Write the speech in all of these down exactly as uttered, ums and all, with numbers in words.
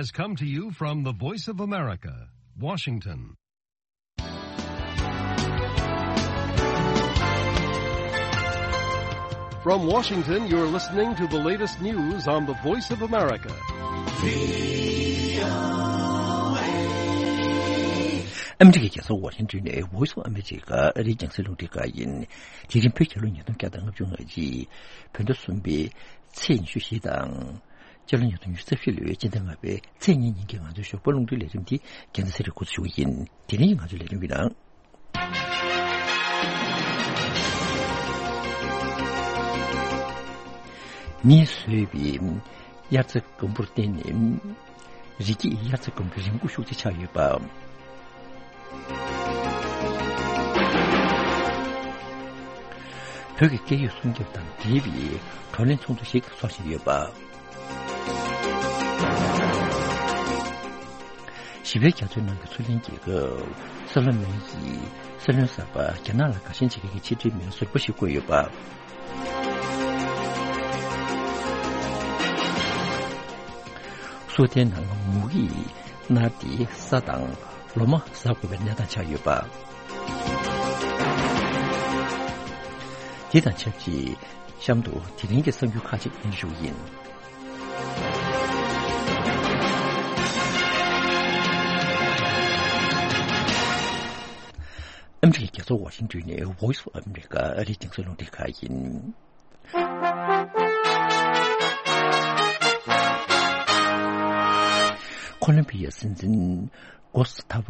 Has come to you from the Voice of America, Washington. From Washington, you're listening to the latest news on the Voice of America. ཨ་མི་རི་ཀའི་རྒྱལ་ས་ཝ་ཤིང་ཏོན་ནས་Voice of America ཨ་རིའི་རྒྱང་སྲིང་རླུང་འཕྲིན་ཁང་ཡིན། དེ་རིང་བོད་རྒྱལ་ལོ་ཉིས་སྟོང་བརྒྱ་དང་ལྔ་བཅུ་ང་གཅིག་བོད་ཟླ་གསུམ་པའི་ཚེས་ཉི་ཤུ་བཞི་དང་། སྤྱི་ལོ་ཉིས་སྟོང་ཉི་ཤུ་རྩ་བཞི་ལོའི་སྤྱི་ཟླ་ལྔ་པའི་ཚེས་གཉིས་ཉིན་གྱི་ང་ཚོའི་ཞོགས་པ་རླུང་འཕྲིན་ལས་རིམ་འདི་རྒྱལ་མཚན་ཚེ་རིང་འགོ་འཛུགས་ཞུ་གི་ཡིན། དེ་རིང་གི་ང་ཚོའི་ལས་རིམ་གྱི་ནང་། མིས་བཟོས་པའི་དབྱར་རྩྭ་དགུན་འབུར་བརྟེན་ནས་རི་སྐྱེས་དབྱར་རྩྭ་དགུན་འབུའི་རིམས་ཁོག་ཤུགས་ཆེ་ཆགས་ཡོད་པ། བོད་ཀྱི་སྐད་ཡིག་སྲུང་སྐྱོབ་དང་འབྲེལ་བའི་བགྲོ་གླེང་ཚོགས་འདུ་ཞིག་འཚོགས་བཞིན་ཡོད་པ། ཞི་བའི་རྒྱ་མཚོའི་ནང་གི་མཚོ་གླིང་རྒྱལ་ཁབ་སི་ལོ་མོན་གྱིས་སྲིད་བློན་གསར་པ་རྒྱ་ནག་ལ་དགའ་ཞེན་བྱེད་མཁན་གྱི་ཕྱི་འབྲེལ་མི་སྣ་ཟུར་པ་ཞིག་བསྐོས་ཡོད་པ། སུའུ་ཏན་ནང་མུ་གེས་མནར་ཏེ་ས་དང་ལོ་མ་ཟ་དགོས་པའི་གནས་སྟངས་ཆགས་ཡོད་པ། དེ་དང་ཆབས་ཅིག་གཤམ་དུ་དེ་རིང་གི་གསར་འགྱུར་ཁག་ཅིག་སྙན་ཞུ་ཡིན། ཨ་མི་རི་ཀའི་རྒྱལ་ས་ཝ་ཤིང་ཏོན་ནས་Voice of America ཨ་རིའི་རྒྱང་སྲིང་རླུང་འཕྲིན་ཁང་ཡིན། ཁོ་ལོམ་བི་ཡའི་སྲིད་འཛིན་གོ་སི་ཐ་བ་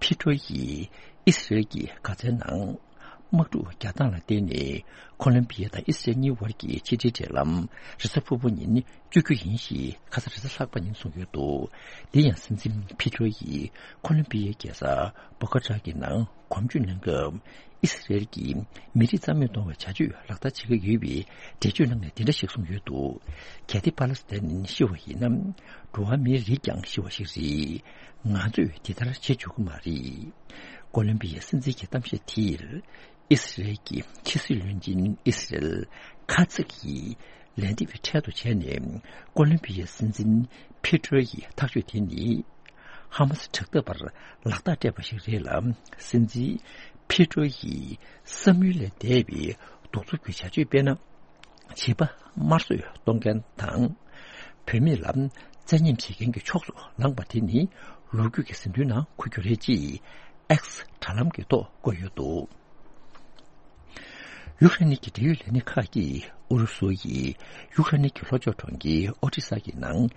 ཕི་ཏྲོ་ཡིས་ཨི་སི་རེལ་གྱི་གྷ་ཛའི་ནང་དམག་འཁྲུག་རྒྱག་སྟངས་ལ་བརྟེན་ནས་ཁོ་ལོམ་བི་ཡ་དང་ཨི་སི་རེལ་གཉིས་བར་གྱི་ཕྱི་འབྲེལ་འབྲེལ་ལམ་རེས་གཟའ་ཕུར་བུ་ཉིན་གཅོད་རྒྱུ་ཡིན་ཞེས་ཁ་སང་རེས་གཟའ་ལྷག་པ་ཉིན་གསུངས་ཡོད་འདུག་དེ་ཡང་སྲིད་འཛིན་ཕི་ཏྲོ་ཡིས་ཁོ་ལོམ་བི་ཡའི་རྒྱལ་ས་བོ་ཀ་ཏྲ་གི་ནང་གོམ་བགྲོད་གནང་སྐབས། ཨི་སི་རེལ་གྱིས་མི་རིགས་རྩ་མེད་གཏོང་བའི་བྱ་སྤྱོད་ལག་བསྟར་བྱེད་ཀྱི་ཡོད་པའི་འགྲེལ་བརྗོད་གནང་ནས་འདི་འདྲ་ཞིག་གསུངས་ཡོད་འདུག་གལ་ཏེ་པ་ལེ་སི་ཐན་ཤི་བ་ཡིན་ན། འགྲོ་བ་མིའི་རིགས་ཀྱང་ཤི་བ་ཞིག་རེད། ང་ཚོས་འདི་ལྟར་བྱེད་ཆོག་གི་མ་རེད། ཀོ་ལོམ་བི་ཡའི་སྲིད་འཛིན་གྱི་གཏམ་བཤད་དེར། ཨི་སི་རེལ་གྱི་ཕྱི་སྲིད་བློན་ཆེན་ཨི་སི་རེལ་ཁ་ཚིག་གིས་ལན་འདེབས་འཕྲལ་དུ་བྱས་ནས། ཀོ་ལོམ་བི་ཡའི་སྲིད་འཛིན་ཕི་ཏྲོ་ཡི་ཐག་གཅོད་དེ་ནི། ཧ་མ་སི་དྲག་འཐབ་པར་ལག་རྟགས་སྤྲད་པ་ཞིག་རེད་ལ། སྲིད་འཛིན་ཕི་ཏྲོ་ཡིས་བསམ་ཡུལ་ལས་འདས་པའི་གདུག་རྩུབ་ཀྱི་བྱ་སྤྱོད་སྤེལ་ན། བྱིས་པ་དམར་གསོད་གཏོང་མཁན་དང་། བུད་མེད་ལ་བཙན་ཉེས་བྱེད་མཁན་གྱི་ཕྱོགས་སུ་ལངས་པ་དེ་ནི་ལོ་རྒྱུས་ཀྱི་ཟིན་ཐོའི་ནང་འཁོད་རྒྱུ་རེད་ཅེས་ཨེགས་དྲ་ལམ་གྱི་ཐོག་བཀོད་ཡོད་འདུག་ཡུཀ་རེན་གྱི་འབྲེལ་ཡོད་ལས་སྣེ་ཁག་གིས་ཨུ་རུ་སུ་ཡིས་ཡུཀ་རེན་གྱི་ལྷོ་ཕྱོགས་གྲོང་ཁྱེར་ཨོ་ཏི་ས་གི་ནང་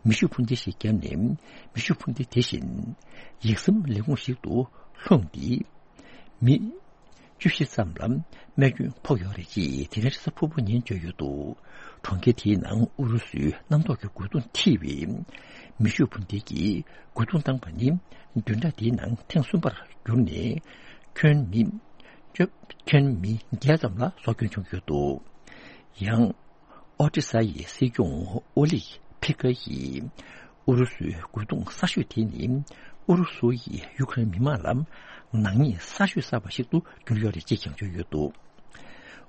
མེ་ཤུགས་འཕུར་མདེལ་ཞིག་བརྒྱབ་ནས། མེ་ཤུགས་འཕུར་མདེལ་དེ་བཞིན་ཡིག་ཟམ་ལས་ཁུངས་ཤིག་ཏུ་ལྷུང་སྟེ། མི་བཅུ་བཞི་ཙམ་ལ་རྨས་སྐྱོན་ཕོག་ཡོད་རེད་ཅེས་དེ་རིང་རེས་གཟའ་ཕུར་བུ་ཉིན་བརྗོད་ཡོད་འདུག་གྲོང་ཁྱེར་དེའི་ནང་ཨུ་རུ་སུའི་གནམ་ཐོག་གི་རྒོལ་རྡུང་འཐིབས་པའི་མེ་ཤུགས་འཕུར་མདེལ་གྱིས་རྒོལ་རྡུང་བཏང་པ་ནི་བདུན་ཕྲག་འདིའི་ནང་ཐེངས་གསུམ་པར་གྱུར་ནས། ཁྱོན་མི་བཅོ་ཁྱོན་མི་བརྒྱད་ཙམ་ལ་སྲོག་སྐྱོན་བྱུང་ཡོད་འདུག་ཡང་། ཨོ་ཏི་ས་ཡི་སྲིད་སྐྱོང་ཨོ་ལིག་ཕི་ཀ་ཡིས་ཨུ་རུ་སུའི་རྒོལ་རྡུང་གསར་ཤོས་དེ་ནི་ཨུ་རུ་སུ་ཡིས་ཡུ་ཀེ་རེན་མི་མང་ལ་ནག་ཉེས་གསར་ཤོས་བསགས་པ་ཞིག་ཏུ་གྱུར་ཡོད་རེད་ཅེས་ཀྱང་བརྗོད་ཡོད་འདུག་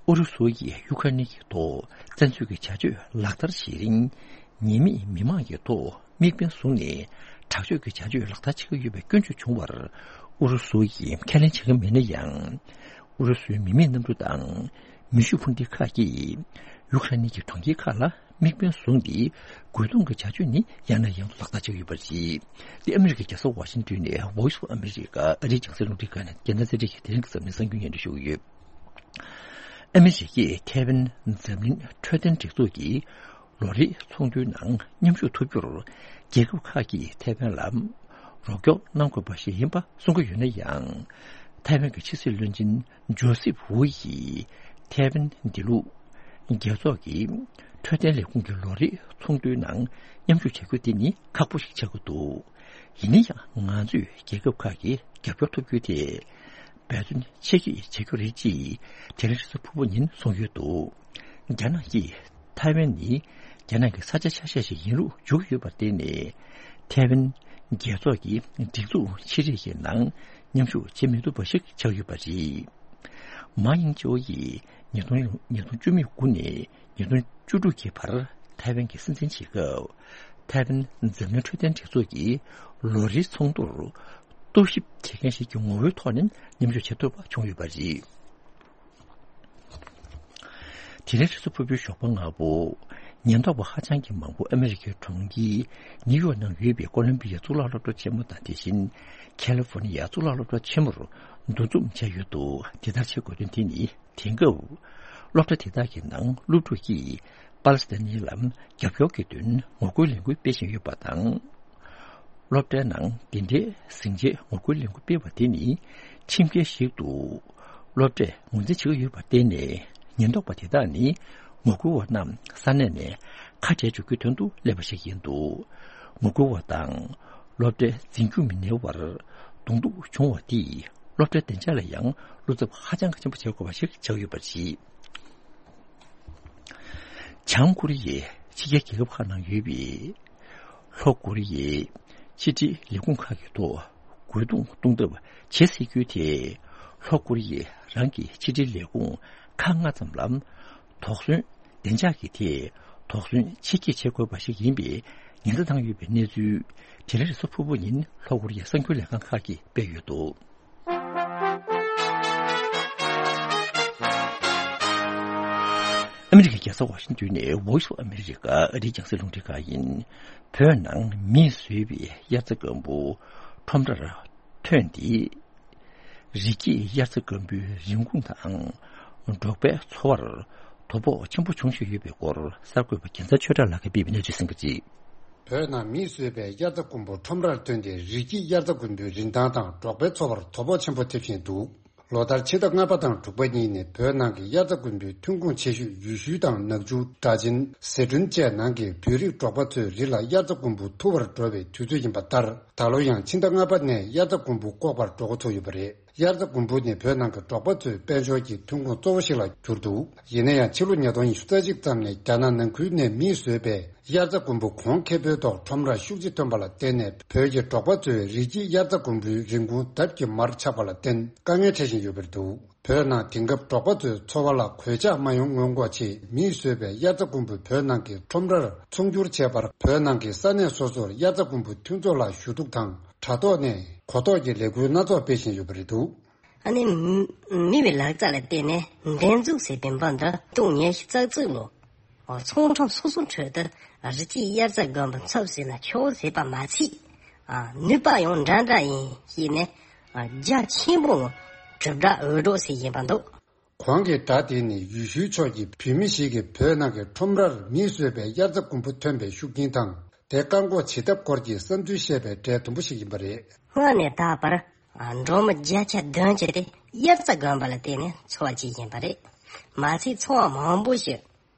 ཨུ་རུ་སུ་ཡིས་ཡུ་ཀེ་རེན་གྱི་ཐོག་བཙན་འཛུལ་གྱི་བྱ་སྤྱོད་ལག་བསྟར་བྱེད་རིང་། ཉེས་མེད་མི་མང་གི་ཐོག་དམིགས་འབེན་བཟུང་ནས་དྲག་སྤྱོད་ཀྱི་བྱ་སྤྱོད་ལག་བསྟར་བྱེད་ཀྱི་ཡོད་པའི་སྐྱོན་བརྗོད་བྱུང་བར། ཨུ་རུ་སུ་ཡིས་ཁས་ལེན་བྱེད་ཀྱི་མེད་ན་ཡང་། ཨུ་རུ་སུའི་མི་མེད་གནམ་གྲུ་དང་མེ་ཤུགས་འཕུར་མདེལ་ཁག་གིས་ཡུཀ་རེན་གྱི་གྲོང་ཁྱེར་ཁག་ལ་དམིགས་འབེན་བཟུང་སྟེ། རྒོལ་རྡུང་གི་བྱ་སྤྱོད་ནི་ཡང་ནས་ཡང་དུ་ལག་བསྟར་བྱེད་ཀྱི་ཡོད་པ་རེད། འདི་ཨ་མི་རི་ཀའི་རྒྱལ་ས་ཝ་ཤིང་ཏོན་ནས་Voice of America ཨ་རིའི་རྒྱང་སྲིང་རླུང་འཕྲིན་ཁང་ནས་རྒྱལ་ན་ཚེ་རིང་གིས་དེ་རིང་གི་གཟབ་ནན་གསར་འགྱུར་སྙན་སྒྲོན་ཞུ་གི་ཡོད། ཨ་མི་རི་ཀས་ཐའེ་ཝན་འཛམ་གླིང་འཕྲོད་བསྟེན་སྒྲིག་འཛུགས་ཀྱི་ལོ་རེའི་ཚོགས་འདུའི་ནང་མཉམ་ཞུགས་ཐུབ་རྒྱུར། རྒྱལ་ཁབ་ཁག་གིས་ཐའེ་ཝན་ལ་རོགས་སྐྱོར་གནང་དགོས་པ་ཞིག་ཡིན་པ་གསུང་གི་ཡོད་ན་ཡང་། ཐའེ་ཝན་གྱི་ཕྱི་སྲིད་བློན་ཆེན་ཇོ་སིབ་ཝུ་ཡིས་ཐའེ་ཝན་འདི་ལུ་རྒྱལ་ཚོགས་ཀྱི་འཕྲོད་བསྟེན་ལས་ཁུངས་ཀྱི་ལོ་རེའི་ཚོགས་འདུའི་ནང་མཉམ་ཞུགས་བྱ་རྒྱུ་དེ་ནི་ཁག་པོ་ཞིག་ཆགས་ཀྱི་འདུག་ཡིན་ན་ཡང་ང་ཚོས་རྒྱལ་ཁབ་ཁག་གི་རྒྱབ་སྐྱོར་ཐོབ་རྒྱུ་དེ། འབད་བརྩོན་ཆེ་བསྐྱེད་བྱེད་རྒྱུ་རེད་ཅེས་དེ་རིང་རེས་གཟའ་ཕུར་བུ་ཉིན་གསུངས་ཡོད་འདུག་རྒྱ་ནག་གིས་ཐའེ་ཝན་ནི་རྒྱ་ནག་གི་ས་ཆ་ཆ་ཤས་ཤིག་ཡིན་ལུགས་བརྗོད་ཀྱི་ཡོད་པར་བརྟེན་ནས། ཐའེ་ཝན་རྒྱལ་ཚོགས་ཀྱི་སྒྲིག་འཛུགས་ཆེ་རིགས་ཀྱི་ནང་མཉམ་ཞུགས་བྱེད་མི་ཐུབ་པ་ཞིག་ཆགས་ཡོད་པ་རེད། མཱ་ཡིང་ཅའོ་ཡིས་ཉིས་སྟོང་ཉིས་སྟོང་བཅུ་མེད་དགུ་ནས་ཉིས་སྟོང་བཅུ་དྲུག་གི་བར་ཐའེ་ཝན་གྱི་སྲིད་འཛིན་བྱེད་སྐབས། ཐའེ་ཝན་འཛམ་གླིང་འཕྲོད་བསྟེན་སྒྲིག་འཛུགས་ཀྱི་ལོ་རེའི་ཚོགས་འདུར་གཏོར་བཤིག་བྱེད་མཁན་ཞིག་གི་ངོ་བོའི་ཐོག་ནས་མཉམ་ཞུགས་བྱེད་ཐུབ་པ་བྱུང་ཡོད་པ་རེད། དེ་རིང་རེས་གཟའ་ཕུར་བུའི་ཞོགས་པ་སྔ་པོ། ཉེན་རྟོག་པ་ཧ་ཅང་གི་མང་པོ་ཨ་མི་རི་ཀའི་གྲོང་ཁྱེར་ནིའུ་ཡོག་ནང་ཡོད་པའི་ཀོ་ལོམ་བི་ཡའི་གཙུག་ལག་སློབ་གྲྭ་ཆེན་མོ་དང་དེ་བཞིན་ཁ་ལི་ཧྥོ་ནི་ཡའི་གཙུག་ལག་སློབ་གྲྭ་ཆེན་མོར་འདུ་འཛོམས་བྱས་ཡོད་འདུག་དེ་ལྟར་བྱེད་དགོས་དོན་དེ་ནི། དེང་སྐབས། སློབ་གྲྭ་དེ་དག་གི་ནང་སློབ་ཕྲུག་གིས་པ་ལི་སི་ཐན་ནི་ལ་རྒྱབ་སྐྱོར་གྱི་དོན་ངོ་རྒོལ་ལས་འགུལ་སྤེལ་བཞིན་ཡོད་པ་དང་། སློབ་གྲྭའི་ནང་འདི་འདྲའི་ཟིང་ཆའི་ངོ་རྒོལ་ལས་འགུལ་སྤེལ་བ་དེ་ནི་ཁྲིམས་འགལ་ཞིག་ཏུ་སློབ་གྲྭས་ངོས་འཛིན་བྱེད་ཀྱི་ཡོད་པར་བརྟེན་ནས། ཉེན་རྟོག་པ་དེ་དག་ནི་ངོ་རྒོལ་བ་རྣམས་ས་གནས་ནས་ཁ་བྲལ་འཇུག་རྒྱུའི་དོན་དུ་སླེབས་པ་ཞིག་ཡིན་འདུག་ངོ་རྒོལ་བ་དང་སློབ་གྲྭའི་འཛིན་སྐྱོང་མི་སྣའི་བར་གདོང་ཐུག་བྱུང་བ་དེས་སློབ་གྲྭའི་བདེ་འཇགས་ལ་ཡང་བློ་འཚབ་ཧ་ཅང་གི་ཆེན་པོ་བྱེད་དགོས་པ་ཞིག་ཆགས་ཡོད་པ་རེད། བྱང་ཀོ་རི་ཡའི་ཕྱི་རྒྱལ་རྒྱལ་ཁབ་ཁག་ནང་ཡོད་པའི་ལྷོ་ཀོ་རི་ཡའི་ཕྱི་འབྲེལ་ལས་ཁུངས་ཁག་གི་ཐོག་རྒོལ་རྡུང་གཏོང་ཐབས་བྱེད་སྲིད་རྒྱུ་དེ། ལྷོ་ཀོ་རི་ཡས་རང་གི་ཕྱི་འབྲེལ་ལས་ཁུངས་ཁག་ལྔ་ཙམ་ལ་དོགས་ཟོན། བདེ་འཇགས་ཀྱི་ཐད་དོགས་ཟོན་ཆེ་བསྐྱེད་བྱེད་དགོས་པ་ཞིག་ཡིན་པའི་ཉེན་བརྡ་བཏང་ཡོད་པའི་གནས་ཚུལ། དེ་རིང་རེས་གཟའ་ཕུར་བུ་ཉིན་ལྷོ་ཀོ་རི་ཡའི་གསར་འགྱུར་ལས་ཁང་ཁག་གིས་སྤེལ་ཡོད་འདུག་ཨ་མི་རི་ཀའི་རྒྱལ་ས་ཝ་ཤིང་ཏོན་ནས་Voice of America ཨ་རིའི་རྒྱང་སྲིང་རླུང་འཕྲིན་ཁང་ཡིན། བོད་ནང་མིས་བཟོས་པའི་དབྱར་རྩྭ་སྒམ་པོ་ཁྲོམ་རར་ཐོན་ཏེ། རི་སྐྱེས་དབྱར་རྩྭ་སྒམ་པོའི་རིན་གོང་དང་འབྲོག་པའི་འཚོ་བར་དོ་ཕོག་ཆེན་པོ་བྱུང་བཞིན་ཡོད་པའི་སྐོར་གསར་འགོད་པ་རྒྱལ་མཚན་ཆོས་གྲགས་ལགས་ཀྱིས་སྤེལ་བའི་གནས་ཚུལ་གསན་གྱི་རེད། བོད་ནང་མིས་བཟོས་པའི་དབྱར་རྩྭ་དགུན་འབུ་ཁྲོམ་རར་ཐོན་ཏེ། རི་སྐྱེས་དབྱར་རྩྭ་དགུན་འབུའི་རིན་ཐང་དང་འབྲོག་པའི་འཚོ་བར་དོ་ཕོག་ཆེན་པོ་ཐེབས་བཞིན་འདུག་ལོ་ལྟར་ཕྱི་ཟླ་ལྔ་པ་དང་དྲུག་པ་གཉིས་ནས་བོད་ནང་གི་དབྱར་རྩྭ་དགུན་འབུའི་ཐོན་ཁུངས་ཆེ་ཤོས་ཡུལ་ཤུལ་དང་ནག་ཆུ། སྦྲ་ཆེན། ཟི་ཁྲོན་བཅས་ནང་གི་བོད་རིགས་འབྲོག་པ་ཚོས་རི་ལ་དབྱར་རྩྭ་དགུན་འབུ་འཐུ་བར་འགྲོ་བའི་དུས་ཚོད་ཡིན་པ་ལྟར། ད་ལོ་ཡང་ཕྱི་ཟླ་ལྔ་པ་ནས་དབྱར་རྩྭ་དགུན་འབུ་བཀོག་པར་འགྲོ་འགོ་ཚུགས་ཡོད་པ་རེད། དབྱར་རྩྭ་དགུན་འབུ་ནི་བོད་ནང་གི་འབྲོག་པ་ཚོའི་དཔལ་འབྱོར་གྱི་ཐོན་ཁུངས་གཙོ་བོ་ཞིག་ལ་གྱུར་འདུག་ཡིན་ན་ཡང་ཕྱི་ལོ་ཉིས་སྟོང་ཉི་ཤུ་རྩ་གཅིག་ཙམ་ནས་རྒྱ་ནག་ནང་ཁུལ་ནས་མིས་བཟོས་པའི་དབྱར་རྩྭ་དགུན་འབུ་གོང་ཁེ་པོའི་ཐོག་ཁྲོམ་རར་ཤུགས་ཆེ་ཐོན་པ་ལ་བརྟེན་ནས། བོད་ཀྱི་འབྲོག་པ་ཚོའི་རི་སྐྱེས་དབྱར་རྩྭ་དགུན་འབུའི་རིན་གོང་ལྡབ་ཀྱིས་མར་ཆག་པ་ལ་བརྟེན། དཀའ་ངལ་འཕྲད་བཞིན་ཡོད་པ་རེད་འདུག་བོད་ནང་དེང་སྐབས་འབྲོག་པ་ཚོའི་འཚོ་བ་ལ་གོད་ཆག་མ་ཡོང་སྔོན་འགོག་ཆེད། མིས་བཟོས་པའི་དབྱར་རྩྭ་དགུན་འབུ་བོད་ནང་གི་ཁྲོམ་རར་ཚོང་སྒྱུར་བྱས་པར། བོད་ནང་གི་ས་གནས་སོ་སོར་དབྱར་རྩྭ་དགུན་འབུ་མཐུན་ཚོགས་ལ་ཞུ་གཏུག་དང་། དྲ་ཐོག་ནས་གོ་རྟོགས་ཀྱི་ལས་འགུལ་སྣ་ཚོགས་སྤེལ་བཞིན་ཡོད་པ་རེད་འདུག་ཨ་ནི། མི་བའི་ལག་རྩལ་ལ་བརྟེན་ནས་འདེབས་འཛུགས་ཟེར་བའི་འབུམ་སྡེ་སྟོང་ཉི་ཤུ་རྩ་གཅིག་ལོ། ཚོང་ཁྲོམ་སོ་སོའི་ཁྲོད་དུ་རི་སྐྱེས་དབྱར་རྩྭ་དགུན་འབུ་འཚུབ་ཟིན་ན་ཆོག་ཟེར་བ་མ་ཚད། ནུས་པ་ཡང་འདྲ་འདྲ་ཡིན་ཞེས་ནས། རྒྱ་ཆེན་པོ་གྲུབ་འབྲས་འོས་སྒྲོག་ཟེར་བཞིན་པ་འདུག་གོང་གི་སྒྲ་དེ་ནི་ཡུལ་ཤུལ་ཕྱོགས་ཀྱི་བོད་མི་ཞིག་གིས་བོད་ནང་གི་ཁྲོམ་རར་མིས་བཟོས་པའི་དབྱར་རྩྭ་དགུན་འབུ་ཐོན་པའི་ཤུགས་རྐྱེན་དང་། དེ་བཀག་འགོག་བྱེད་ཐབས་སྐོར་གྱི་བསམ་ཚུལ་བཤད་པའི་གྲས་དུམ་བུ་ཞིག་ཡིན་པ་རེད། སྔོན་ནས་ད་བར་འབྲོག་མི་བརྒྱ་ཆ་བདུན་ཅུ་དེ་དབྱར་རྩྭ་དགུན་འབུ་ལ་བརྟེན་ནས་འཚོ་བ་སྐྱེལ་བཞིན་པ་རེད། མ་ཚད་ཚོང་བ་མང་པོ་ཞིག་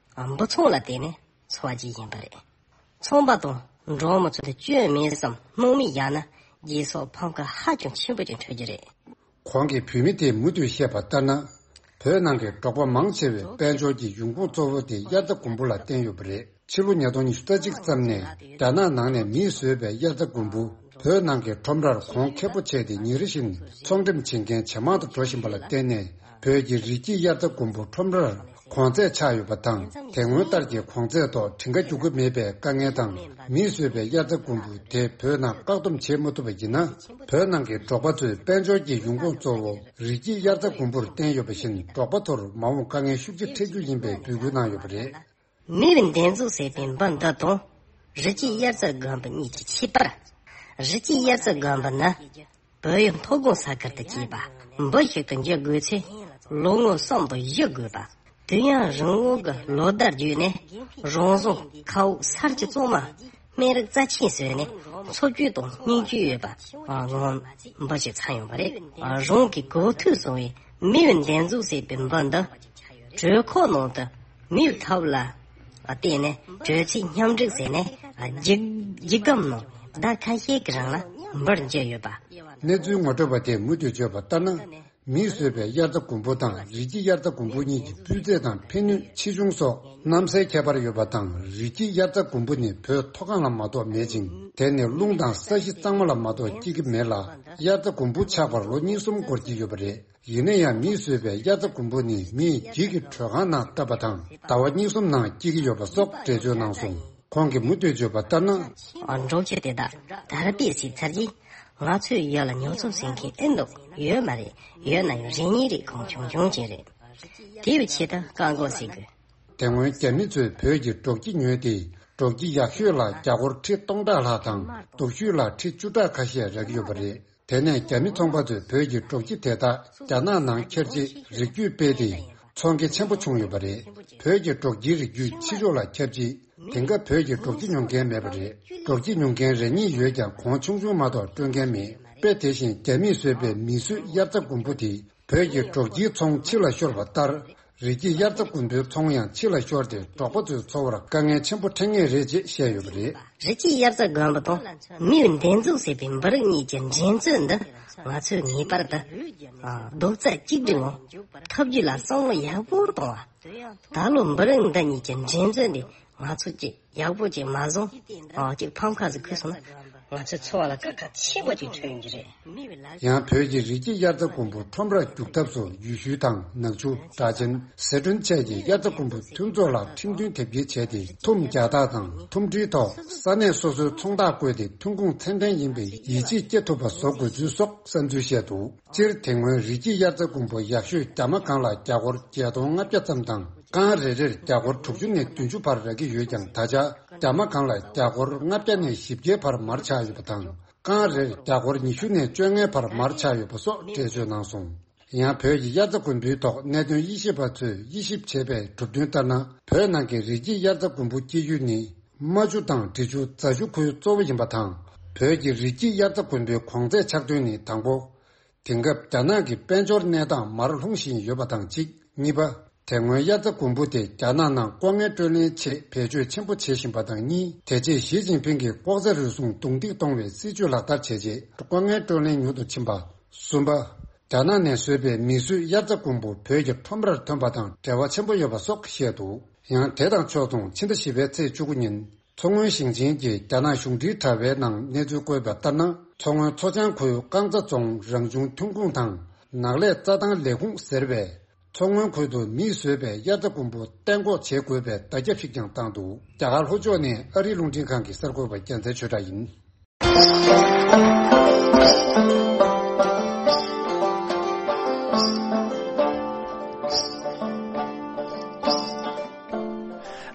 འབུ་ཚོང་ལ་བརྟེན་ནས་འཚོ་བ་སྐྱེལ་བཞིན་པ་རེད། ཚོང་པ་དང་འབྲོག་མི་ཚོ་དེ་སྐྱོན་མེད་བསམ་སྣང་མེད་བཞག་ན་རྗེས་སོར་ཕམ་ཁ་ཧ་ཅང་ཆེན་པོ་ཅིག་འཕྲོད་ཀྱི་རེད། གོང་གི་བོད་མི་དེས་མུ་མཐུད་བཤད་པ་ལྟར་ན། བོད་ནང་གི་འབྲོག་པ་མང་ཆེ་བའི་དཔལ་འབྱོར་གྱི་ཡོང་ཁུངས་གཙོ་བོ་དེ་དབྱར་རྩྭ་དགུན་འབུ་ལ་བརྟེན་ཡོད་པ་རེད། ཕྱི་ལོ་ཉིས་སྟོང་ཉི་ཤུ་རྩ་གཅིག་ཙམ་ནས་རྒྱ་ནག་ནང་ནས་མིས་བཟོས་པའི་དབྱར་རྩྭ་དགུན་འབུ་བོད་ནང་གི་ཁྲོམ་རར་གོང་ཁེ་པོ་ཆགས་ཏེ་ཉིན་རེ་བཞིན་ཚོང་འགྲེམས་བྱེད་མཁན་ཇེ་མང་དུ་འགྲོ་བཞིན་པ་ལ་བརྟེན་ནས། བོད་ཀྱི་རི་སྐྱེས་དབྱར་རྩྭ་དགུན་འབུ་ཁྲོམ་རར་གོང་ཚད་ཆག་ཡོད་པ་དང་། དེ་སྔོན་ལྟར་གྱི་གོང་ཚད་ཐོག་བྲིན་ཁ་རྒྱུག་གི་མེད་པའི་དཀའ་ངལ་དང་། མིས་བཟོས་པའི་དབྱར་རྩྭ་དགུན་འབུ་དེ་བོད་ནང་བཀག་སྡོམ་བྱེད་མ་ཐུབ་པ་ཡིན་ན། བོད་ནང་གི་འབྲོག་པ་ཚོའི་དཔལ་འབྱོར་གྱི་ཡོང་ཁུངས་གཙོ་བོ་རི་སྐྱེས་དབྱར་རྩྭ་དགུན་འབུར་བརྟེན་ཡོད་པ་བཞིན། འབྲོག་པ་ཚོར་མ་འོངས་དཀའ་ངལ་ཤུགས་ཆེ་འཕྲད་རྒྱུ་ཡིན་པའི་འབོད་སྐུལ་གནང་ཡོད་པ་རེད། མི་བའི་འདེབས་འཛུགས་ཟེར་བའི་འབུམ་སྡེ་དང་། རི་སྐྱེས་དབྱར་རྩྭ་དགུན་འབུ་གཉིས་ཀྱི་ཁྱད་པར། རི་སྐྱེས་དབྱར་རྩྭ་དགུན་འབུ་ནི། བོད་ཡུལ་མཐོ་སྒང་ས་ཁུལ་དུ་སྐྱེས་པ། འབུ་ཞིག་ཏུ་འགྱུར་དགོས་ཚེ། ལོ་ངོ་གསུམ་དང་བཞི་དགོས་པ། དུས་ཡུན་རིང་བོ་གི་ལོ་ཟླ་བརྒྱུད་ནས། རང་བཟོ་ཁ་འུག་གསར་གྱི་གཙང་མ། སྨན་རིགས་རྩ་ཆེན་བཟོས་ནས། འཚོ་བཅུད་དང་སྙིང་བཅུད་ཡོད་པ། ངང་འབུ་ཞིག་ཚང་ཡོང་བ་རེད། རང་གི་གོ་ཐོས་བཟུང་བའི་མི་བའི་འདེབས་འཛུགས་ཟེར་བའི་འབུམ་སྡེ། དྲོད་ཁོག་ནང་དུ་མིའི་ཐབས་ལ་བརྟེན་ནས་དྲོད་ཚད་མཉམ་འགྲིག་བྱས་ནས་རྒྱུད་རྒྱུད་སྐམ་ནང་ཟླ་ཁ་ཤས་ཀྱི་རིང་ལ་འབུར་འགྱུར་ཡོད་པ། གནས་ཚུལ་ངོ་སྤྲོད་པ་དེས་མུ་མཐུད་བརྗོད་པ་ལྟར་ན། མིས་བཟོས་པའི་དབྱར་རྩྭ་དགུན་འབུ་དང་རི་སྐྱེས་དབྱར་རྩྭ་དགུན་འབུ་གཉིས་ཀྱི་སྤུས་ཚད་དང་ཕན་ནུས་ཆེ་ཆུང་སོགས་གནམ་སའི་ཁྱད་པར་ཡོད་པ་དང་། རི་སྐྱེས་དབྱར་རྩྭ་དགུན་འབུ་ནི་བོད་མཐོ་སྒང་ལ་མ་གཏོགས་མེད་ཅིང་། དེ་ནི་རླུང་དང་ས་གཞི་གཙང་མ་ལ་མ་གཏོགས་སྐྱེ་གི་མེད་ལ། དབྱར་རྩྭ་དགུན་འབུ་ཆགས་པར་ལོ་གཉིས་གསུམ་འགོར་གྱི་ཡོད་པ་རེད། ཡིན་ན་ཡང་མིས་བཟོས་པའི་དབྱར་རྩྭ་དགུན་འབུ་ནི་མིས་འགྱིག་གི་དྲོད་ཁང་ནང་བཏབ་པ་དང་ཟླ་བ་གཉིས་གསུམ་ནང་སྐྱེ་གི་ཡོད་པ་སོགས་འགྲེལ་བརྗོད་གནང་སོང་། ཁོང་གིས་མུ་མཐུད་བརྗོད་པ་ལྟར་ན། འབྲོག་སྤྱི་དེ་དག་དར་སྤེལ་བྱས་ཚར་རྗེས། ང་ཚོའི་ཡུལ་ལ་ཉོ་ཚོང་བྱེད་མཁན་ཨེ་འདུག་ཡོད་མ་རེད། ཡོད་ན་ཡང་རེ་གཉིས་རེ་གང་བྱུང་བྱུང་ཅིག་རེད། དེའི་ཆེད་དུ་བཀག་འགོག་བྱེད་དགོས། དེ་སྔོན་རྒྱ་མི་ཚོས་བོད་ཀྱི་འབྲོག་སྐྱིད་ཉོས་ཏེ། འབྲོག་སྐྱིད་ཡག་ཤོས་ལ་རྒྱ་སྒོར་ཁྲི་སྟོང་ཕྲག་ལྷག་དང་། སྡུག་ཤོས་ལ་ཁྲི་བཅུ་ཕྲག་ཁ་ཤས་རག་གི་ཡོད་པ་རེད། དེ་ནས་རྒྱ་མི་ཚོང་པ་ཚོས་བོད་ཀྱི་འབྲོག་སྐྱིད་དེ་དག་རྒྱ་ནག་ནང་འཁྱེར་རྗེས་རིགས་རྒྱུད་སྤེལ་ཏེ། ཚོང་ཁེ་ཆེན་པོ་བྱུང་ཡོད་པ་རེད། བོད་ཀྱི་འབྲོག་སྐྱིད་རིགས་རྒྱུད་ཕྱི་ཕྱོགས་ལ་ཁྱབ་རྗེས། དེང་སྐབས་བོད་ཀྱི་འབྲོག་སྐྱིད་ཉོ་མཁན་མེད་པ་རེད། འབྲོག་སྐྱིད་ཉོ་མཁན་རེ་གཉིས་ཡོད་ཀྱང་། གོང་ཆུང་ཆུང་མ་གཏོགས་སྤྲོད་མཁན་མེད། དཔེ་དེ་བཞིན་རྒྱ་མིས་བཟོས་པའི་མིས་བཟོས་དབྱར་རྩྭ་དགུན་འབུ་དེ། བོད་ཀྱི་འབྲོག་སྐྱིད་ཚོང་ཕྱི་ལ་ཤོར་བ་ལྟར། རི་སྐྱེས་དབྱར་རྩྭ་དགུན་འབུའི་ཚོང་ཡང་ཕྱི་ལ་ཤོར་ཏེ། འབྲོག་པ་ཚོའི་འཚོ་བར་དཀའ་ངལ་ཆེན་པོ་འཕྲད་ངེས་རེད་ཅེས་བཤད་ཡོད་པ་རེད། རི་སྐྱེས་དབྱར་རྩྭ་དགུན་འབུ་དང་མིའི་འདེབས་འཛུགས་བྱས་པའི་འབུ་རིགས་གཉིས་ཀྱི་འགྲན་རྩོད་འདི་ང་ཚོས་ངེས་པར་དུ། ཨ། རྡོག་རྩ་གཅིག་སྒྲིལ་ངང་ཐབས་ཇུས་ལ་བསམ་བློ་ཡག་པོ་གཏོང་བ། ད་ལོ་འབུ་རིགས་འདི་གཉིས་ཀྱི་འགྲན་རྩོད་འདི་ང་ཚོ་གཅིག་ཡག་པོ་ཅིག་མ་བཟུང་། ཨ། ཅིག་ཕམ་ཁ་ཟིག་ཁུར་སོང་ན། ང་ཚོའི་འཚོ་བ་ལ་དཀའ་ཁག་ཆེན་པོ་ཅིག་འཕྲད་ཡོང་གི་རེད། ཡང་བོད་ཀྱི་རི་སྐྱེས་དབྱར་རྩྭ་དགུན་འབུ་ཁྲོམ་རར་རྒྱུག་ཐབས་སུ། ཡུལ་ཤུལ་དང་ནག་ཆུ། སྦྲ་ཆེན། ཟི་ཁྲོན་བཅས་ཀྱི་དབྱར་རྩྭ་དགུན་འབུ་མཐུན་ཚོགས་ལ་ཁྲིམས་མཐུན་དེབ་སྐྱེལ་བྱས་ཏེ། ཐུམ་རྒྱག་རྟགས་དང་ཐུམ་སྒྲིལ་ཐོག་ས་གནས་སོ་སོའི་ཚོང་རྟགས་བཀོད་དེ། ཐོན་ཁུངས་ཚད་ལྡན་ཡིན་པའི་ཡིད་ཆེས་སྐྱེ་ཐུབ་པ་བཟོ་དགོས་ཚུལ་སོགས་བསམ་ཚུལ་བཤད་འདུག་སྤྱིར་དེ་སྔོན་རི་སྐྱེས་དབྱར་རྩྭ་དགུན་འབུ་ཡག་ཤོས་རྒྱ་མ་གང་ལ་རྒྱ་སྒོར་བརྒྱད་སྟོང་ལྔ་བརྒྱ་ཙམ་དང་། རྐང་རེ་རེར་རྒྱ་སྒོར་དྲུག་ཅུ་ནས་བདུན་ཅུ་བར་རག་གི་ཡོད་ཀྱང་། ད་ཆ་རྒྱ་མ་གང་ལ་རྒྱ་སྒོར་ལྔ་བརྒྱ་ནས་བཞི་བརྒྱའི་བར་མར་ཆག་ཡོད་པ་དང་། རྐང་རེར་རྒྱ་སྒོར་ཉི་ཤུ་ནས་བཅོ་ལྔའི་བར་མར་ཆག་ཡོད་པ་སོགས་འགྲེལ་བརྗོད་གནང་སོང་། ཡང་བོད་ཀྱི་དབྱར་རྩྭ་དགུན་འབུའི་ཐོག་གནད་དོན་དབྱེ་ཞིབ་པ་ཚོས་དབྱེ་ཞིབ་བྱས་པའི་གྲུབ་དོན་ལྟར་ན། བོད་ནང་གི་རི་སྐྱེས་དབྱར་རྩྭ་དགུན་འབུ་སྐྱེ་ཡུལ་ནི། རྨ་ཆུ་དང་འབྲི་ཆུ་རྫ་ཆུ་ཁུལ་གཙོ་བོ་ཡིན་པ་དང་། བོད་ཀྱི་རི་སྐྱེས་དབྱར་རྩྭ་དགུན་འབུའི་གོང་ཚད་ཆག་དོན་ནི། དང་པོ། དེང་སྐབས་རྒྱ་ནག་གི་དཔལ་འབྱོར་གནས་སྟངས་མར་ལྷུང་བཞིན་ཡོད་པ་དང་གཅིག་གཉིས་པ། དེ་སྔོན་དབྱར་རྩྭ་དགུན་འབུ་དེ་རྒྱ་ནག་ནང་ལྐོག་རྔན་སྤྲོད་ལེན་ཆེད་བེད་སྤྱོད་ཆེན་པོ་བྱེད་བཞིན་པ་དང་གཉིས། དེ་རྗེས་ཞི་ཅིན་ཕིང་གིས་ལྐོག་ཟ་རུལ་སུངས་རྡུང་རྡེག་གཏོང་བའི་སྲིད་ཇུས་ལག་བསྟར་བྱས་རྗེས། ལྐོག་རྔན་སྤྲོད་ལེན་ཉུང་དུ་ཕྱིན་པ། གསུམ་པ། རྒྱ་ནག་ནས་བཟོས་པའི་མིས་བཟོས་དབྱར་རྩྭ་དགུན་འབུ་བོད་ཀྱི་ཁྲོམ་རར་ཐོན་པ་དང་འབྲེལ་བ་ཆེན་པོ་ཡོད་པ་སོགས་བཤད་འདུག་ཡང་དེ་དང་ཕྱོགས་མཚུངས། ཕྱི་ཟླ་བཞི་པའི་ཚེས་བཅུ་དགུ་ཉིན། མཚོ་སྔོན་ཞིང་ཆེན་གྱི་རྒྱ་ནག་གཞུང་འབྲེལ་དྲ་བའི་ནང་གནས་ཚུལ་བཀོད་པ་ལྟར་ན། མཚོ་སྔོན་མཚོ་བྱང་ཁུལ་རྐང་ཚ་རྫོང་རང་བྱུང་ཐོན་ཁུངས་དང་ནགས་ལས་རྩྭ་ཐང་ལས་ཁུངས་ཟེར་བས། མཚོ་སྔོན་ཁུལ་དུ་མིས་བཟོས་པའི་དབྱར་རྩྭ་དགུན་འབུ་གཏན་འགོག་བྱེད་དགོས་པའི་བརྡ་ཁྱབ་ཞིག་ཀྱང་བཏང་འདུག་རྒྱ་གར་ལྷོ་ཕྱོགས་ནས་ཨ་རིའི་རླུང་འཕྲིན་ཁང་གི་གསར་འགོད་པ་རྒྱལ་མཚན་ཆོས་གྲགས་ཡིན།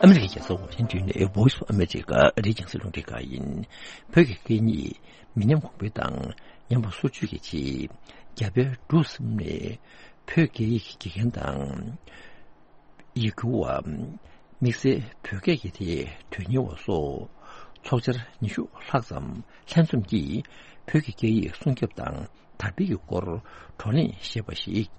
ཨ་མི་རི་ཀའི་རྒྱལ་ས་ཝ་ཤིང་ཏོན་ནས་Voice of America ཨ་རིའི་རྒྱང་སྲིང་རླུང་འཕྲིན་ཁང་ཡིན། བོད་ཀྱི་སྐད་གཉིས་མི་ཉམས་གོང་འཕེལ་དང་ཉམས་པ་སོར་ཆུད་ཀྱི་ཆེད། རྒྱ་བལ་འབྲུག་གསུམ་ནས་བོད་སྐད་ཡིག་དགེ་རྒན་དང་། ཡིག་སྒྱུར་བ། དམིགས་བསལ་བོད་སྐད་ཀྱི་ཐད་དོན་གཉེར་བ་སོགས་ཚོགས་བཅར་ཉི་ཤུ་ལྷག་ཙམ་ལྷན་འཛོམས་ཀྱིས་བོད་ཀྱི་སྐད་ཡིག་སྲུང་སྐྱོབ་དང་དར་སྤེལ་གྱི་སྐོར་བགྲོ་གླེང་ཞེས་པ་ཞིག་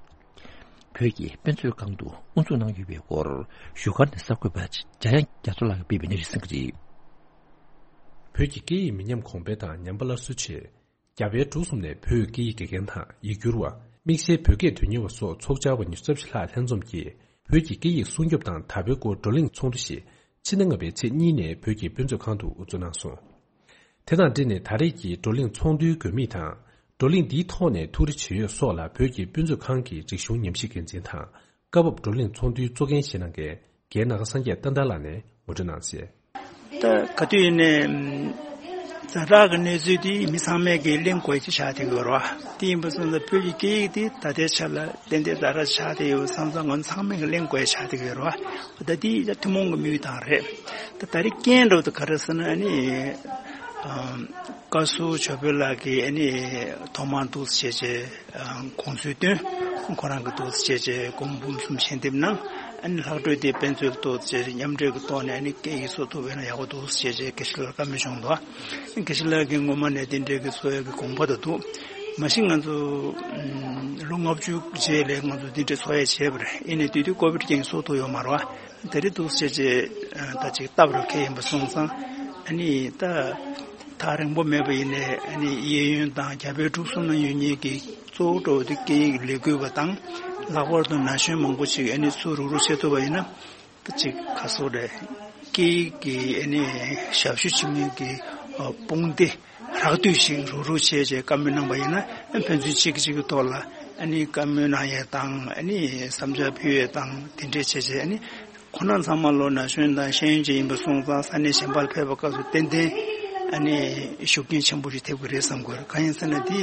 བོད་ཀྱི་དཔེ་མཛོད་ཁང་དུ་དབུ་འཛུགས་གནང་ཡོད་པའི་སྐོར་བཞུགས་སྒར་ནས་གསར་འགོད་པ་འཇམ་དབྱངས་རྒྱ་མཚོ་ལགས་ཀྱིས་སྤེལ་བའི་གནས་ཚུལ་གསན་གྱི་རེད། བོད་ཀྱི་སྐད་ཡིག་མི་ཉམས་གོང་འཕེལ་དང་ཉམས་པ་སླར་གསོའི་ཆེད། རྒྱ་བལ་འབྲུག་གསུམ་ནས་བོད་སྐད་ཡིག་དགེ་རྒན་དང་ཡིག་སྒྱུར་བ། དམིགས་བསལ་བོད་སྐད་དོན་གཉེར་བ་སོགས་ཚོགས་བཅར་བ་ཉི་ཤུ་རྩ་བཞི་ལྷག་ལྷན་འཛོམས་ཀྱིས་བོད་ཀྱི་སྐད་ཡིག་སྲུང་སྐྱོབ་དང་དར་སྤེལ་སྐོར་བགྲོ་གླེང་ཚོགས་འདུ་ཞིག་ཕྱི་ཟླ་ལྔ་པའི་ཚེས་གཉིས་ནས་བོད་ཀྱི་དཔེ་མཛོད་ཁང་དུ་དབུ་འཛུགས་གནང་སོང་། དེ་དང་འབྲེལ་ནས་ད་རེས་ཀྱི་བགྲོ་གླེང་ཚོགས་འདུའི་དགོས་དམིགས་དང་། བགྲོ་གླེང་འདིའི་ཐོག་ནས་ཐུགས་རེ་ཆེ་ཡོད་སོགས་ལ་བོད་ཀྱི་དཔེ་མཛོད་ཁང་གི་རིག་གཞུང་ཉམས་ཞིབ་འགན་འཛིན་དང་། སྐབས་བབ་བགྲོ་གླེང་ཚོགས་འདུའི་གཙོ་འགན་བཞེས་གནང་མཁན། རྒན་ནཱ་ག་སངས་རྒྱས་བསྟན་དར་ལགས་ནས་ངོ་སྤྲོད་གནང་གསལ། ད་ག་དུས་ཡིན་ནའི་ཛ་དྲག་གི་གནས་ཚུལ་དེ་མི་ཚང་མས་ཀྱིས་གླེང་དགོས་ཀྱི་ཆགས་བསྡད་ཀྱི་ཡོད་རེད་བ། དེ་ཡིན་པ་སོང་ཙང་བོད་ཀྱི་སྐད་ཡིག་དེ་ད་ལྟའི་ཆ་ལ་ཏན་ཏན་ཛ་དྲག་ཆགས་བསྡད་ཡོད་བསམ་ཙང་ང་ཚང་མས་ཀྱིས་གླེང་དགོས་ཆགས་བསྡད་ཀྱི་ཡོད་རེད་བ། ད་དེ་ཡང་ཐུན་མོང་གི་དམིགས་ཡུལ་དང་རེད། ད་ད་རེས་རྐྱེན་འདྲ་བོ་དེ་ག་རེ་ཟེར་ན་ཨ་ནི། བཀའ་ཟུར་ཇོ་བོད་ལགས་ཀྱིས་ཨ་ནི་ཐོག་མར་འདུག་སེ་བྱས་རྗེས་དགོངས་ཚུལ་བཏོན། ཁོ་རང་གིས་འདུག་སེ་བྱས་རྗེས་སྒོར་མོ་འབུམ་གསུམ་ཞལ་འདེབས་གནང་། ཨ་ནི་ལྷག་འཕྲོས་དེ་དཔེ་མཛོད་ལ་གཏོང་སྟེ་མཉམ་འབྲེལ་གྱི་ཐོག་ནས་ཨ་ནི་སྐད་ཡིག་སྲུང་ཐུབ་པ་ཡིན་ན་ཡག་པོ་འདུག་ཟེར་བྱས་རྗེས་དགེ་བཤེས་ལགས་ལ་བཀའ་མོལ་བྱུང་འདུག་དགེ་བཤེས་ལགས་ཀྱིས་སྔོན་མ་ནས་དེ་འདྲའི་གི་འཚོ་བའི་གི་དགོངས་པ་དང་འདུག་མ་གཞི་ང་ཚོ་ལོ་ལྔ་བཅུ་རྗེས་ལ་ང་ཚོ་དེ་འདྲའི་འཚོ་བ་བྱས་པ་རེད། ཡིན་ནའི་དུས་དུས་ཀོ་བིད་རྐྱེན་གྱིས་སྲུང་ཐུབ་ཡོད་མ་རེད་བ། དེ་རིང་འདུག་སེ་བྱས་རྗེས་ད་ཅིག་སྟབས་རེ་འཁེལ་ཡིན་པ་སོང་ཙང་ཨ་ནི་ད་ཐག་རིང་པོ་མེད་པ་ཡིན་ནའི་ཨ་ནི་གཡས་གཡོན་དང་རྒྱ་བལ་འབྲུག་གསུམ་ན་ཡོད་མཁན་གྱི་གཙོ་བོ་འདྲ་བོ་དེ་སྐད་ཡིག་ལས་འགུལ་བ་དང་། ལྷག་པར་དུ་ན་གཞོན་མང་པོ་ཅིག་ཨ་ནི་ཚུར་རུག་རུག་བྱེད་ཐུབ་པ་ཡིན་ན། ད་ཅིག་ག་ཚོད་རེད། སྐད་ཡིག་གི་ཨ་ནི་ཞབས་ཞུ་བྱེད་མཁན་གྱི་དཔུང་སྡེ་རགས་བསྡུས་ཤིག་རུག་རུག་བྱས་བྱས་བཀའ་མོལ་གནང་པ་ཡིན་ན། ཕན་ཚུན་གཅིག་གིས་གཅིག་གི་ཐོག་ལ་ཨ་ནི་བཀའ་མོལ་གནང་ཡས་དང་། ཨ་ནི་བསམ་འཆར་ཕུལ་ཡས་དང་དེ་འདྲས་བྱས་བྱས་ཨ་ནི། ཁོང་རྣམ་ཚང་མ་ལོ་ན་གཞོན་དང་ཤེས་ཡོན་ཅན་ཡིན་པ་སོང་ཙང་ས་གནས་གཞན་པར་ཕེབས་པའི་སྐབས་སུ་ཏན་ཏན་ཨ་ནི་ཤུགས་རྐྱེན་ཆེན་པོ་ཞིག་ཐེབས་ཀྱི་རེད་བསམ་གྱི་ཡོད། གང་ཡིན་ཟེར་ན་དེ་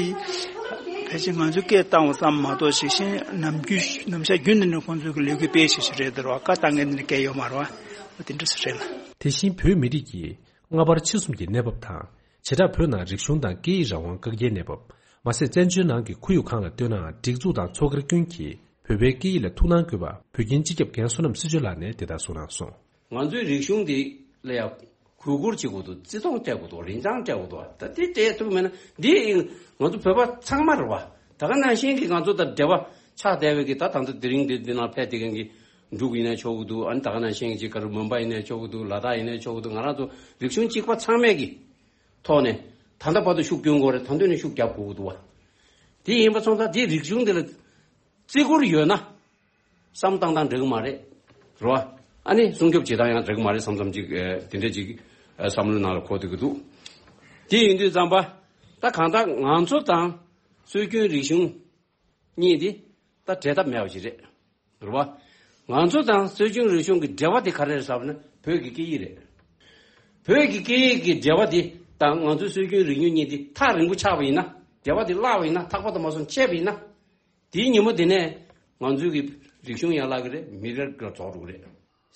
ཕལ་ཆེར་ང་ཚོས་སྐད་བཏང་བ་ཙམ་མ་གཏོགས་ཤིག་གཞན་ནམ་རྒྱུན་ནམ་ཞག་རྒྱུན་དུ་ནས་ཁོང་ཚོས་ཀྱི་ལས་འགུལ་སྤེལ་བཞིན་ཞིག་རེད་འདུག་ར་བ། བཀའ་བཏང་མཁན་དེ་འདྲ་སྐད་ཡོད་མ་རེད་བ། འོ་དེ་འདྲ་ཞིག་རེད་ལ། དེ་བཞིན་བོད་མི་རིགས་ཀྱི་སྔ་བར་ཕྱི་གསུམ་གྱི་གནས་བབ་དང་། བྱེ་བྲག་བོད་ནང་རིག་གཞུང་དང་སྐད་ཡིག་རང་དབང་བཀག་རྒྱའི་གནས་བབ། མ་ཟད་བཙན་བྱོལ་ནང་གི་ཁོར་ཡུག་ཁག་ལ་ལྟོས་ནའང་སྒྲིག་འཛུགས་དང་ཚོགས་སྒེར་ཀུན་གྱིས་བོད་པའི་སྐད་ཡིག་ལ་ཐུགས་སྣང་དགོས་པ་བོད་ཁྱིམ་སྤྱི་ཁྱབ་རྒན་བསོད་ནམས་སྲིད་བྱུས་ལགས་ནས་དེ་ལྟར་གསུངས་གནང་སོང་། ང་ཚོའི་རིག་གཞུང་འདི་ལ་ཡང་གུས་བཀུར་བྱེད་དགོས་འདུག་རྩི་མཐོང་སྤྲད་དགོས་འདུག་རིན་ཐང་སྤྲད་དགོས་འདུག་ད་དེ་སྤྲད་ཐུབ་མེད་ན་འདི་ང་ཚོ་བོད་པ་ཚང་མ་རེད་བ། ད་ག་ནང་བཞིན་གྱི་ང་ཚོ་དང་འབྲེལ་བ་ཆགས་བསྡད་པའི་གི་ད་ད་ལྟ་དེ་རིང་འདི་འདི་ནང་ཕེབས་བསྡད་མཁན་གྱི་འབྲུག་ཡིན་ན་ཆོག་གི་འདུག་ཨ་ནི་ད་ག་ནང་བཞིན་གྱི་ག་རེ་མུམ་བྷའི་ཡིན་ན་ཆོག་གི་འདུག་ལ་དྭགས་ཡིན་ན་ཆོག་གི་འདུག་ང་རང་ཚོ་རིག་གཞུང་གཅིག་པ་ཚང་མས་ཀྱི་ཐོག་ནས་ད་ལྟ་བར་དུ་ཤུགས་སྐྱོན་དགོས་རེད། ད་དུང་ནས་ཤུགས་རྒྱབ་དགོས་ཀྱི་འདུག་བ། དེ་ཡིན་པ་སོང་ཙང་དེ་རིག་གཞུང་འདི་ལ་བརྩི་བཀུར་ཡོད་ན། བསམ་བཏང་སྟངས་འགྲིག་གི་མ་རེད། རེད་བ། ཨ་ནི་སྲུང་སྐྱོབ་བྱེད་སྟངས་ཡང་འགྲིག་གི་མ་རེད་བསམ་བསམ་ཅིག་ཨེ་དེ་འདྲ་ཅིག་ཨེ་བསམ་བློའི་ནང་ལ་འཁོར་བསྡད་ཀྱི་འདུག་དེ་ཡིན་དུས་ཙམ་པ། ད་གང་ལྟར་ང་ཚོ་དང་སྲོལ་རྒྱུན་རིག་གཞུང་གཉིས་དེ་ད་འབྲལ་ཐབས་མེད་པ་ཞིག་རེད། རེད་བ། ང་ཚོ་དང་སྲོལ་རྒྱུན་རིག་གཞུང་གི་འབྲེལ་བ་དེ་ག་རེ་རེད་ཟེར་བ་ན་བོད་ཀྱི་སྐད་ཡིག་རེད། བོད་ཀྱི་སྐད་ཡིག་གི་འབྲེལ་བ་དེ་དང་ང་ཚོའི་སྲོལ་རྒྱུན་རིག་གཞུང་གཉིས་དེ་ཐག་རིང་པོ་ཆགས་པ་ཡིན་ན། འབྲེལ་བ་དེ་བརླག་པ་ཡིན་ན། ཐག་པ་དུ་མ་སོང་ཆད་པ་ཡིན་ན། དེའི་ཉིན་མོ་དེ་ནས་ང་ཚོའི་གི་རིག་གཞུང་ཡན་ལག་གི་རེད། མི་རབས་ལ་རྫོགས་འགྲོ་གི་རེད།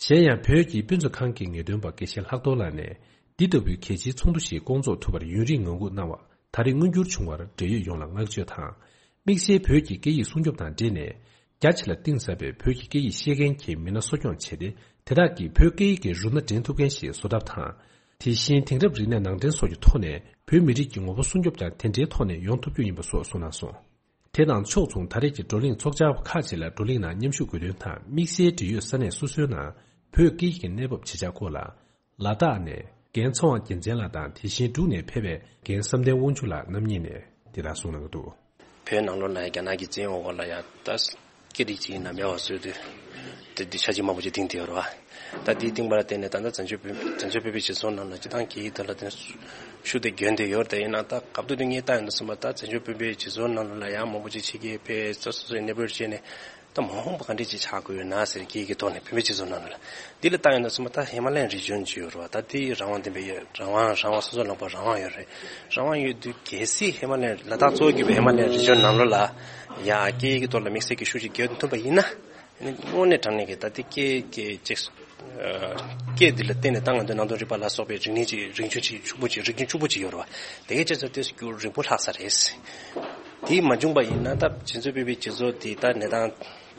གཞན་ཡང་བོད་ཀྱི་དཔེ་མཛོད་ཁང་གི་ངེས་སྟོན་པ་དགེ་བཤེས་ལྷག་རྡོར་ལགས་ནས་འདི་ལྟ་བུའི་གལ་ཆེའི་ཚོགས་འདུ་ཞིག་བསྐོང་ཚོགས་ཐུབ་པར་ཡུན་རིང་ངང་སྒུག་གནང་བ་ད་རེས་མངོན་འགྱུར་བྱུང་བར་འབྲེལ་ཡོད་ཡོངས་ལ་བསྔགས་བརྗོད་དང་། དམིགས་བསལ་བོད་ཀྱི་སྐད་ཡིག་སྲུང་སྐྱོབ་དང་འབྲེལ་ནས་རྒྱ་ཆེ་ལ་གཏིང་ཟབ་པའི་བོད་ཀྱི་སྐད་ཡིག་ཤེས་མཁན་གྱི་མི་སྣ་གསོ་སྐྱོང་བྱས་ཏེ་དེ་དག་གིས་བོད་སྐད་ཡིག་གི་རུ་སྣ་འདྲེན་ཐུབ་མཁན་ཞིག་བཟོ་ཐབས་དང་། དེ་བཞིན་དེང་རབས་རིག་གནས་ནང་འདྲེན་སོགས་ཀྱི་ཐོག་ནས་བོད་མི་རིགས་ཀྱི་ངོ་བོ་སྲུང་སྐྱོབ་ཀྱང་དེ་འདྲའི་ཐོག་ནས་ཡོང་ཐུབ་རྒྱུ་ཡིན་པ་སོགས་གསུངས་གནང་སོང་། དེ་དང་ཕྱོགས་མཚུངས་ད་རེས་ཀྱི་བགྲོ་གླེང་ཚོགས་བཅར་བ་ཁག་ཅིག་ལ་བགྲོ་གླེང་ནང་མཉམ་ཞུགས་དགོས་དོན་དང་དམིགས་བསལ་འབྲེལ་ཡོད་ས་གནས་སོ་སོའི་ནང་བོད་སྐད་ཡིག་གི་གནས་བབ་ཇི་ཆགས་སྐོར་ལ། ལ་དྭགས་ནས་རྒན་ཚེ་དབང་རྒྱལ་མཚན་ལགས་དང་དེ་བཞིན་འབྲུག་ནས་ཕེབས་པའི་རྒན་བསམ་གཏན་དབང་ཕྱུག་ལགས་རྣམ་གཉིས་ནས་དེ་ལྟར་གསུངས་གནང་གི་འདུག་བོད་ནང་ལོགས་ལ་རྒྱ་ནག་གི་བཙན་འོག་ལ་ཡ་ད་སྐད་རིགས་གཅིག་ཡིན་ན་མེད་པ་བཟོས་དུས་དེ་འདི་ཆ་ཅིག་མང་པོ་ཅིག་བཏིང་དེ་ཡོད་རེད་བ། ད་འདི་བཏིང་པ་ལ་བརྟེན་ནས་ད་ལྟ་བཙན་བྱོལ་བོད་བཙན་བྱོལ་བོད་པའི་སྤྱི་ཚོགས་ནང་ལ་སྤྱི་བཏང་གི་ད་ལ་དེ་ཤུགས་དེ་རྒྱུན་དེ་ཡོད་རེད། ད་ཡིན་ན་ད་སྐབས་དུ་དུ་ངས་ལྟ་ཡོང་དུས་ཙམ་པ་ད་བཙན་བྱོལ་བོད་པའི་སྤྱི་ཚོགས་ནང་ལ་ཡང་མང་པོ་ཅིག་ཕྱི་རྒྱལ་བོད་སོ་སོ་སོའི་གནས་སྤོར་བྱས་ནས་ད་མ་འོངས་པ་ག་འདྲས་ཅིག་ཆགས་དགོས་ཡོད་ན་ཟེར་སྐད་ཀྱི་ཐོག་ནས་བོད་པའི་སྤྱི་ཚོགས་ནང་ལ་འདི་ལ་ལྟ་ཡོང་དུས་ཙམ་པ་ད་ཧི་མ་ལ་ཡན་རི་ཇོན་ཅིག་ཡོད་རེད་བ། ད་འདི་རང་དབང་ལྡན་པའི་ཡོད་རང་དབང་རང་དབང་སོ་སོ་ལངས་པ་རང་དབང་ཡོད་རེད། རང་དབང་ཡོད་དུས་གལ་སྲིད་ཧི་མ་ལ་ཡན་ལ་དྭགས་གཙོ་བོ་གྱུར་པའི་ཧི་མ་ལ་ཡན་རི་ཇོན་ནང་ལོགས་ལ་ཡ་སྐད་ཀྱི་ཐོག་ལ་དམིགས་བསལ་གྱི་ཤུགས་ཅིག་རྒྱག་ཐུབ་པ་ཡིན་ན། དངོས་གནས་དྲང་གནས་ཀྱི་ད་ལྟའི་སྐད་ཀྱི་ཅིག་སྐད་འདི་ལ་བརྟེན་ནས་ད་ང་ཚོའི་ནང་དོན་རིག་པ་ལ་སོགས་པའི་རིག་གནས་ཀྱི་རིག་གཞུང་ཅིག་ཕྱུག་པོ་ཅིག་རིག་གཞུང་ཕྱུག་པོ་ཅིག་ཡོད་རེད་བ། དེ་གའི་ཆ་ཚང་དེ་རྒྱུན་རིང་པོ་ལྷག་ས་རེད། དེ་མ་བྱུང་པ་ཡིན་ན་ད་བྱེད་ཚུལ་སྤེལ་བའི་སྤྱི་ཚོགས་དེ་ད་གནས་སྟངས་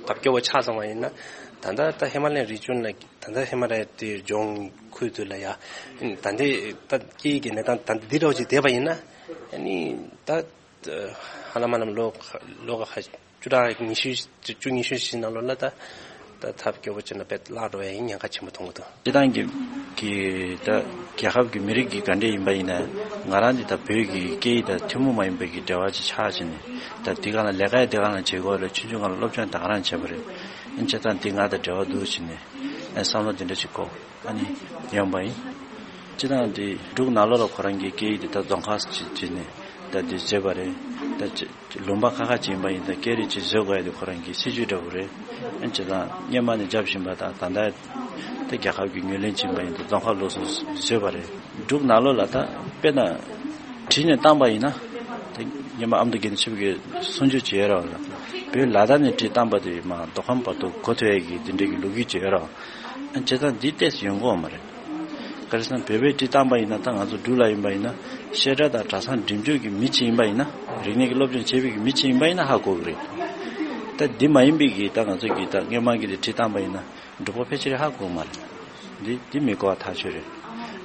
ཐབས་སྐྱོ་བོ་ཆགས་སོང་བ་ཡིན་ན། ད་ལྟ་ད་ཧི་མ་ལ་ཡན་རི་ཇོན་ལ་ད་ལྟ་ཧི་མ་ལ་ཡ་དེ་ལྗོངས་ཁུལ་དུ་ལ་ཡ་ད་ལྟའི་ད་སྐད་ཀྱི་གནས་སྟངས་ད་འདི་འདྲ་བོ་ཅིག་བསྡད་པ་ཡིན་ན་ཨ་ནི་ད། ཧ་ལམ་ཧ་ལམ་ལོ་ལོ་ཁ་བཅུ་ཕྲག་ཉི་ཤུ་བཅུ་ཉི་ཤུ་ཞིག་ནང་ལོགས་ལ་ད་ད་ཐབས་སྐྱོ་པོ་བྱས་ན་དཔེ་བརླག་འགྲོ་ཡ་ཡིན་ཉེན་ཁ་ཆེན་པོ་མཐོང་གི་འདུག་སྤྱི་བཏང་གི་གི་ད་རྒྱལ་ཁབ་ཀྱི་མི་རིགས་ཀྱི་ག་འདྲས་ཡིན་པ་ཡིན་ན་ང་རང་འདི་ད་བོད་ཀྱི་སྐད་ཡིག་དང་ཐུན་མོང་མ་ཡིན་པའི་གི་འབྲེལ་བ་ཅིག་ཆགས་བྱས་ནས་ད་འདི་ག་ལ་ལས་ཀ་ཡི་འདི་ག་ལ་བྱེད་དགོས་རེད། ཆུང་ཆུང་སྒང་ལ་སློབ་སྦྱོང་ད་ག་རང་བྱས་པ་རེད། ཨ་ནི་བྱས་ཙང་འདི་ང་དང་འབྲེལ་བ་འདུག་བྱས་ནས་ཨ་བསམ་བློ་འདི་འདྲ་ཅིག་འཁོར། ཨ་ནི་ཡོང་པ་ཡིན། སྤྱི་བཏང་འདི་འབྲུག་ནང་ལོགས་ལ་ཁོ་རང་གི་སྐད་ཡིག་འདི་ད་རྫོང་ཁ་ཅིག་བྱས་ནས་ད་འདི་བཟོས་པ་རེད། ད་ལུང་པ་ཁག་ཁག་ཅིག་ཡིན་པ་ཡིན་ད་སྐད་རིགས་ཅིག་བཟོ་དགོས་ཡ་དེ་ཁོ་རང་གི་སྲིད་ཇུས་འདྲ་བོ་རེད། ཨ་ནི་སྤྱི་བཏང་སྔོན་མ་ནས་རྒྱབ་བཞིན་པ་དང་ད་ལྟ་ད་རྒྱལ་ཁབ་ཀྱི་ངོས་ལེན་བྱས་པ་ཡིན་ད་རྫོང་ཁ་ལོགས་སུ་བཟོས་པ་རེད། འབྲུག་ནང་ལོགས་ལ་ད་དཔེར་ན་བྲིས་ནས་བཏང་པ་ཡིན་ན་ད་སྔོན་མ་ཨ་མདོ་དགེ་ལྡན་ཆོས་འཕེལ་གྱིས་གསུང་ཆོས་བྱས་ཡོད་རེད་བ། བོད་ལ་དྭགས་ནས་བྲིས་བཏང་པ་དེ་མ་མདོ་ཁམས་བར་དུ་གོ་ཐུབ་ཡ་གི་འདི་འདྲ་གི་ལོ་རྒྱུས་བྱས་ཡོད་རེད་བ། བྱས་ཙང་འདི་ཏོག་ཙམ་ཡོང་གི་ཡོད་མ་རེད། ག་རེ་ཟེར་ན་བོད་པའི་བྲིས་བཏང་པ་ཡིན་ན་ད་ང་ཚོ་འབྲུག་ལ་ཡིན་པ་ཡིན་ན་བཤད་གྲྭ་དང་གྲྭ་ཚང་འགྲིམ་འཇུག་གི་མི་གཅིག་ཡིན་པ་ཡིན་ན་རིག་གནས་ཀྱི་སློབ་སྦྱོང་བྱེད་པའི་གི་མི་གཅིག་ཡིན་པ་ཡིན་ན་ཧ་གོ་གི་རེད། ད་འདི་མ་ཡིན་པའི་གི་ད་ང་ཚོ་གི་ད་སྔོན་མ་གི་དེ་བྲིས་བཏང་པ་ཡིན་ན་འབྲུག་པ་ཕལ་ཆེར་ཧ་གོ་གི་མ་རེད། འདི་འདི་མི་གོ་བ་ཐག་ཆོད་རེད།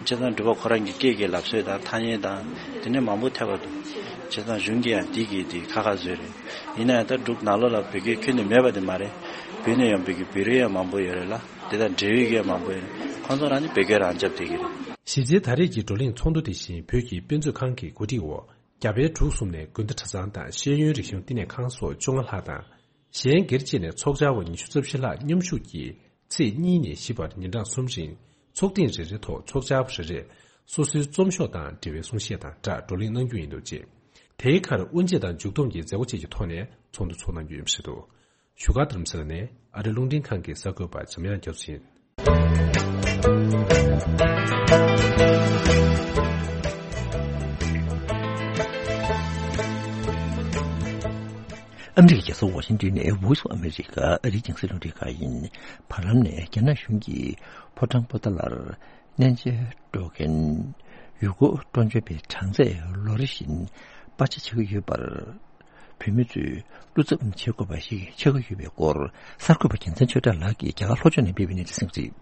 བྱས་ཙང་འབྲུག་པ་ཁོ་རང་གི་སྐད་ཀྱི་ལབ་སྲོལ་དང་ཐ་སྙད་དང་དེ་ནས་མང་པོ་ཐེབས་པ་འདུག་བྱས་ཙང་གཞུང་གིས་ཡང་འདི་གི་དེ་ཁ་ཁ་བཟོས་རེད། ཡིན་ན་ཡང་ད་འབྲུག་ནང་ལོགས་ལ་བོད་སྐད་ཁྱོན་ནས་མེད་པ་དེ་མ་རེད། བོད་ནས་ཡོང་བའི་གི་བོད་རིགས་ཡང་མང་པོ་ཡོད་རེད་ལ། དེ་དང་འབྲེལ་ཡོད་ཀྱི་མང་པོ་ཡོད། ཁོང་ཚོ་རང་ནི་བོད་སྐད་རང་རྐྱབ་བསྡད་ཀྱི་རེད། གཞི་རྩའི་ད་རེས་ཀྱི་བགྲོ་གླེང་ཚོགས་འདུ་དེ་བཞིན་བོད་ཀྱི་དཔེ་མཛོད་ཁང་གི་གོ་སྒྲིག་འོག་རྒྱ་བལ་འབྲུག་གསུམ་ནས་དགོན་སྡེ་གྲྭ་ཚང་དང་ཤེས་ཡོན་རིག་གཞུང་བསྟི་གནས་ཁང་སོགས་བཅོ་ལྔ་ལྷག་དང་། གཞན་སྒེར་བཅས་ནས་ཚོགས་བཅར་བ་ཉི་ཤུ་རྩ་བཞི་ལྷག་མཉམ་ཞུགས་ཀྱིས་ཚེས་གཉིས་ནས་བཞི་བར་ཉིན་གྲངས་གསུམ་རིང་ཚོགས་ཐེངས་རེ་རེའི་ཐོག་ཚོགས་བཅར་བ་རེ་རེས་སོ་སོའི་རྩོམ་ཤོག་དང་འབྲེལ་བའི་གསུང་བཤད་དང་སྦྲགས་བགྲོ་གླེང་གནང་རྒྱུ་ཡིན་འདུག་ཅེས། དེའི་ཁར་དབུ་འབྱེད་དང་མཇུག་བསྡོམས་ཀྱི་མཛད་སྒོ་བཅས་ཀྱི་ཐོག་ནས་ཚོགས་འདུ་ཚོགས་གནང་རྒྱུ་ཡིན་པ་རེད་འདུག་བཞུགས་སྒར་རྡ་རམ་ས་ལ་ནས་ཨ་རི་རླུང་འཕྲིན་ཁང་གི་གསར་འགོད་པ་འཇམ་དབྱངས་རྒྱ་མཚོ་ཡིན། ཨ་མི་རི་ཀའི་རྒྱལ་ས་ཝ་ཤིང་ཏོན་ནས་Voice of America ཨ་རིའི་རྒྱང་སྲིང་རླུང་འཕྲིན་ཁང་ཡིན། བར་ལམ་ནས་རྒྱ་ནག་གཞུང་གིས་ཕོ་བྲང་པོ་ཏཱ་ལར་གནས་མཇལ་འགྲོ་མཁན་ཡུལ་སྐོར་སྤྲོ་འཆམ་པའི་གྲངས་ཚད་ལོ་རེ་བཞིན་སྤར་ཆ་བྱེད་ཀྱི་ཡོད་པར། བོད་མི་ཚོས་བློ་འཚབ་བྱེད་དགོས་པ་ཞིག་ཆགས་ཀྱི་ཡོད་པའི་སྐོར། གསར་འགོད་པ་རྒྱལ་མཚན་ཆོས་གྲགས་ལགས་ཀྱིས་རྒྱ་གར་ལྷོ་ཕྱོགས་ནས་སྤེལ་བའི་གནས་ཚུལ་གསན་གཟིགས།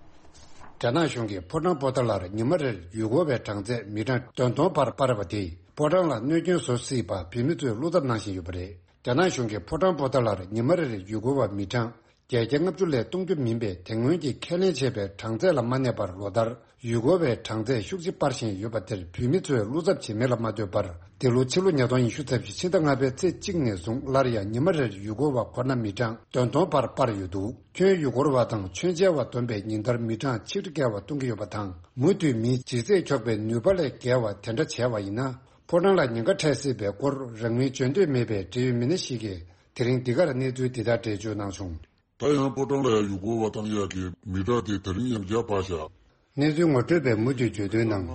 རྒྱ་ནག་གཞུང་གིས་ཕོ་བྲང་པོ་ཏཱ་ལར་ཉི་མ་རེར་ཡུལ་སྐོར་བའི་གྲངས་ཚད་མི་གྲངས་དོན་སྟོང་བར་སྤར་བ་དེས་ཕོ་བྲང་ལ་གནོད་སྐྱོན་བཟོ་སྲིད་པ་བོད་མི་ཚོས་བློ་འཚབ་གནང་བཞིན་ཡོད་པ་རེད། རྒྱ་ནག་གཞུང་གིས་ཕོ་བྲང་པོ་ཏཱ་ལར་ཉི་མ་རེར་ཡུལ་སྐོར་བ་མི་གྲངས་བརྒྱད་བརྒྱ་ལྔ་བཅུ་ལས་གཏོང་རྒྱུ་མིན་པའི་དེ་སྔོན་གྱི་ཁས་ལེན་བྱས་པའི་གྲངས་ཚད་ལ་མ་གནས་པར་ལོ་ལྟར་ཡུལ་སྐོར་བའི་གྲངས་ཚད་ཤུགས་ཆེ་སྤར་བཞིན་ཡོད་པ་དེར་བོད་མི་ཚོས་བློ་འཚབ་བྱེད་མེད་ལ་མ་ལྟོས་པར། འདི་ལོ་ཕྱི་ལོ་ཉིས་སྟོང་ཉི་ཤུ་རྩ་བཞི་ཕྱི་ཟླ་ལྔ་པའི་ཚེས་གཅིག་ནས་བཟུང་སླར་ཡང་ཉི་མ་རེར་ཡུལ་སྐོར་བ་ཁོ་ན་མི་གྲངས་དོན་སྟོང་བར་སྤར་ཡོད་འདུག་ཁྱོན་ཡུལ་སྐོར་བ་དང་མཆོད་མཇལ་བ་བསྡོམས་པའི་ཉིན་ལྟར་མི་གྲངས་ཆིག་ཁྲི་བརྒལ་བ་གཏོང་གི་ཡོད་པ་དང་། མུ་མཐུད་མིའི་ལྗིད་ཚད་འཁྱོག་པའི་ནུས་པ་ལས་བརྒལ་བ་དེ་འདྲ་བྱས་པ་ཡིན་ན། ཕོ་བྲང་ལ་ཉེན་ཁ་འཕྲད་སྲིད་པའི་སྐོར་རང་མོས་བརྗོད་འདོད་མེད་པའི་འབྲེལ་ཡོད་མི་སྣ་ཞིག་གིས་དེ་རིང་འདི་གར་གནས་ཚུལ་འདི་ལྟར་འགྲེལ་བརྗོད་གནང་བྱུང་། ད་ཡང་ཕོ་བྲང་ལ་ཡང་ཡུལ་སྐོར་བ་བཏང་ཡག་གི་མི་གྲངས་དེ་ད་རིང་ཡང་བརྒྱ་སྤར་བཞག་གནས་ཚུལ་ངོ་སྤྲོད་པས་མུ་མཐུད་བརྗོད་དོན་ནང་།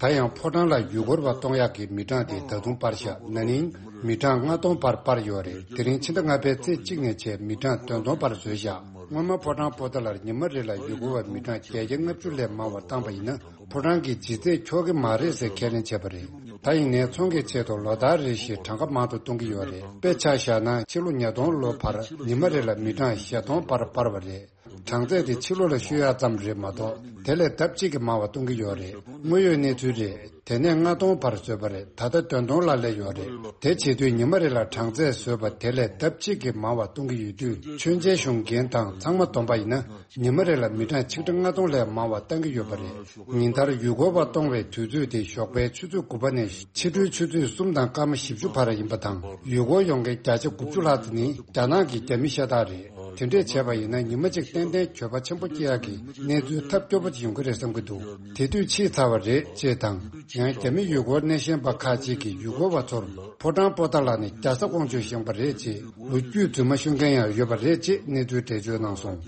ད་ཡང་ཕོ་བྲང་ལ་ཡུལ་སྐོར་བ་གཏོང་ཡག་གི་མི་གྲངས་དེ་ད་དུང་སྤར་བཞག་ན་ནིང་མི་གྲངས་ལྔ་སྟོང་བར་སྤར་ཡོད་རེད། དེ་རིང་ཕྱི་ཟླ་ལྔ་པའི་ཚེས་གཅིག་ནས་བྱས་མི་གྲངས་དོན་སྟོང་བར་བཟོས་བཞག་སྔོན་མ་ཕོ་བྲང་པོ་ཏཱ་ལར་ཉི་མ་རེ་ལ་ཡུལ་སྐོར་བ་མི་གྲངས་བརྒྱད་བརྒྱ་ལྔ་བཅུ་ལས་མང་བ་བཏང་པ་ཡིན་ན། ཕོ་བྲང་གི་ལྗིད་ཚད་འཁྱོག་གི་མ་རེད་ཟེར་ཁས་ལེན་བྱས་པ་རེད། ད་ཡིན་ནའི་ཚོང་གི་ཆེད་དུ་ལོ་ལྟར་རེ་བཞིན་གྲངས་ཀ་མང་དུ་གཏོང་གི་ཡོད་རེད། དཔེ་ཆ་བཞག་ན་ཕྱི་ལོ་ཉིས་སྟོང་ལོ་བར་ཉི་མ་རེ་ལ་མི་གྲངས་བཞི་སྟོང་བར་སྤར་བ་རེད། གྲངས་ཚད་དེ་ཕྱི་ལོ་ལ་བཤོལ་ཡག་ཙམ་རེད་མ་གཏོགས་དེ་ལས་ལྡབ་གཅིག་གིས་མང་བ་གཏོང་གི་ཡོད་རེད། དངོས་ཡོད་གནས་ཚུལ་རེད། དེ་ནས་ལྔ་སྟོང་བར་བཟོས་པ་རེད། ད་ལྟ་དོན་སྟོང་ལ་སླེབས་ཡོད་རེད། དེ་བྱེད་དུས་ཉི་མ་རེ་ལ་གྲངས་ཚད་བཟོས་པ་དེ་ལས་ལྡབ་གཅིག་གིས་མང་བ་གཏོང་གི་ཡོད་དུས་མཆོད་མཇལ་ཞུ་མཁན་དང་ཚང་མ་བསྡོམས་པ་ཡིན་ན། ཉི་མ་རེ་ལ་མི་གྲངས་ཆིག་ཁྲི་ལྔ་སྟོང་ལས་མང་བ་བཏང་གི་ཡོད་པ་རེད། ཉིན་ལྟར་ཡུལ་སྐོར་བ་གཏོང་བའི་དུས་ཚོད་དེ་ཞོགས་པའི་ཆུ་ཚོད་དགུ་པ་ནས་ཕྱི་དྲོའི་ཆུ་ཚོད་གསུམ་དང་སྐར་མ་བཞི་བཅུ་བར་ཡིན་པ་དང་། ཡུལ་སྐོར་ཡོང་མཁན་བརྒྱ་ཆ་དགུ་བཅུ་ལྷག་ཙམ་ནི་རྒྱ་ནག་གི་རྒྱ་མི་ཤ་སྟག་རེད། དེ་འདྲས་བྱས་པ་ཡིན་ན་ཉི་མ་གཅིག་ཏན་ཏན་འགྱོད་པ་ཆེན་པོ་སྐྱེ་ཡག་གི་གནས་ཚུལ་ཐབས་སྐྱོ་པོ་ཅིག་ཡོང་གི་རེད་བསམ་གྱི་འདུག་དེ་དུས་ཕྱིས་ཚར་བ་རེད་ཅེས་དང་། ཡང་རྒྱ་མི་ཡུལ་སྐོར་སྣེ་ཤན་པ་ཁག་ཅིག་གིས་ཡུལ་སྐོར་བ་ཚོར་ཕོ་བྲང་པོ་ཏཱ་ལ་ནི་རྒྱ་བཟའ་ཀོང་ཇོས་བཞེངས་པ་རེད་ཅེས་ལོ་རྒྱུས་རྫུན་མ་ཤོད་མཁན་ཡང་ཡོད་པ་རེད་ཅེས་གནས་ཚུལ་འགྲེལ་བརྗོད་གནང་སོང་།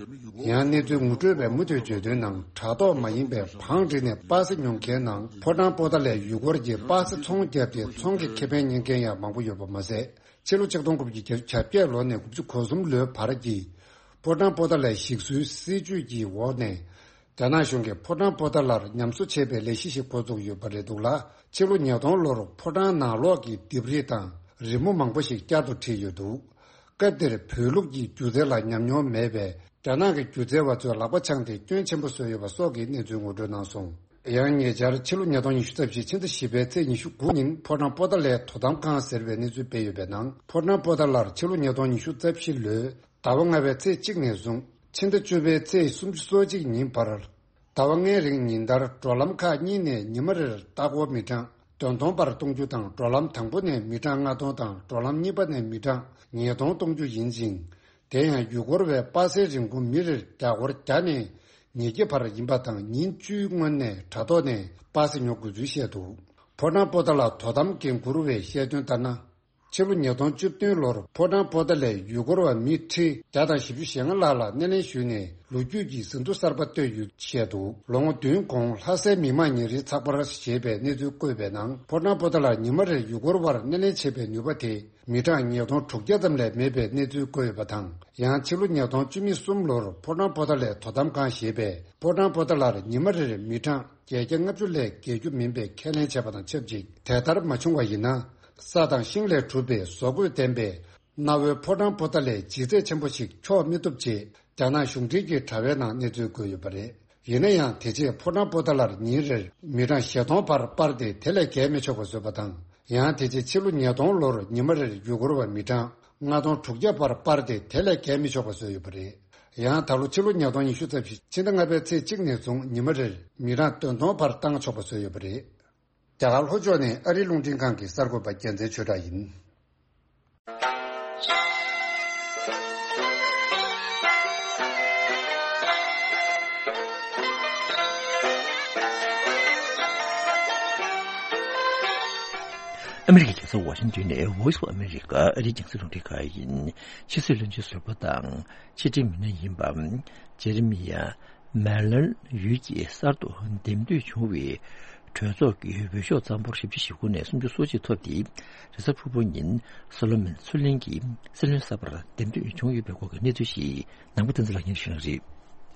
ཡང་གནས་ཚུལ་ངོ་སྤྲོད་པས་མུ་མཐུད་བརྗོད་དོན་ནང་དྲ་ཐོག་མ་ཡིན་པའི་བང་བསྒྲིགས་ནས་པ་སེ་ཉོ་མཁན་ནང་ཕོ་བྲང་པོ་ཏཱ་ལའི་ཡུལ་སྐོར་གྱི་པ་སེ་ཚོང་བརྒྱབ་སྟེ་ཚོང་གི་ཁེ་ཕན་རྙེད་མཁན་ཡང་མང་པོ་ཡོད་པ་མ་ཟད། ཕྱི་ལོ་ཆིག་སྟོང་དགུ་བརྒྱ་བརྒྱད་ཅུ་གྱ་བརྒྱད་ལོ་ནས་དགུ་བཅུ་གོ་གསུམ་ལོའི་བར་གྱི་ཕོ་བྲང་པོ་ཏཱ་ལའི་ཞིག་གསོའི་སྲིད་ཇུས་ཀྱི་འོག་ནས། རྒྱ་ནག་གཞུང་གིས་ཕོ་བྲང་པོ་ཏཱ་ལར་ཉམས་གསོ་བྱེད་པའི་ལས་གཞི་ཞིག་འགོ་བཙུགས་ཡོད་པ་རེད་འདུག་ལ། ཕྱི་ལོ་ཉིས་སྟོང་ལོར་ཕོ་བྲང་ནང་ལོགས་ཀྱི་ལྡེབས་རིས་དང་རི་མོ་མང་པོ་ཞིག་བསྐྱར་དུ་བྲིས་ཡོད་འདུག་སྐབས་དེར་བོད་ལུགས་ཀྱི་སྒྱུ་རྩལ་ལ་ཉམས་མྱོང་མེད་པའི་རྒྱ་ནག་གི་སྒྱུ་རྩལ་བ་ཚོས་ལག་པ་འཆང་སྟེ་སྐྱོན་ཆེན་པོ་བཟོས་ཡོད་པ་སོགས་ཀྱི་གནས་ཚུལ་ངོ་སྤྲོད་གནང་སོང་། ཡང་ཉེ་ཆར་ཕྱི་ལོ་ཉིས་སྟོང་ཉི་ཤུ་རྩ་བཞི་ཕྱི་ཟླ་བཞི་པའི་ཚེས་ཉི་ཤུ་དགུ་ཉིན་ཕོ་བྲང་པོ་ཏཱ་ལའི་དོ་དམ་ཁང་ཟེར་བའི་གནས་ཚུལ་སྤེལ་ཡོད་པའི་ནང་ཕོ་བྲང་པོ་ཏཱ་ལར་ཕྱི་ལོ་ཉིས་སྟོང་ཉི་ཤུ་རྩ་བཞི་ལོའི་ཟླ་བ་ལྔ་པའི་ཚེས་གཅིག་ནས་བཟུང་ཕྱི་ཟླ་བཅུ་པའི་ཚེས་སུམ་ཅུ་སོ་གཅིག་ཉིན་བར། ཟླ་བ་ལྔའི་རིང་ཉིན་ལྟར་འགྲོ་ལམ་ཁག་གཉིས་ནས་ཉི་མ་རེར་ལྟ་སྐོར་མི་གྲངས་དོན་སྟོང་བར་གཏོང་རྒྱུ་དང་འགྲོ་ལམ་དང་པོ་ནས་མི་གྲངས་ལྔ་སྟོང་དང་འགྲོ་ལམ་གཉིས་པ་ནས་མི་གྲངས་ཉིས་སྟོང་གཏོང་རྒྱུ་ཡིན་ཅིང་། དེ་ཡང་ཡུལ་སྐོར་བས་པ་སེའི་རིན་གོང་མི་རེར་རྒྱ་སྒོར་བརྒྱ་ནས་ཉིས་བརྒྱ་བར་ཡིན་པ་དང་ཉིན་བཅུའི་སྔོན་ནས་དྲ་ཐོག་ནས་པ་སེ་ཉོ་དགོས་ཚུལ་བཤད་འདུག་ཕོ་བྲང་པོ་ཏཱ་ལ་དོ་དམ་འགན་འཁུར་བས་བཤད་དོན་ལྟར་ན། ཕྱི་ལོ་ཉིས་སྟོང་བཅུ་བདུན་ལོར་ཕོ་བྲང་པོ་ཏཱ་ལའི་ཡུལ་སྐོར་བ་མི་ཁྲི་བརྒྱ་དང་བཞི་བཅུ་ཞེ་ལྔ་ལྷག་ལ་སྣེ་ལེན་ཞུས་ནས་ལོ་རྒྱུས་ཀྱི་ཟིན་ཐོ་གསར་པ་བཏོད་ཡོད་བཤད་འདུག་ལོ་ངོ་བདུན་གོང་ལྷ་སའི་མི་དམངས་ཉིན་རེའི་ཚགས་པར་ཞེས་པའི་གནས་ཚུལ་བཀོད་པའི་ནང་ཕོ་བྲང་པོ་ཏཱ་ལར་ཉི་མ་རེར་ཡུལ་སྐོར་བར་སྣེ་ལེན་བྱེད་པའི་ནུས་པ་དེ་མི་གྲངས་ཉིས་སྟོང་དྲུག་བརྒྱ་ཙམ་ལས་མེད་པའི་གནས་ཚུལ་བཀོད་ཡོད་པ་དང་། ཡང་ཕྱི་ལོ་ཉིས་སྟོང་བཅུ་གསུམ་ལོར་ཕོ་བྲང་པོ་ཏཱ་ལའི་དོ་དམ་ཁང་ཞེས་པས་ཕོ་བྲང་པོ་ཏཱ་ལར་ཉི་མ་རེར་མི་གྲངས་བརྒྱད་བརྒྱ་ལྔ་བཅུ་ལས་བརྒལ་རྒྱུ་མིན་པའི་ཁས་ལེན་བྱས་པ་དང་ཆབས་ཅིག་དེ་ལྟར་མ་བྱུང་བ་ཡིན་ན། ས་དང་ཤིང་ལས་གྲུབ་པའི་བཟོ་བཀོད་ལྡན་པའི་གནའ་བོའི་ཕོ་བྲང་པོ་ཏཱ་ལའི་ལྗིད་ཚད་ཆེན་པོ་ཞིག་འཁྱོག་མི་ཐུབ་ཅེས་རྒྱ་ནག་གཞུང་འབྲེལ་གྱི་དྲ་བའི་ནང་གནས་ཚུལ་བཀོད་ཡོད་པ་རེད། ཡིན་ན་ཡང་དེ་རྗེས་ཕོ་བྲང་པོ་ཏཱ་ལར་ཉིན་རེར་མི་གྲངས་བཞི་སྟོང་བར་སྤར་ཏེ་དེ་ལས་བརྒལ་མི་ཆོག་པ་བཟོས་པ་དང་། ཡང་དེ་རྗེས་ཕྱི་ལོ་ཉིས་སྟོང་ལོར་ཉི་མ་རེར་ཡུལ་སྐོར་བ་མི་གྲངས་ལྔ་སྟོང་དྲུག་བརྒྱ་བར་སྤར་ཏེ་དེ་ལས་བརྒལ་མི་ཆོག་པ་བཟོས་ཡོད་པ་རེད། ཡང་ད་ལོ་ཕྱི་ལོ་ཉིས་སྟོང་ཉི་ཤུ་རྩ་བཞི་ཕྱི་ཟླ་ལྔ་པའི་ཚེས་གཅིག་ནས་བཟུང་ཉི་མ་རེར་མི་གྲངས་དོན་སྟོང་བར་བཏང་ཆོག་པ་བཟོས་ཡོད་པ་རེད། རྒྱ་གར་ལྷོ་ཕྱོགས་ནས་ཨ་རིའི་རླུང་འཕྲིན་ཁང་གི་གསར་འགོད་པ་རྒྱལ་མཚན་ཆོས་གྲགས་ཡིན། ཨ་མི་རི་ཀའི་རྒྱལ་ས་ཝ་ཤིང་ཏོན་ནས་Voice of America ཨ་རིའི་རྒྱང་སྲིང་རླུང་འཕྲིན་ཁང་ཡིན། ཕྱི་སྲིད་བློན་ཆེན་ཟུར་པ་དང་ཕྱི་འབྲེལ་མི་སྣ་ཡིན་པ་ཇེ་རི་མི་ཡ་ མེ་ལན་ཡུལ་གྱི་གསར་དུ་འདེམས་ཐོན་བྱུང་བའི་གྲོས་ཚོགས་ཀྱི་འོས་ཤོག་རྩ་འབོར་བཞི་བཅུ་ཞེ་དགུ་ནས་སུམ་ཅུ་སོ་གཅིག་ཐོབ་སྟེ། རེས་གཟའ་ཕུར་བུ་ཉིན་སོ་ལོ་མོན་མཚོ་གླིང་གི་སྲིད་བློན་གསར་པར་འདེམས་ཐོན་བྱུང་ཡོད་པའི་སྐོར་གྱི་གནས་ཚུལ་ཞིག་ནང་པ་བསྟན་འཛིན་ལགས་སྙན་ཞུ་གནང་རེད།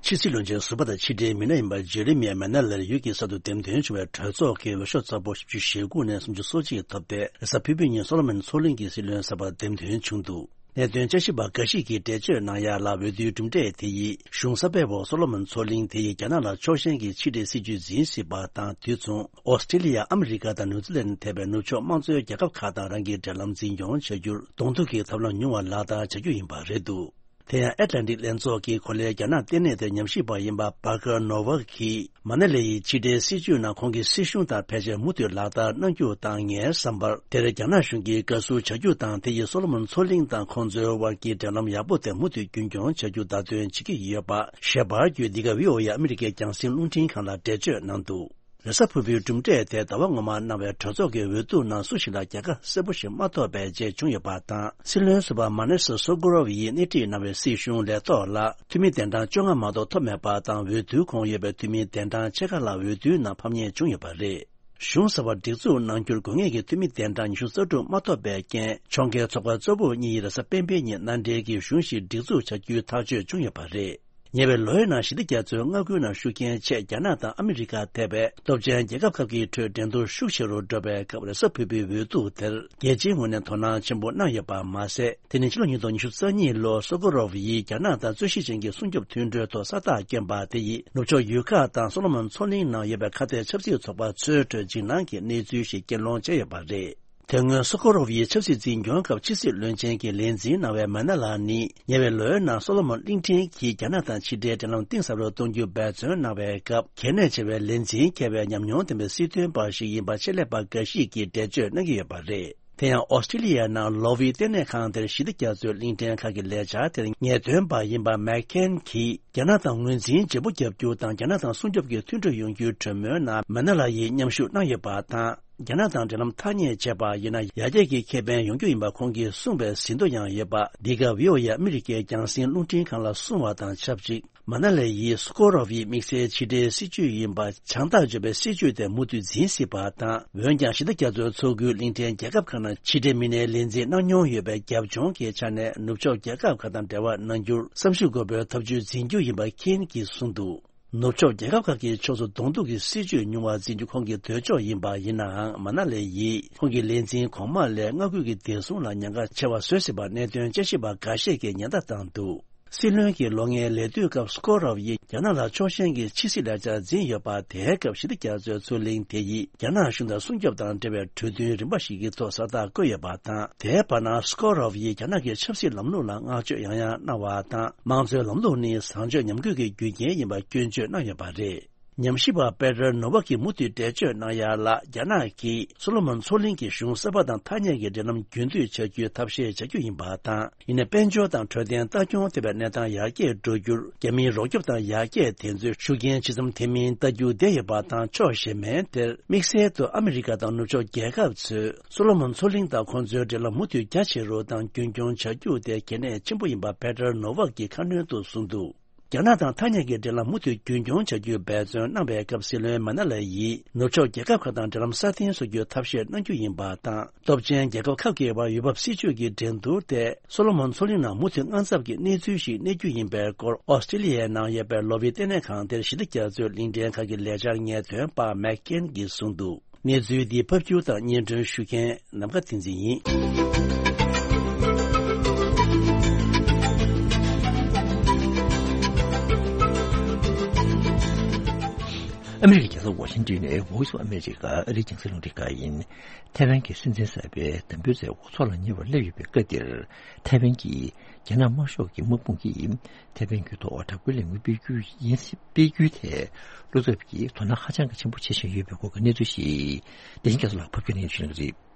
ཕྱི་སྲིད་བློན་ཆེན་ཟུར་པ་དང་ཕྱི་འབྲེལ་མི་སྣ་ཡིན་པ་ཇེ་རི་མི་ཡ་མེ་ན་ལར་ཡུལ་གྱི་གསར་དུ་འདེམས་ཐོན་བྱུང་བའི་གྲོས་ཚོགས་ཀྱི་འོས་ཤོག་རྩ་འབོར་བཞི་བཅུ་ཞེ་དགུ་ནས་སུམ་ཅུ་སོ་གཅིག་ཐོབ་སྟེ། རེས་གཟའ་ཕུར་བུའི་ཉིན་སོ་ལོ་མོན་མཚོ་གླིང་གི་སྲིད་བློན་གསར་པར་འདེམས་ཐོན་བྱུང་འདུག་གནད་དོན་དཔྱད་ཞིབ་པ་འགའ་ཞིག་གིས་འགྲེལ་བརྗོད་གནང་ཡ་ལ། འོས་བསྡུའི་གྲུབ་འབྲས་དེ་ཡིས་གཞུང་གསར་པའི་འོག་སོ་ལོ་མོན་མཚོ་གླིང་དེ་ཡིས་རྒྱ་ནག་ལ་ཕྱོགས་ཞེན་གྱི་ཕྱི་འབྲེལ་སྲིད་ཇུས་འཛིན་སྲིད་པ་དང་། དུས་མཚུངས་ཨོ་སི་ཀྲི་ལི་ཡ། ཨ་མི་རི་ཀ་དང་ནིའུ་ཛི་ལན་ཐེ་བའི་ནུབ་ཕྱོགས་དམངས་གཙོའི་རྒྱལ་ཁབ་ཁག་དང་རང་གི་འབྲེལ་ལམ་འཛིན་སྐྱོང་བྱ་རྒྱུར་གདོང་ཐུག་གི་ཐབས་ལམ་ཉུང་བ་ལག་བསྟར་བྱ་རྒྱུ་ཡིན་པ་རེད་འདུག་དེ་ཡང་ཨེཊ་ལན་ཊིག་ལྷན་ཚོགས་ཀྱི་གོ་ལའི་རྒྱ་ནག་ལྟེ་གནས་དེར་ཉམས་ཞིབ་པ་ཡིན་པ་Parker Novak གིས། མ་ན་ལི་ཡིས་ཕྱི་འབྲེལ་སྲིད་ཇུས་ནང་ཁོང་གི་སྲིད་གཞུང་དང་ཕལ་ཆེར་མུ་མཐུད་ལག་བསྟར་གནང་རྒྱུ་དང་། ངའི་བསམ་པར་དེར་རྒྱ་ནག་གཞུང་གིས་དགའ་བསུ་བྱ་རྒྱུ་དང་། དེ་ཡིས་སོ་ལོ་མོན་མཚོ་གླིང་དང་ཁོང་ཚོའི་དབར་གྱི་འབྲེལ་ལམ་ཡག་པོ་དེ་མུ་མཐུད་རྒྱུན་འཁྱོངས་བྱ་རྒྱུ་བརྡ་སྟོན་བྱེད་ཀྱི་ཡོད་པ་ཞེས་པར་བརྒྱུད། འདི་ག་བྷི་ཨོ་ཨེ་ཨ་མི་རི་ཀའི་རྒྱང་སྲིང་རླུང་འཕྲིན་ཁང་ལ་འགྲེལ་བརྗོད་གནང་འདུག་རེས་གཟའ་ཕུར་བུའི་གྲུབ་འབྲས་དེ་ཟླ་བ་སྔོན་མ་གནང་བའི་གྲོས་ཚོགས་ཀྱི་འོས་བསྡུ་ནང་སུ་ཞིག་ལ་རྒྱལ་ཁ་གསལ་པོ་ཞིག་མ་ཐོབ་པའི་རྗེས་བྱུང་ཡོད་པ་དང་། སྲིད་བློན་ཟུར་པ་མ་ནེ་སི་སོ་གོ་རོབ་ཡིས་སྣེ་ཁྲིད་གནང་བའི་སྲིད་གཞུང་ལས་ཐོག་ལ་འཐུས་མི་གདན་གྲངས་བཅོ་ལྔ་མ་གཏོགས་ཐོབ་མེད་པ་དང་། འོས་བསྡུའི་གོང་ཡོད་པའི་འཐུས་མི་གདན་གྲངས་ཕྱེད་ཀ་ལྷག་འོས་བསྡུའི་ནང་ཕམ་ཉེས་བྱུང་ཡོད་པ་རེད། གཞུང་གསར་པ་སྒྲིག་འཛུགས་གནང་རྒྱུར་དགོས་ངེས་ཀྱི་འཐུས་མི་གདན་གྲངས་ཉི་ཤུ་རྩ་དྲུག་མ་ཐོབ་པའི་རྐྱེན། ཕྱོགས་འགལ་ཚོགས་པ་གཙོ་བོ་གཉིས་རེས་གཟའ་སྤེན་པའི་ཉིན་མནའ་འབྲེལ་གྱིས་གཞུང་ཞིག་སྒྲིག་འཛུགས་བྱ་རྒྱུའི་ཐག་གཅོད་བྱུང་ཡོད་པ་རེད། ཉེ་བའི་ལོའི་ནང་ཞི་བདེ་རྒྱ་མཚོའི་མངའ་ཁུལ་ནང་ཤུགས་རྐྱེན་ཆེད་རྒྱ་ནག་དང་ཨ་མི་རི་ཀ་ཐེ་བའི་སྟོབས་ཆེན་རྒྱལ་ཁབ་ཁག་གི་ཁྲོད་འགྲན་བསྡུར་ཤུགས་ཆེ་རུ་འགྲོ་བའི་སྐབས། རེས་གཟའ་ཕུར་བུའི་འོས་བསྡུ་དེར་རྒྱལ་སྤྱིའི་ངོས་ནས་དོ་སྣང་ཆེན་པོ་གནང་ཡོད་པ་མ་ཟད། དེ་ནི་ཕྱི་ལོ་ཉིས་སྟོང་ཉི་ཤུ་རྩ་གཉིས་ལོར་སོ་གོ་རོབ་ཡིས་རྒྱ་ནག་དང་རྩོད་གཞི་ཅན་གྱི་སྲུང་སྐྱོབ་མཐུན་གྲོས་ཐོག་ས་རྟགས་བསྐྱོན་པ་དེ་ཡིས་ནུབ་ཕྱོགས་ཡུལ་ཁག་དང་སོ་ལོ་མོན་མཚོ་གླིང་ནང་ཡོད་པའི་ཁ་གཏད་ཆབ་སྲིད་ཚོགས་པ་ཚོའི་ཁྲོད་འཇིགས་སྣང་གི་གནས་ཚུལ་ཞིག་རྐྱེན་སློང་བྱས་ཡོད་པ་རེད། དེ་སྔོན་སོ་གོ་རོབ་ཡིས་ཆབ་སྲིད་འཛིན་སྐྱོང་སྐབས་ཕྱི་སྲིད་བློན་ཆེན་གྱི་ལས་འཛིན་གནང་བའི་མ་ན་ལ་ནི། ཉེ་བའི་ལོའི་ནང་སོ་ལོ་མོན་གླིང་ཕྲན་གྱིས་རྒྱ་ནག་དང་ཕྱི་འབྲེལ་འབྲེལ་ལམ་གཏིང་ཟབ་རུ་གཏོང་རྒྱུའི་འབད་བརྩོན་གནང་བའི་སྐབས། གལ་གནད་ཆེ་བའི་ལས་འཛིན་འཁྱེར་བའི་ཉམས་མྱོང་ལྡན་པའི་སྲིད་དོན་པ་ཞིག་ཡིན་པ་ཆེད་ལས་པ་འགའ་ཞིག་གིས་འགྲེལ་བརྗོད་གནང་གི་ཡོད་པ་རེད། དེ་ཡང་ཨོ་སི་ཀྲི་ལི་ཡའི་ནང་ལོ་ཝི་ལྟེ་གནས་ཁང་དེར་ཞི་བདེ་རྒྱ་མཚོའི་གླིང་ཕྲན་ཁག་གི་ལས་འཆར་དེར་ངེས་སྟོན་པ་ཡིན་པ་མེག་ཁེན་གྱིས། རྒྱ་ནག་དང་ངོས་འཛིན་བརྗེ་པོ་བརྒྱབ་རྒྱུ་དང་། རྒྱ་ནག་དང་སྲུང་སྐྱོབ་ཀྱི་མཐུན་གྲོས་ཡོང་རྒྱུའི་གྲོས་མོལ་ནང་མ་ན་ལ་ཡིས་མཉམ་ཞུགས་གནང་ཡོད་པ་དང་། རྒྱ་ནག་དང་འབྲེལ་ལམ་ཐག་ཉེ་བྱས་པ་ཡིན་ན། ཡར་རྒྱས་ཀྱི་ཁེ་ཕན་ཡོང་རྒྱུ་ཡིན་པ་ཁོང་གིས་གསུངས་པའི་ཟིན་ཐོ་ཡང་ཡོད་པ། འདི་ག་བྷི་ཨོ་ཨེ་ཨ་མི་རི་ཀའི་རྒྱང་སྲིང་རླུང་འཕྲིན་ཁང་ལ་གསུངས་པ་དང་ཆབས་ཅིག་མ་ན་ལི་ཡིས་སུ་ཀོ་རོབ་ཡི་དམིགས་བསལ་ཕྱི་འབྲེལ་སྲིད་ཇུས་ཡིན་པ། བྱང་ཐག་གཅོད་པའི་སྲིད་ཇུས་དེ་མུ་མཐུད་འཛིན་སྲིད་པ་དང་། འོན་ཀྱང་ཞི་བདེ་རྒྱ་མཚོའི་མཚོ་ཁུལ་གླིང་ཕྲན་རྒྱལ་ཁབ་ཁག་ནང་ཕྱི་འབྲེལ་མི་སྣའི་ལས་འཛིན་གནང་མྱོང་ཡོད་པའི་རྒྱབ་ལྗོངས་ཀྱི་ཆ་ནས། ནུབ་ཕྱོགས་རྒྱལ་ཁབ་ཁག་དང་འབྲེལ་བ་གནང་རྒྱུར་བསམ་ཤེས་དགོས་པའི་ཐབས་ཇུས་འཛིན་རྒྱུ་ཡིན་པ་ཁེན་གྱིས་གསུངས་འདུག་ནུབ་ཕྱོགས་རྒྱལ་ཁབ་ཁག་གིས་ཕྱོགས་སུ་གདོང་གཏུག་གི་སྲིད་ཇུས་ཉུང་བ་འཛིན་རྒྱུ་ཁོང་གི་འདོད་ཕྱོགས་ཡིན་པ་ཡིན་ནའང་། མ་ན་ལི་ཡིས་ཁོང་གི་ལས་འཛིན་གོང་མ་ལས་མངའ་ཁུལ་གྱི་བདེ་སྲུང་ལ་ཉེན་ཁ་ཆེ་བ་བཟོས་སྲིད་པ་གནད་དོན་དཔྱད་ཞིབ་པ་འགའ་ཤས་ཀྱིས་ཉེན་བརྡ་བཏང་འདུག་སྲིད་བློན་གྱི་ལོ་ལྔའི་ལས་དུས་སྐབས་སུ་ཀོ་རོབ་ཡིས་རྒྱ་ནག་ལ་ཕྱོགས་ཞེན་གྱི་ཕྱི་སྲིད་ལས་འཆར་འཛིན་ཡོད་པ། དེའི་སྐབས་ཞི་བདེ་རྒྱ་མཚོའི་མཚོ་གླིང་དེ་ཡིས་རྒྱ་ནག་གཞུང་དང་སྲུང་སྐྱོབ་དང་འབྲེལ་བའི་གྲོས་མཐུན་རིམ་པ་ཞིག་གི་ཐོག་ས་རྟགས་བཀོད་ཡོད་པ་དང་། དེའི་བར་ན་སུ་ཀོ་རོབ་ཡིས་རྒྱ་ནག་གི་ཆབ་སྲིད་ལམ་ལུགས་ལ་བསྔགས་བརྗོད་ཡང་ཡང་གནང་བ་དང་། དམངས་གཙོའི་ལམ་ལུགས་ནི་བཟང་སྤྱོད་ཉམས་རྒུད་ཀྱི་རྒྱུ་རྐྱེན་ཡིན་པ་སྐྱོན་བརྗོད་གནང་ཡོད་པ་རེད། ཉམས་ཞིབ་པ་པེ་ཏྲ་ནོ་ཝག་གིས་མུ་མཐུད་འགྲེལ་བརྗོད་གནང་ཡ་ལ། རྒྱ་ནག་གིས་སོ་ལོ་མོན་མཚོ་གླིང་གི་གཞུང་གསར་པ་དང་ཐ་སྙད་ཀྱི་འབྲེལ་ལམ་རྒྱུན་མཐུད་བྱ་རྒྱུའི་ཐབས་ཤེས་བྱ་རྒྱུ་ཡིན་པ་དང་། ཡིན་ནའི་དཔལ་འབྱོར་དང་འཕྲོད་བསྟེན་ལྟ་སྐྱོང་ཐེ་བའི་གནས་སྟངས་ཡར་རྒྱས་འགྲོ་རྒྱུར། རྒྱ་མིའི་རོགས་སྐྱོབ་དང་ཡར་རྒྱས་དེ་ཚོས་ཤུགས་རྐྱེན་ཇི་ཙམ་ཐེབས་མིན་ལྟ་རྒྱུ་བསྡད་ཡོད་པ་དང་། ཕྱོགས་གཞན་མའི་དེར་དམིགས་བསལ་དུ་ཨ་མི་རི་ཀ་དང་ནུབ་ཕྱོགས་རྒྱལ་ཁབ་ཚོས་སོ་ལོ་མོན་མཚོ་གླིང་དང་ཁོང་ཚོའི་འབྲེལ་ལམ་མུ་མཐུད་རྒྱ་ཆེ་རུ་དང་རྒྱུན་འཁྱོངས་བྱ་རྒྱུ་དེ་གལ་གནད་ཆེན་པོ་ཡིན་པ་པེ་ཏྲ་ནོ་ཝག་གིས་ཁ་སྣོན་དུ་གསུངས་འདུག་རྒྱ་ནག་དང་ཐ་སྙད་ཀྱི་འབྲེལ་ལམ་མུ་མཐུད་རྒྱུན་འཁྱོངས་བྱ་རྒྱུའི་འབད་བརྩོན་གནང་བའི་སྐབས། སྲིད་བློན་མ་ན་ལི་ཡིས་ནུབ་ཕྱོགས་རྒྱལ་ཁབ་ཁག་དང་འབྲེལ་ལམ་སྲ་བརྟན་བཟོ་རྒྱུའི་ཐབས་ཤེས་གནང་རྒྱུ་ཡིན་པ་དང་། སྟོབས་ཆེན་རྒྱལ་ཁབ་ཁག་གི་བར་འོས་འབབ་སྲིད་ཇུས་ཀྱི་འགྲན་བསྡུར་དེ་སོ་ལོ་མོན་མཚོ་གླིང་ནང་མུ་མཐུད་དངངས་འཚབ་ཀྱི་གནས་ཚུལ་ཞིག་གནས་རྒྱུ་ཡིན་པའི་སྐོར། ཨོ་སི་ཀྲི་ལི་ཡའི་ནང་ཡོད་པའི་ལོ་ཝི་ལྟེ་གནས་ཁང་དེར་ཞི་བདེ་རྒྱ་མཚོའི་གླིང་ཕྲན་ཁག་གི་ལས་འཆར་ངེས་སྟོན་པ་མེག་ཀེན་གྱིས་གསུངས་འདུག་གནས་ཚུལ་འདི་ཕབ་སྒྱུར་དང་སྙན་སྒྲོན་ཞུ་མཁན་ནམ་མཁའ་བསྟན་འཛིན་ཡིན། ཨ་མི་རི་ཀའི་རྒྱལ་ས་ཝ་ཤིང་ཏོན་ནས་Voice of America ཨ་རིའི་རྒྱང་སྲིང་རླུང་འཕྲིན་ཁང་ཡིན། ཐའེ་ཝན་གྱི་སྲིད་འཛིན་གསར་པའི་དམ་འབུལ་མཛད་སྒོ་འཚོགས་ལ་ཉེ་བར་སླེབས་ཡོད་པའི་སྐབས་འདིར། ཐའེ་ཝན་གྱི་རྒྱ་ནག་དམར་ཤོག་གི་དམག་དཔུང་གིས་ཐའེ་ཝན་རྒྱུད་ཐོག་དྲག་པོའི་ལས་འགུལ་སྤེལ་རྒྱུ་ཡིན། སྤེལ་རྒྱུའི་ཐད་བློ་འཚབ་ཀྱིས་དོ་སྣང་ཧ་ཅང་གི་ཆེན་པོ་བྱེད་བཞིན་ཡོད་པའི་སྐོར་གྱི་གནས་ཚུལ་ཞིག་བདེ་ཆེན་རྒྱ་མཚོ་ལགས་ཕབ་སྒྱུར་གནང་ཞུ་གནང་གི་རེད།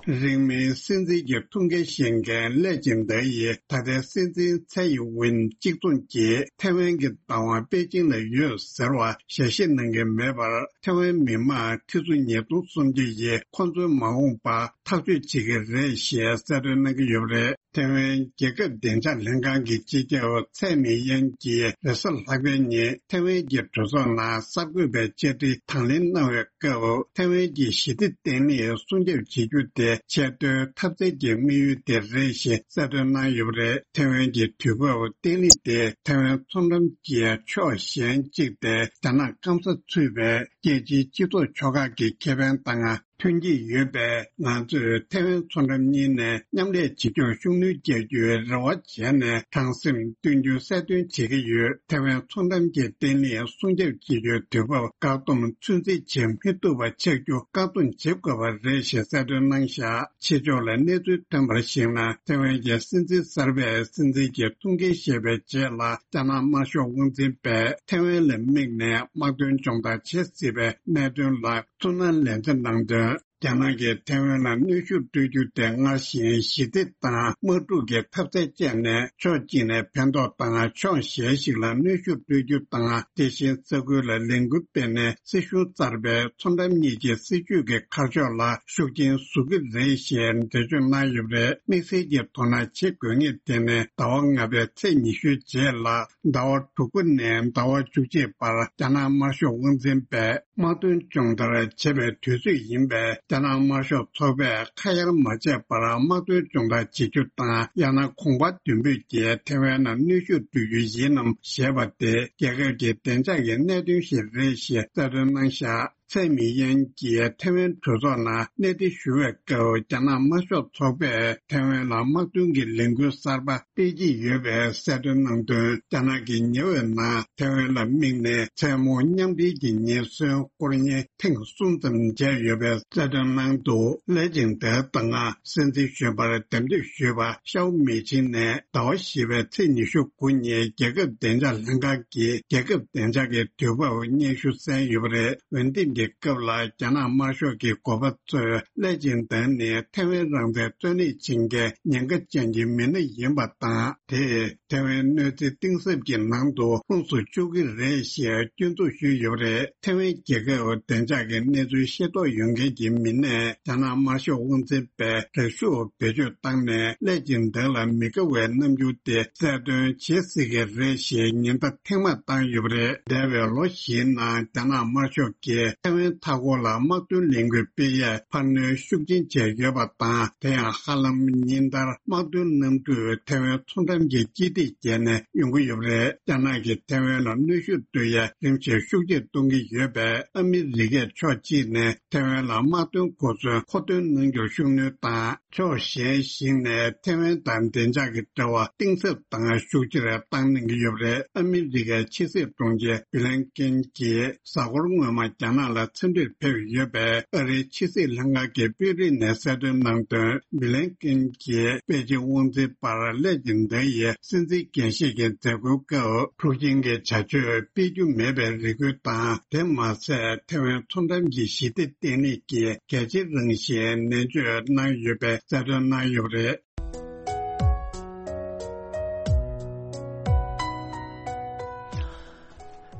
རིང་མིན་སྲིད་འཛིན་གྱི་ཐུགས་འགན་བཞེས་མཁན་ལེ་ཅིང་ཏེ་ཡིས་ད་ལྟའི་སྲིད་འཛིན་ཚའེ་ཡིན་ཝིན་གཅིག་མཚུངས་ཀྱིས་ཐའེ་ཝན་གྱི་བདག་དབང་པེ་ཅིང་ལ་ཡོད་ཟེར་བ་ཞལ་བཞེས་གནང་གི་མེད་པར། ཐའེ་ཝན་མི་དམངས་ཁྲི་ཚོ་ཉིས་སྟོང་སུམ་བརྒྱ་ཡིས་ཁོ་ཚོའི་མ་འོངས་པ། ཐག་གཅོད་བྱེད་ཀྱི་རེད་ཞེས་གསལ་སྟོན་གནང་གི་ཡོད་པ་རེད། ཐེ་ཝན་རྒྱལ་ཁབ་བདེ་འཇགས་ལྷན་ཁང་གི་སྤྱི་ཁྱབ་ཚའེ་མི་ཡན་གྱིས་རེས་གཟའ་ལྷག་པའི་ཉིན་ཐེ་ཝན་གྱི་གྲོས་ཚོགས་ནང་གསར་འགོད་པའི་བཅར་འདྲི་དང་ལེན་གནང་བའི་སྐབས། ཐེ་ཝན་གྱི་ཞི་བདེ་བརྟན་ལྷིང་སྲུང་སྐྱོབ་བྱེད་རྒྱུ་དེ་ཆེས་མཐོའི་འཐབ་རྩལ་གྱི་དམིགས་ཡུལ་དེ་རེད་ཞེས་གསལ་སྟོན་གནང་ཡོད་པ་རེད། ཐེ་ཝན་གྱི་དུས་བབ་བརྟན་ལྷིང་དེ་ཐེ་ཝན་མཚོ་འགྲམ་གྱི་ཕྱོགས་གཞན་གཅིག་སྟེ། རྒྱ་ནག་སྐམ་ས་ཚུད་པའི་རྒྱལ་སྤྱིའི་སྤྱི་ཚོགས་ཕྱོགས་ཁག་གི་ཁེ་ཕན་དང་མཐུན་གྱི་ཡོད་པས། ང་ཚོས་ཐེ་ཝན་མཚོ་འགྲམ་གཉིས་ནས་མཉམ་ལས་བྱེད་རྒྱུར་ཤུགས་སྣོན་རྒྱག་རྒྱུའི་རེ་བ་བྱས་ནས། དྲང་སེམས་བསྟུན་རྒྱུ་གསལ་སྟོན་བྱེད་ཀྱི་ཡོད། ཐེ་ཝན་མཚོ་འགྲམ་གྱི་བརྟན་ལྷིང་སྲུང་སྐྱོབ་བྱེད་རྒྱུའི་དུས་བབ་བཀག་སྡོམ་ཚོད་འཛིན་བྱེད་མི་ཐུབ་པ་ཆགས་རྒྱུ་བཀག་སྡོམ་བྱེད་དགོས་པ་རེད་ཞེས་གསལ་སྟོན་གནང་བཞག་ཕྱི་ཕྱོགས་ལ་གནས་ཚུལ་ཐོན་པར་གཞིགས་ན། ཐེ་ཝན་གྱི་སྲིད་འཛིན་གསར་པས་སྲིད་འཛིན་གྱི་ཐུགས་འགན་བཞེས་པའི་རྗེས་ལ། རྒྱ་ནག་དམར་ཤོག་དབང་འཛིན་པས་ཐེ་ཝན་ལ་དམིགས་ནས་དམག་དོན་སྦྱོང་བརྡར་བྱེད་སྲིད་པའི་གནད་དོན་ལ་ཚུར་སྣང་ལན་འདེབས་གནང་དོན། རྒྱ་ནག་གིས་ཐེ་ཝན་ལ་གནོན་ཤུགས་སྤྲོད་རྒྱུ་དེ་སྔར་བཞིན་ཞི་བདེ་དང་དམག་འཁྲུག་གི་འཐབ་རྩལ་སྤྱད་ནས། ཕྱོགས་གཅིག་ནས་ཕན་ཐོགས་དང་ཕྱོགས་གཞན་ཞིག་ལ་གནོན་ཤུགས་སྤྲོད་རྒྱུ་དང་། དེ་བཞིན་ས་ཁུལ་ལ་ལས་འགུལ་སྤེལ་ནས། སྲིད་གཞུང་གསར་པའི་མཚོ་འགྲམ་གཉིས་ཀྱི་སྲིད་ཇུས་ཀྱི་ཁ་ཕྱོགས་ལ་ཤུགས་རྐྱེན་བཟོ་གི་རེད་ཞེས་འགྲེལ་བརྗོད་གནང་ཡོད་པ་རེད། དམིགས་བསལ་གྱིས་དོ་སྣང་བྱེད་དགོས་ངེས་དེ་ནི། ཟླ་བ་ལྔ་པའི་ཚེས་ཉི་ཤུའི་རྗེས་ལ། ཟླ་བ་དྲུག་པ་ནས་ཟླ་བ་བཅུ་གཅིག་བར་རྒྱ་ནག་དམར་ཤོག་དབང་འཛིན་པས་དམག་དོན་སྦྱོང་བརྡར་བྱེད་པའི་དུས་ཚོད་ཡིན་པས། རྒྱ་ནག་དམར་ཤོག་ཚོགས་པས་ཁ་གཡར་མ་བྱས་པར་དམག་དོན་སྦྱོང་བརྡར་བྱེད་རྒྱུ་དང་། ཡང་ན་གོང་འཕེལ་མདུན་སྤོས་ཀྱིས་ཐེ་ཝན་ལ་གནོན་ཤུགས་སྤྲོད་རྒྱུ་ཡིན་ནམ་ཞེས་པ་དེ། རྒྱལ་ཁབ་ཀྱི་བདེ་འཇགས་ཀྱི་གནད་དོན་ཞིག་རེད་ཞེས་གསལ་སྟོན་གནང་བཞག་ཚའེ་མི་ཡན་གྱིས་ཐེ་ཝན་གྲོས་ཚོགས་ནང་གནས་བརྟན་ཞུ་བའི་སྐབས། རྒྱ་ནག་དམར་ཤོག་ཚོགས་པས་ཐེ་ཝན་ལ་དམག་དོན་གྱི་ལས་འགུལ་གསར་པ་སྤེལ་གྱི་ཡོད་པའི་གསལ་སྟོན་གནང་དོན། རྒྱ་ནག་གི་ཉེ་བའི་ནང་ཐེ་ཝན་ལ་དམིགས་ནས་མཚན་མོ་མཉམ་འབྲེལ་གྱི་ཉེན་ཟོན་སྐོར་གཡེང་ཐེངས་གསུམ་ཙམ་བྱས་ཡོད་པའི་གསལ་སྟོན་གནང་འདུག་ལེ་ཅིང་ཏེ་དང་སྲིད་འཛིན་གཞོན་པར་འདེམས་ཐོན་ཞུས་པ་ཤའོ་མེ་ཆིང་ནས། ཟླ་བ་བཞི་པའི་ཚེས་ཉི་ཤུ་དགུ་ཉིན་རྒྱལ་ཁབ་བདེ་འཇགས་ལྷན་ཁང་གིས་རྒྱལ་ཁབ་བདེ་འཇགས་ཀྱི་དུས་བབ་སྙན་ཞུ་གསན་ཡོད་པ་རེད། འོས་འདེམས་ཀྱི་སྐབས་ལ་རྒྱ་ནག་དམར་ཤོག་གི་འགོ་པ་ཚོས་ལེ་ཅིང་ཏེ་ནི་ཐེ་ཝན་རང་བཙན་རྩོད་ལེན་བྱེད་མཁན་ཉེན་ཁ་ཅན་གྱི་མི་སྣ་ཡིན་པ་དང་། དེས་ཐེ་ཝན་གནོད་འཚེ་གཏིང་ཟབ་ཀྱི་ནང་དུ་ལྷུང་སུ་བཅུག་གི་རེད་ཞེས་སྐྱོན་འཛུགས་ཞུས་ཡོད་པ་རེད། ཐེ་ཝན་རྒྱལ་ཁབ་བདེ་འཇགས་ཀྱི་གནས་ཚུལ་ཤེས་རྟོགས་ཡོད་མཁན་གྱི་མི་སྣས་རྒྱ་ནག་དམར་ཤོག་དབང་འཛིན་པས་རེ་ཞུ་བེད་སྤྱོད་བཏང་ནས། ལེ་ཅིང་ཏེ་ལ་མི་དགའ་བའི་རྣམ་འགྱུར་དེ་གསལ་སྟོན་བྱེད་སྲིད་ཀྱི་རེད་ཞེས་ཉེན་བརྡ་ཐེངས་མང་བཏང་ཡོད་པ་རེད། འདས་པའི་ལོ་བཞིའི་ནང་རྒྱ་ནག་དམར་ཤོག་གིས་ཐེ་ཝན་མཐའ་འཁོར་ལ་དམག་དོན་ལས་འགུལ་སྤེལ་ཡས་འཕར་སྣོན་ཤུགས་ཆེན་བྱས་ཡོད་པ་དང་། དེ་ཡང་ཧ་ལམ་ཉིན་ལྟར་དམག་དོན་གནམ་གྲུས་ཐེ་ཝན་མཚོ་འགྲམ་གྱི་སྤྱི་ཐིག་བརྒལ་ནས་ཡོང་གི་ཡོད་པ་རེད། རྒྱ་ནག་གིས་ཐེ་ཝན་ལ་གནོན་ཤུགས་སྤྲོད་ཡས་རིམ་བཞིན་ཤུགས་ཆེར་གཏོང་གི་ཡོད་པས། ཨ་མི་རི་ཀས་ཕྱོགས་གཅིག་ནས་ཐེ་ཝན་ལ་དམག་དོན་གོ་མཚོན་མཁོ་འདོན་གནང་རྒྱུར་ཤུགས་སྣོན་དང་། ཕྱོགས་གཞན་ཞིག་ནས་ཐེ་ཝན་དང་བདེ་འཇགས་ཀྱི་འབྲེལ་བ་གཏིང་ཟབ་དང་ཤུགས་ཆེར་བཏང་གནང་གི་ཡོད་པ་རེད། ཨ་མི་རི་ཀའི་ཕྱི་སྲིད་དྲུང་ཆེ་བྷི་ལན་ཀིན་གྱིས་གཟའ་འཁོར་སྔོན་མ་རྒྱ་ནག་ལ་འཚམས་འདྲིར་ཕེབས་ཡོད་པས། ཨ་རིའི་ཕྱི་སྲིད་ལྷན་ཁང་གི་དཔོན་རིགས་ནས་གསལ་སྟོན་གནང་དོན། བྷི་ལན་ཀིན་གྱིས་པེ་ཅིན་དབང་འཛིན་པར་ལེ་ཅིང་ཏེ་ཡིས་སྲིད་འཛིན་འགན་བཞེས་ཀྱི་མཛད་སྒོའི་སྐབས་འཁྲུག་ཆེན་གྱི་བྱ་སྤྱོད་སྤེལ་རྒྱུ་མེད་པའི་རེ་སྐུལ་དང་། དེ་མ་ཟད་ཐེ་ཝན་མཚོ་འགྲམ་གྱི་ཞི་བདེ་བརྟན་ལྷིང་གི་གལ་ཆེ་རང་བཞིན་ནན་བརྗོད་གནང་ཡོད་པའི་གསལ་སྟོན་གནང་ཡོད་པ་རེད།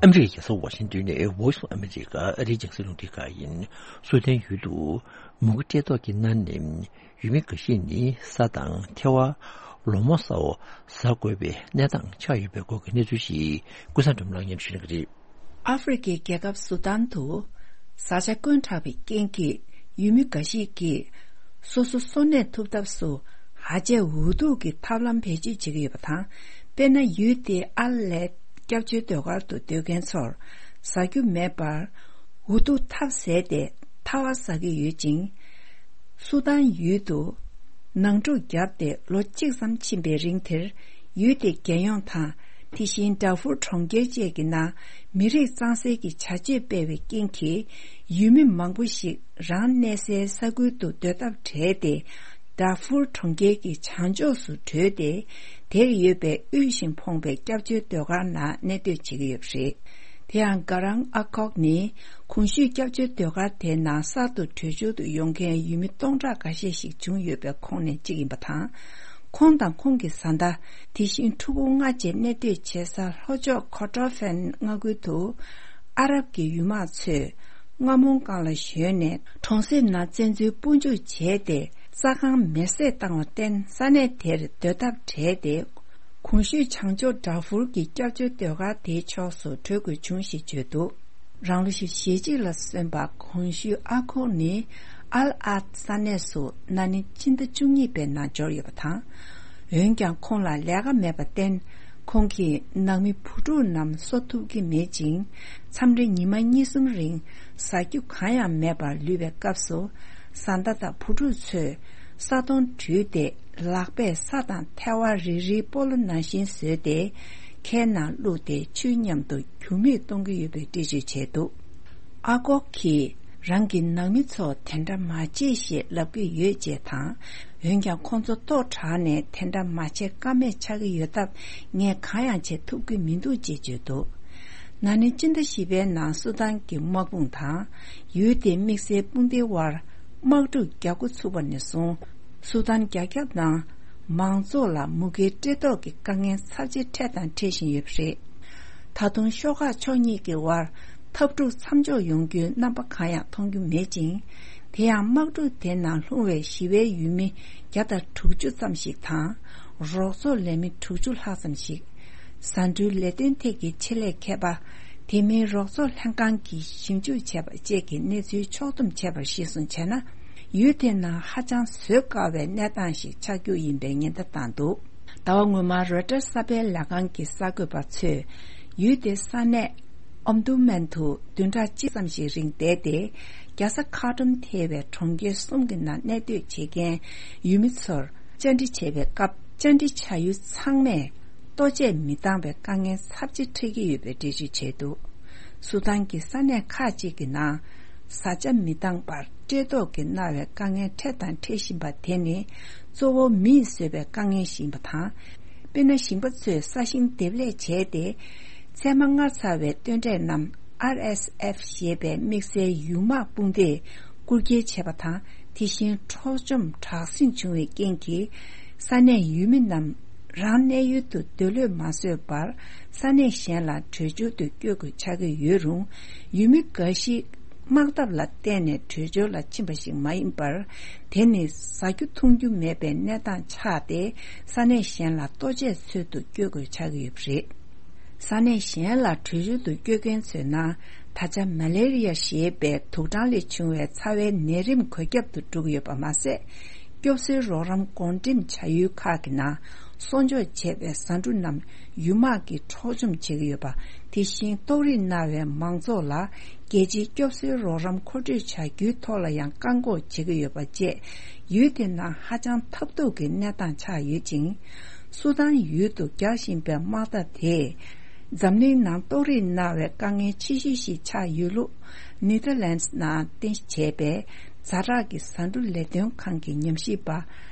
ཨ་མི་རི་ཀའི་རྒྱལ་ས་ཝ་ཤིང་ཏོན་ནས་Voice of America ཨ་རིའི་རྒྱང་སྲིང་རླུང་འཕྲིན་ཁང་ཡིན། སུ་དན་ཡུལ་དུ་མུ་གེ་བཀྲེས་ལྟོགས་ཀྱིས་མནར་ནས་ཡུལ་མི་འགའ་ཤས་ནི་ས་དང་ཐལ་བ། ལོ་མ་སོགས་ཟ་དགོས་པའི་གནས་སྟངས་ཆགས་ཡོད་པའི་སྐོར་གྱི་གནས་ཚུལ་ཞིག་ཀུན་བཟང་སྒྲོལ་མ་ལགས་སྙན་ཞུ་གནང་གི་རེད། ཨ་ཧྥེ་རི་ཁའི་རྒྱལ་ཁབ་སུ་དཱན་དུ་བཟའ་བཅའ་དཀོན་དྲགས་པའི་རྐྱེན་གྱིས་ཡུལ་མི་འགའ་ཞིག་གིས་སོ་སོ་གསོན་གནས་ཐུབ་ཐབས་སུ་ཧ་ཅང་འུ་ཐུག་གི་ཐབས་ལམ་བེད་སྤྱོད་བྱེད་ཀྱི་ཡོད་པ་དང་། དཔེར་ན། ཡུལ་དེའི་ཨར་ལས་སྐྱབས་བཅོལ་སྡོད་སྒར་དུ་སྡོད་མཁན་ཚོར་ཟ་རྒྱུ་མེད་པར་འུ་ཐུག་ཐབས་ཟད་དེ་ཐལ་བ་ཟ་གི་ཡོད་ཅིང་། སུ་དཱན་ཡུལ་དུ་ནང་འཁྲུག་བརྒྱབ་སྟེ་ལོ་གཅིག་ཙམ་ཕྱིན་པའི་རིང་དེར། ཡུལ་དེའི་རྒྱལ་ཡོངས་དང་། དེ་བཞིན་ཌར་ཧྥུར་གྲོང་ཁྱེར་བཅས་ཀྱི་ནང་མི་རིགས་གཙང་སེལ་གྱི་བྱ་སྤྱོད་སྤེལ་བའི་རྐྱེན་གྱིས། ཡུལ་མི་མང་པོ་ཞིག་རང་གནས་སའི་ས་ཁུལ་དུ་སྡོད་ཐབས་བྲལ་ཏེ། ཌར་ཧྥུར་གྲོང་ཁྱེར་གྱི་བྱང་ཕྱོགས་སུ་བྲོས་ཏེ། དེར་ཡོད་པའི་དབུལ་ཞིང་ཕོངས་པའི་སྐྱབས་བཅོལ་སྡོད་སྒར་ནང་གནས་སྡོད་བྱེད་ཀྱི་ཡོད་པ་རེད། དེ་ཡང་། གྷ་རང་ཨ་ཁོག་ནི་གོང་ཞུས་སྐྱབས་བཅོལ་སྡོད་སྒར་དེའི་ནང་གསར་དུ་བྲོས་བྱོལ་དུ་ཡོང་མཁན་ཡུལ་མི་སྟོང་ཕྲག་འགའ་ཤས་ཤིག་བྱུང་ཡོད་པའི་ཁོངས་ནས་གཅིག་ཡིན་པ་དང་། ཁོང་དང་ཁོང་གི་བཟའ་ཟླ། དེ་བཞིན་ཕྲུ་གུ་ལྔ་བཅས་གནས་སྡོད་བྱེད་ས་ལྷོ་ཕྱོགས་ཁོ་ཏྲོ་ཧྥན་མངའ་ཁུལ་དུ་ཨ་རབ་ཀྱི་ཡུལ་དམག་ཚོས་ རྔ་མོང་སྒང་ལ་བཞོན་ནས་གྲོང་གསེབ་ནང་བཙན་འཛུལ་སྤོ་འཇུག་བྱས་ཏེ། རྩྭ་ཁང་མེར་སྲེག་བཏང་བར་བརྟེན། ས་གནས་དེར་སྡོད་ཐབས་བྲལ་ཏེ། གོང་ཞུས་བྱང་ཕྱོགས་ཌར་ཧྥུར་གྱི་སྐྱབས་བཅོལ་སྡོད་སྒར་དེའི་ཕྱོགས་སུ་བྲོས་དགོས་བྱུང་ཞེས་བརྗོད་འདུག་རང་ལོ་ཞེ་གཅིག་ལ་སོན་པ་གོང་ཞུས་ཨ་ཁོ་ནི་ཨལ་ཨད་ས་གནས་སུ་ན་ནིང་སྤྱི་ཟླ་བཅུ་གཉིས་པའི་ནང་འབྱོར་ཡོད་པ་དང་། འོན་ཀྱང་ཁོང་ལ་ལས་ཀ་མེད་པར་བརྟེན། ཁོང་གིས་ནང་མི་བུ་ཕྲུག་རྣམས་གསོ་ཐུབ་ཀྱི་མེད་ཅིང་། མཚམས་རེ་ཉི་མ་གཉིས་གསུམ་རིང་ཟ་རྒྱུ་གང་ཡང་མེད་པར་ལུས་པའི་སྐབས་སུ། བཟའ་ཟླ་དང་བུ་ཕྲུག་ཚོས་ས་དོང་བྲུས་ཏེ། ལག་པས་ས་དང་ཐལ་བ་རིལ་རིལ་སྤོ་ལོ་ནང་བཞིན་བཟོས་ཏེ། ཁའི་ནང་བླུགས་ཏེ་ཆུ་མཉམ་དུ་རྒྱུ་མིག་གཏོང་གི་ཡོད་པའི་འགྲེལ་བརྗོད་བྱས་འདུག་ཨ་ཀོག་གིས་རང་གི་ནང་མི་ཚོ་དེ་འདྲ་མ་བྱེད་ཞེས་ལབ་ཀྱི་ཡོད་ཅེས་དང་། འོན་ཀྱང་ཁོང་ཚོ་ལྟོགས་དྲགས་ནས་དེ་འདྲ་མ་བྱེད་ཀ་མེད་ཆགས་ཀྱི་ཡོད་སྟབས། ངས་གང་ཡང་བྱེད་ཐུབ་ཀྱི་མི་འདུག་ཅེས་བརྗོད་འདུག་ན་ནིང་སྤྱི་ཟླ་བཞི་པའི་ནང་སུ་དཱན་གྱི་དམག་དཔུང་དང་ཡུལ་དེའི་དམིགས་བསལ་དཔུང་སྡེའི་དབར་དམག་འཁྲུག་རྒྱག་འགོ་ཚུགས་པ་ནས་བཟུང་། སུ་དཱན་རྒྱ་ཁྱབ་ནང་མང་ཚོགས་ལ་མུ་གེའི་བཀྲེས་ལྟོགས་ཀྱི་དཀའ་ངལ་ཚབས་ཆེ་འཕྲད་དང་འཕྲད་བཞིན་ཡོད་པ་རེད། ད་དུང་ཤོག་ཁག་ཕྱོགས་གཉིས་ཀྱི་དབར་འཐབ་འཁྲུག་མཚམས་འཇོག་ཡོང་རྒྱུའི་རྣམ་པ་གང་ཡང་མཐོང་རྒྱུ་མེད་ཅིང་། དེ་ཡང་དམག་འཁྲུག་དེ་ནང་ལྷུང་བའི་ཞི་བའི་ཡུལ་མི་བརྒྱ་དང་དྲུག་ཅུ་ཙམ་ཞིག་དང་། རོགས་ཚོགས་ལས་མི་དྲུག་ཅུ་ལྷག་ཙམ་ཞིག་བཟའ་འབྲུའི་ལས་དོན་ཐད་ཀྱི་ཆེད་ལས་མཁས་པ། དེ་མིན་རོགས་ཚོགས་ལྷན་ཁང་གིས་ཞིབ་འཇུག་བྱས་པ་བཅས་ཀྱི་གནས་ཚུལ་ཕྱོགས་བསྡོམས་བྱས་པར་གཞི་བཟུང་བྱས་ན། ཡུལ་དེ་ནང་ཧ་ཅང་བཟོད་དཀའ་བའི་གནས་སྟངས་ཤིག་ཆགས་རྒྱུ་ཡིན་པའི་ཉེན་བརྡ་བཏང་འདུག་ཟླ་བ་སྔོན་མར་རོའི་ཊར་གསར་སྤེལ་ལས་ཁང་གི་གསར་འགོད་པ་ཚོས། ཡུལ་དེའི་ས་གནས་ཨོམ་དུ་མན་དུ་བདུན་ཕྲག་གཅིག་ཙམ་ཞིག་རིང་བསྡད་དེ། རྒྱལ་ས་ཁར་ཏུམ་ཐེ་བའི་གྲོང་ཁྱེར་གསུམ་གྱི་ནང་གནས་སྡོད་བྱེད་མཁན་ཡུལ་མི་ཚོར་བཅར་འདྲི་བྱས་པའི་སྐབས། བཅར་འདྲི་བྱ་ཡུལ་ཚང་མས་ལྟོ་ཆས་མི་འདང་བའི་དཀའ་ངལ་ཚབས་ཆེ་འཕྲད་ཀྱི་ཡོད་པའི་འགྲེལ་བརྗོད་བྱས་འདུག་སུ་དཱན་གྱི་ས་གནས་ཁག་ཅིག་གི་ནང་བཟའ་བཅའ་མི་འདང་པར་བཀྲེས་ལྟོགས་ཀྱིས་མནར་བའི་དཀའ་ངལ་འཕྲད་དང་འཕྲད་བཞིན་པ་དེ་ནི། གཙོ་བོ་མིས་བཟོས་པའི་དཀའ་ངལ་ཞིག་ཡིན་པ་དང་། དཔེར་ན། ཞིང་པ་ཚོས་ས་ཞིང་འདེབས་ལས་བྱས་ཏེ། ཚད་མ་སྔར་ཚར་བའི་སྟོན་འབྲས་རྣམས་ཨར་ཨེས་ཨེཕ་ཞེས་པའི་དམིགས་བསལ་ཡུལ་དམག་དཔུང་སྡེས་རྐུ་འཁྱེར་བྱས་པ་དང་། དེ་བཞིན་འཕྲོག་བཅོམ་དྲག་ཟིང་བྱུང་བའི་རྐྱེན་གྱིས། ས་གནས་ཡུལ་མི་རྣམས་རང་གནས་ཡུལ་དུ་སྡོད་ལོས་མ་བཟོད་པར། ས་གནས་གཞན་ལ་བྲོས་བྱོལ་དུ་བསྐྱོད་དགོས་ཆགས་ཀྱི་ཡོད་རུང་། ཡུལ་མི་འགའ་ཞིག་དམག་འཐབ་ལ་བརྟེན་ནས་བྲོས་བྱོལ་ལ་ཕྱིན་པ་ཞིག་མ་ཡིན་པར། དེ་ནི་ཟ་རྒྱུ་འཐུང་རྒྱུ་མེད་པའི་གནས་སྟངས་ཆགས་ཏེ། ས་གནས་གཞན་ལ་ལྟོ་ཆས་འཚོལ་དུ་བསྐྱོད་དགོས་ཆགས་ཀྱི་ཡོད་པ་རེད། ས་གནས་གཞན་ལ་བྲོས་བྱོལ་དུ་བསྐྱོད་མཁན་ཚོའི་ནང་། ད་ཆ་མ་ལེ་རི་ཡ་ཞེས་པའི་དུག་སྦྲང་ལས་བྱུང་བའི་ཚ་བའི་ནད་རིམས་འགོས་ཁྱབ་ཏུ་འགྲོ་གི་ཡོད་པ་མ་ཟད། སྐྱོབ་གསོའི་རོགས་རམ་བགོ་འགྲེམས་བྱ་ཡུལ་ཁག་གི་ནང་། གསོ་སྐྱོང་བྱས་པའི་བཟའ་འབྲུ་རྣམས་ཡུལ་དམག་གིས་འཕྲོག་བཅོམ་བྱེད་ཀྱི་ཡོད་པ། དེ་བཞིན་ལྟོགས་རིས་མནར་བའི་མང་ཚོགས་ལ། རྒྱལ་སྤྱིའི་སྐྱོབ་གསོའི་རོགས་རམ་མཁོ་སྤྲོད་བྱ་རྒྱུའི་ཐོག་ལ་ཡང་བཀག་འགོག་བྱེད་ཀྱི་ཡོད་པ་བཅས། ཡུལ་དེ་ནང་ཧ་ཅང་ཐབས་སྡུག་གི་གནས་སྟངས་ཆགས་ཡོད་ཅིང་། སུ་དཱན་ཡུལ་དུ་རྒྱག་བཞིན་པའི་དམག་འཐབ་དེས། འཛམ་གླིང་ནང་ལྟོགས་རིས་མནར་བའི་དཀའ་ངལ་ཆེ་ཤོས་ཤིག་ཆགས་ཡོད་ལུགས། ནེ་ཐར་ལན་ཌི་ནང་རྟེན་གཞི་བྱས་པའི་ཛ་དྲག་གི་བཟའ་འབྲུ་ལས་དོན་ཁང་གི་ཉམས་ཞིབ་པ།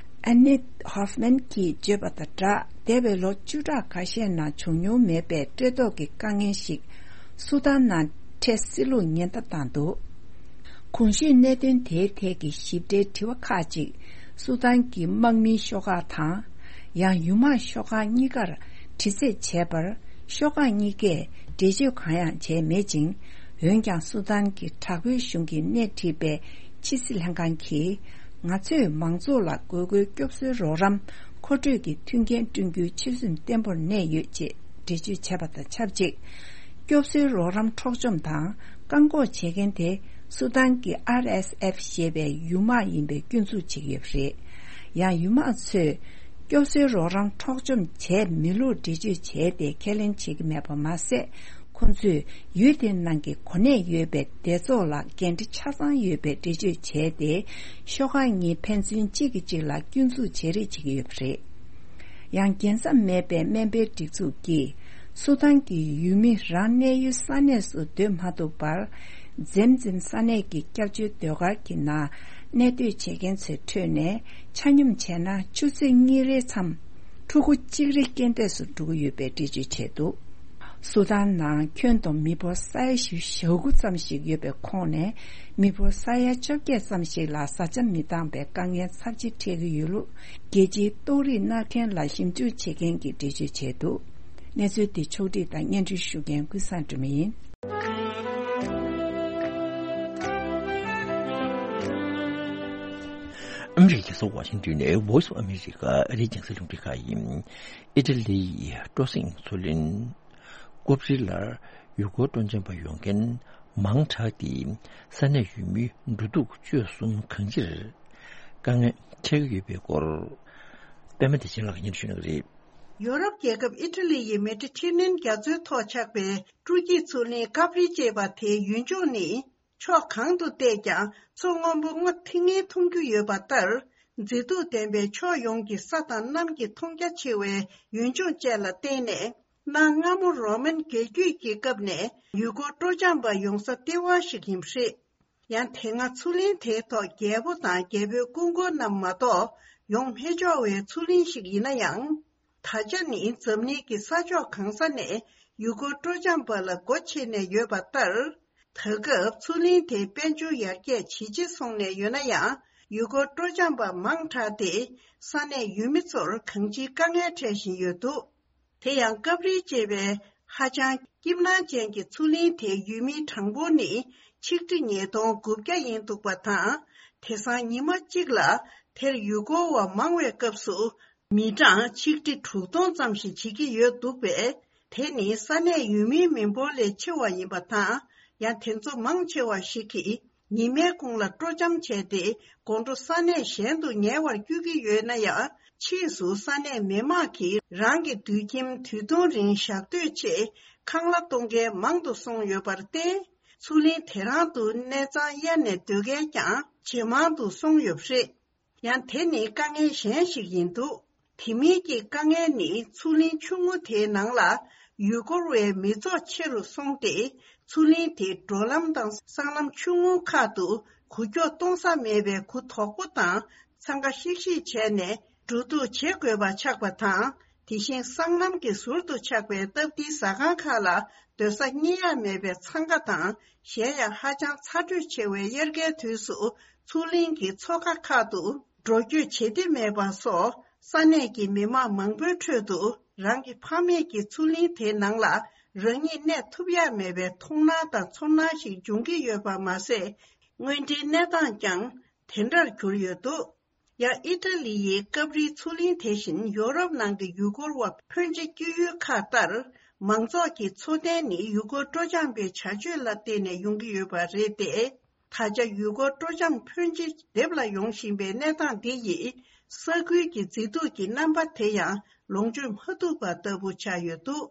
ཨན་ནེ་ཧོབ་མན་གྱིས་བརྗོད་པ་དང་སྦྲགས། འདས་པའི་ལོ་བཅུ་ཕྲག་ཁ་ཤས་ནང་བྱུང་མྱོང་མེད་པའི་བཀྲེས་ལྟོགས་ཀྱི་དཀའ་ངལ་ཞིག་སུ་དཱན་ནང་འཕྲད་སྲིད་ལུགས་ཉེན་བརྡ་བཏང་འདུག་གོང་ཞུས་གནད་དོན་དེའི་ཐད་ཀྱི་ཞིབ་ཕྲའི་དྲི་བ་ཁག་ཅིག་སུ་དཱན་གྱི་དམག་མིའི་ཤོག་ཁག་དང་། ཡང་ཡུལ་དམག་ཤོག་ཁག་གཉིས་ཀར་དྲི་རྩད་བྱས་པར། ཤོག་ཁག་གཉིས་ཀས་འགྲེལ་བརྗོད་གང་ཡང་བྱས་མེད་ཅིང་། འོན་ཀྱང་སུ་དཱན་གྱི་དྲག་པོའི་གཞུང་གིས་སྣེ་ཁྲིད་པའི་ཕྱི་སྲིད་ལྷན་ཁང་གིས། ང་ཚོས་མང་ཚོགས་ལ་དགོས་མཁོའི་སྐྱོབ་གསོའི་རོགས་རམ་མཁོ་སྤྲོད་ཀྱི་མཐུན་རྐྱེན་བསྐྲུན་རྒྱུའི་ཆོད་སེམས་བརྟན་པོར་གནས་ཡོད་ཅེས་འགྲེལ་བརྗོད་བྱས་པ་དང་ཆབས་ཅིག་སྐྱོབ་གསོའི་རོགས་རམ་འཕྲོག་བཅོམ་དང་བཀག་འགོག་བྱེད་མཁན་དེ་སུ་དཱན་གྱི་ཨར་ཨེས་ཨེཕ་ཞེས་པའི་ཡུལ་དམག་ཡིན་པའི་སྐྱོན་འཛུགས་བྱེད་ཀྱི་ཡོད་པ་རེད། ཡང་ཡུལ་དམག་ཚོས་སྐྱོབ་གསོའི་རོགས་རམ་འཕྲོག་བཅོམ་བྱས་མེད་ལུགས་འགྲེལ་བརྗོད་བྱས་ཏེ་ཁས་ལེན་བྱེད་ཀྱི་མེད་པ་མ་ཟད། ཁོང་ཚོས་ཡུལ་དེའི་ནང་གི་གོ་གནས་ཡོད་པའི་སྡེ་ཚོགས་ལ་འགན་འཁྲི་ཆ་ཚང་ཡོད་པའི་འགྲེལ་བརྗོད་བྱས་ཏེ། ཤོག་ཁག་གཉིས་ཕན་ཚུན་གཅིག་གིས་གཅིག་ལ་སྐྱོན་འཛུགས་བྱེད་རེས་བྱེད་ཀྱི་ཡོད་པ་རེད། ཡང་རྒྱལ་མཚམས་མེད་པའི་སྨན་པའི་སྒྲིག་འཛུགས་ཀྱིས་སུ་དཱན་གྱི་ཡུལ་མི་རང་གནས་ཡུལ་ས་གནས་སུ་སྡོད་མ་ཐུབ་པར། འཛེམ་འཛེམ་ས་གནས་ཀྱི་སྐྱབས་བཅོལ་སྡོད་སྒར་གྱི་ནང་གནས་སྡོད་བྱེད་མཁན་ཚོའི་ཁྲོད་ནས་ཆ་སྙོམས་བྱས་ན་ཆུ་ཚོད་གཉིས་རེའི་མཚམས་ཕྲུ་གུ་གཅིག་རེ་རྐྱེན་འདས་སུ་འགྲོ་གི་ཡོད་པའི་འགྲེལ་བརྗོད་བྱས་འདུག་སུ་དཱན་ནང་ཁྱོན་བསྡོམས་མི་འབོར་ས་ཡ་བཞི་དགུ་ཙམ་ཞིག་ཡོད་པའི་ཁོངས་ནས། མི་འབོར་ས་ཡ་བཅོ་བརྒྱད་ཙམ་ཞིག་ལ་བཟའ་བཅའ་མི་འདང་པའི་དཀའ་ངལ་ཚབས་ཆེ་འཕྲད་ཀྱི་ཡོད་ལུགས། རྒྱལ་སྤྱིའི་ལྟོགས་རིས་མནར་མཁན་ལ་ཞིབ་འཇུག་བྱེད་མཁན་གྱིས་འགྲེལ་བརྗོད་བྱས་འདུག་གནས་ཚུལ་འདི་ཕྱོགས་བསྒྲིགས་དང་སྙན་སྒྲོན་ཞུ་མཁན་ཀུན་བཟང་སྒྲོལ་མ་ཡིན། ཨ་མི་རི་ཀའི་རྒྱལ་ས་ཝ་ཤིང་ཏོན་ནས་Voice of America ཨ་རིའི་རྒྱང་སྲིང་རླུང་འཕྲིན་ཁང་ཡིན། ཨི་ཊ་ལི་ཡི་སྤྲོ་གསེང་མཚོ་གླིང་ཀོབ་རི་ལར་ཡུལ་སྐོར་སྤྲོ་འཆམ་པ་ཡོང་མཁན་མང་དྲགས་ཏེ། ས་གནས་ཡུལ་མིའི་འགྲོ་འདུག་སྤྱོད་གསུམ་གང་ཅིར་དཀའ་ངལ་འཕྲད་ཀྱི་ཡོད་པའི་སྐོར། པད་མ་བདེ་ཆེན་ལགས་སྙན་ཞུ་གནང་གི་རེད། ཡོ་རོབ་རྒྱལ་ཁབ་ཨི་ཊ་ལི་ཡི་མེ་ཌི་ཊེ་རེ་ནན་རྒྱ་མཚོའི་ཐོག་ཆགས་པའི་སྤྲོ་སྐྱིད་མཚོ་གླིང་ཀབ་རི་ཅེས་པ་དེའི་ཡུལ་ལྗོངས་ནི། ཕྱོགས་གང་དུ་བལྟས་ཀྱང་མཚོ་སྔོན་པོ་སྔོ་ཐིང་ངེ་མཐོང་རྒྱུ་ཡོད་པ་ལྟར། མཛེས་སྡུག་ལྡན་པའི་ཕྱོགས་ཡོངས་ཀྱི་ས་དང་གནམ་གྱི་མཐོང་རྒྱ་ཆེ་བའི་ཡུལ་ལྗོངས་བཅས་ལ་བརྟེན་ནས། གནའ་སྔ་མོ་རོ་མན་རྒྱལ་རྒྱུད་ཀྱི་སྐབས་ནས་ཡུལ་སྐོར་སྤྲོ་འཆམ་པ་ཡོང་ས་ལྟེ་བ་ཞིག་ཡིན་པ་རེད། ཡང་དེ་སྔ་མཚོ་གླིང་དེའི་ཐོག་རྒྱལ་པོ་དང་རྒྱལ་པོའི་སྐུ་འཁོར་རྣམས་མ་གཏོགས་ཡོང་མི་ཆོག་པའི་མཚོ་གླིང་ཞིག་ཡིན་ན་ཡང་། ད་ཆ་ནི་འཛམ་གླིང་གི་ས་ཕྱོགས་གང་ས་ནས་ཡུལ་སྐོར་སྤྲོ་འཆམ་པ་ལ་སྒོ་ཕྱེ་ནས་ཡོད་པ་ལྟར། ད་སྐབས་མཚོ་གླིང་དེའི་དཔལ་འབྱོར་ཡར་རྒྱས་ཇེ་ཆེ་སོང་ནས་ཡོད་ན་ཡང་། ཡུལ་སྐོར་སྤྲོ་འཆམ་པ་མང་དྲགས་ཏེ། ས་གནས་ཡུལ་མི་ཚོར་གང་ཅིའི་དཀའ་ངལ་འཕྲད་བཞིན་ཡོད་འདུག་དེ་ཡང་ཀབ་རི་ཅེས་པའི་ཧ་ཅང་སྐྱིད་སྣང་ཅན་གྱི་མཚོ་གླིང་དེའི་ཡུལ་མིའི་གྲངས་འབོར་ནི་ཆིག་ཁྲི་ཉིས་སྟོང་དགུ་བརྒྱ་ཡིན་འདུག་པ་དང་། དེང་སང་ཉི་མ་གཅིག་ལ་དེར་ཡུལ་སྐོར་བ་མང་བའི་སྐབས་སུ། མི་གྲངས་ཆིག་ཁྲི་དྲུག་སྟོང་ཙམ་ཞིག་བྱེད་ཀྱི་ཡོད་འདུག་པས། དེ་ནི་ས་གནས་ཡུལ་མིའི་མི་འབོར་ལས་ཆེ་བ་ཡིན་པ་དང་། ཡང་དེ་ཚོ་མང་ཆེ་བ་ཞིག་གིས་ཉི་མའི་གུང་ལ་སྤྲོ་འཆམ་བྱས་ཏེ། དགོང་དྲོ་ས་གནས་གཞན་དུ་ཉལ་བར་བསྐྱོད་ཀྱི་ཡོད་ན་ཡང་། ཕྱིས་སུ་ས་གནས་མི་མང་གིས་རང་གི་དུད་ཁྱིམ་དུས་ཐུང་རིང་བཞག་འདོད་ཆེད་ཁང་གླ་གཏོང་མཁན་མང་དུ་སོང་ཡོད་པར་བརྟེན། མཚོ་གླིང་དེ་རང་དུ་གནས་ཚང་གཡར་ནས་སྡོད་མཁན་ཀྱང་ཇེ་མང་དུ་སོང་ཡོད་པ་རེད། ཡང་དེ་ནི་དཀའ་ངལ་གཞན་ཞིག་ཡིན་འདུག་དེ་མིན་གྱི་དཀའ་ངལ་ནི་མཚོ་གླིང་ཆུང་ངུ་དེའི་ནང་ལ་ཡུལ་སྐོར་བའི་མི་ཚོགས་ཆེ་རུ་སོང་སྟེ། མཚོ་གླིང་དེའི་འགྲོ་ལམ་དང་སྲང་ལམ་ཆུང་ངུ་ཁག་ཏུ་འགུལ་སྐྱོད་གཏོང་ས་མེད་པའི་གུ་དོག་པོ་དང་འཚང་ཁ་ཤིག་ཤིག་བྱས་ནས་འགྲོ་འདུག་བྱེད་དགོས་པ་ཆགས་པ་དང་། དེ་བཞིན་སྲང་ལམ་གྱི་ཟུར་དུ་ཆགས་པའི་སྟབས་བདེའི་ཟ་ཁང་ཁག་ལ་སྡོད་ས་རྙེད་ཡ་མེད་པའི་འཚང་ཁ་དང་། གཞན་ཡང་ཧ་ཅང་ཚ་དྲོད་ཆེ་བའི་དབྱར་ཁའི་དུས་སུ་མཚོ་གླིང་གི་མཚོ་ཁ་ཁག་ཏུ་འགྲོ་སྐྱོད་བྱེད་བདེ་མེད་པ་སོགས། ས་གནས་ཀྱི་མི་མང་མང་པོའི་ཁྲོད་དུ་རང་གི་ཕ་མེས་ཀྱི་མཚོ་གླིང་དེའི་ནང་ལ་རང་ཉིད་གནས་ཐུབ་ཡ་མེད་པའི་མཐོང་སྣང་དང་ཚོར་སྣང་ཞིག་འབྱུང་གི་ཡོད་པ་མ་ཟད། དངོས་འབྲེལ་གནས་སྟངས་ཀྱང་དེ་འདྲར་གྱུར་ཡོད་འདུག་ཡང་ཨི་ཊ་ལི་ཡི་ཀབ་རིའི་མཚོ་གླིང་དེ་བཞིན་ཡོ་རོབ་ནང་གི་ཡུལ་སྐོར་བ་ཕོན་ཆེ་སྐྱེ་ཡུལ་ཁག་ལྟར། མང་ཚོགས་ཀྱི་འཚོ་རྟེན་ནི་ཡུལ་སྐོར་སྤྲོ་འཆམ་པའི་བྱ་སྤྱོད་ལ་བརྟེན་ནས་ཡོང་གི་ཡོད་པ་རེད་དེ། ད་ཆ་ཡུལ་སྐོར་སྤྲོ་འཆམ་ཕོན་ཆེ་སྡེབ་ལ་ཡོང་བཞིན་པའི་གནས་སྟངས་འདི་ཡིས། ས་ཁུལ་གྱི་མཛེས་སྡུག་གི་རྣམ་པ་དེ་ཡང་ལོངས་སྤྱོད་མ་ཐུབ་པ་ལྟ་བུ་ཆགས་ཡོད་འདུག་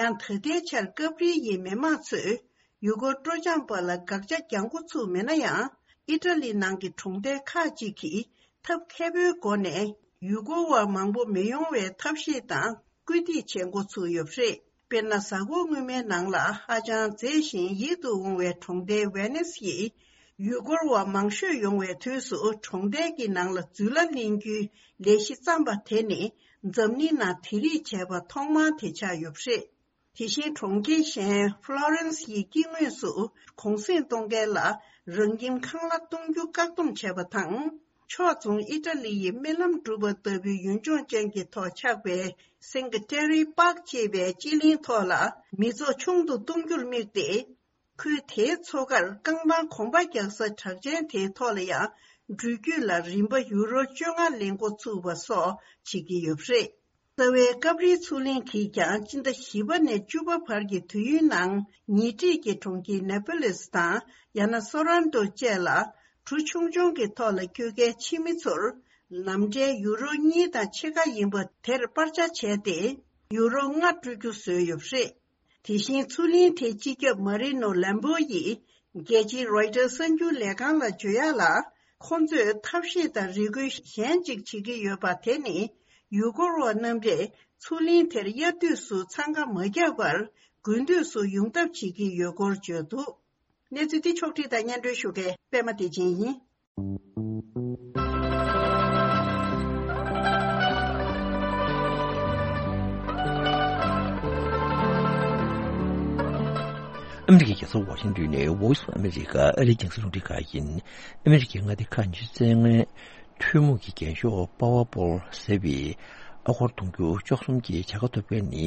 ཡང་ད་ལྟའི་ཆར་ཀབ་རི་ཡི་མི་མང་ཚོས་ཡུལ་སྐོར་སྤྲོ་འཆམ་པ་ལ་དགག་བྱ་རྒྱག་འགོ་ཚུགས་མེད་ན་ཡང་། ཨི་ཊ་ལི་ནང་གི་གྲོང་རྡལ་ཁག་ཅིག་གིས་ཐབས་མཁས་པོའི་སྒོ་ནས་ཡུལ་སྐོར་བ་མང་པོ་མི་ཡོང་བའི་ཐབས་ཤེས་དང་སྐུལ་འདེད་བྱེད་འགོ་ཚུགས་ཡོད་པ་རེད། དཔེར་ན། གཟའ་འཁོར་སྔོན་མའི་ནང་ལ་ཧ་ཅང་མཛེས་ཤིང་ཡིད་དུ་འོང་བའི་གྲོང་རྡལ་ཝེ་ནིས་ཡིས། ཡུལ་སྐོར་བ་མང་ཤོས་ཡོང་བའི་དུས་སུ་གྲོང་རྡལ་གྱི་ནང་ལ་འཛུལ་ལ་ལེན་རྒྱུའི་ལས་གཞི་བརྩམས་པ་དེ་ནི། འཛམ་གླིང་ནང་དེ་རིགས་བྱས་པ་ཐོག་མ་དེ་ཆགས་ཡོད་པ་རེད། དེ་བཞིན་གྲོང་ཁྱེར་གཞན་ཧྥ་ལོ་རན་སི་ཡི་དཀྱིལ་ངོས་སུ་གུང་གསེང་གཏོང་མཁན་ལ་རང་ཁྱིམ་ཁང་གླ་གཏོང་རྒྱུ་བཀག་སྡོམ་བྱས་པ་དང་། ཕྱོགས་མཚུངས་ཨི་ཊ་ལི་ཡི་རྨི་ལམ་སྒྲུབ་པ་ལྟ་བུའི་ཡུལ་ལྗོངས་ཅན་གྱི་ཐོག་ཆགས་པའི་སིང་ཀ་ཏེ་རེ་པཱག་ཅེས་པའི་སྤྱི་གླིང་ཐོག་ལ་མི་ཚོགས་ཆུང་དུ་གཏོང་རྒྱུར་དམིགས་ཏེ། ཁུལ་དེའི་མཚོ་ཁར་རྐང་ཐང་གོམ་པ་རྒྱག་ས་གྲགས་ཅན་དེའི་ཐོག་ལ་ཡང་འགྲུལ་སྐྱོད་ལ་རིན་པ་ཡུ་རོ་བཅོ་ལྔ་ལེན་འགོ་ཚུགས་པ་སོགས་བྱེད་ཀྱི་ཡོད་པ་རེད། རྩ་བའི་ཀབ་རིའི་མཚོ་གླིང་གིས་ཀྱང་སྤྱི་ཟླ་བཞི་པ་ནས་བཅུ་པ་བར་གྱི་དུས་ཡུན་ནང་ཉེ་འཁྲིས་ཀྱི་གྲོང་ཁྱེར་ནེ་པོ་ལིས་དང་ཡང་ན་སོ་རན་ཏོ་བཅས་ལ་གྲུ་ཆུང་ཆུང་གི་ཐོག་ལ་སྐྱོད་མཁན་ཕྱི་མི་ཚོར་ནམ་ཕྲན་ཡུ་རོ་གཉིས་དང་ཕྱེད་ཀ་ཡིན་པ་དེར་སྤར་ཆ་བྱས་ཏེ་ཡུ་རོ་ལྔ་སྤྲོད་རྒྱུ་བཟོས་ཡོད་པ་རེད། དེ་བཞིན་མཚོ་གླིང་དེའི་སྤྱི་ཁྱབ་མ་རི་ནོ་ལམ་པོ་ཡིས་རྒྱལ་སྤྱིའི་རོའི་ཊར་གསར་འགྱུར་ལས་ཁང་ལ་བརྗོད་ཡག་ལ། ཁོང་ཚོས་ཐབས་ཤེས་དང་རེ་སྐུལ་གཞན་གཅིག་བྱེད་ཀྱི་ཡོད་པ་དེ་ནི། ཡུལ་སྐོར་བ་རྣམ་པས་མཚོ་གླིང་དེར་དབྱར་དུས་སུ་འཚང་ཁ་མ་རྒྱག་པར་དགུན་དུས་སུ་ཡོང་ཐབས་བྱེད་ཀྱི་ཡོད་སྐོར་བརྗོད་འདུག་གནས་ཚུལ་འདི་ཕྱོགས་བསྒྲིགས་དང་སྙན་སྒྲོན་ཞུ་མཁན་པད་མ་བདེ་ཆེན་ཡིན། ཨ་མི་རི་ཀའི་རྒྱལ་ས་ཝ་ཤིང་ཏོན་ནས་Voice of America ཨ་རིའི་རྒྱང་སྲིང་རླུང་འཕྲིན་ཁང་ཡིན། ཨ་མི་རི་ཀའི་མངའ་སྡེ་ཁག་ཉི་ཤུ་རྩ་ལྔའི་ཐུན་མོང་གི་རྒྱན་ཤོག་པ་ཝར་པོལ་ཟེར་བའི་ཨ་སྒོར་དུང་ཕྱུར་བཅུ་གསུམ་གྱི་བྱ་དགའ་ཐོབ་མཁན་ནི་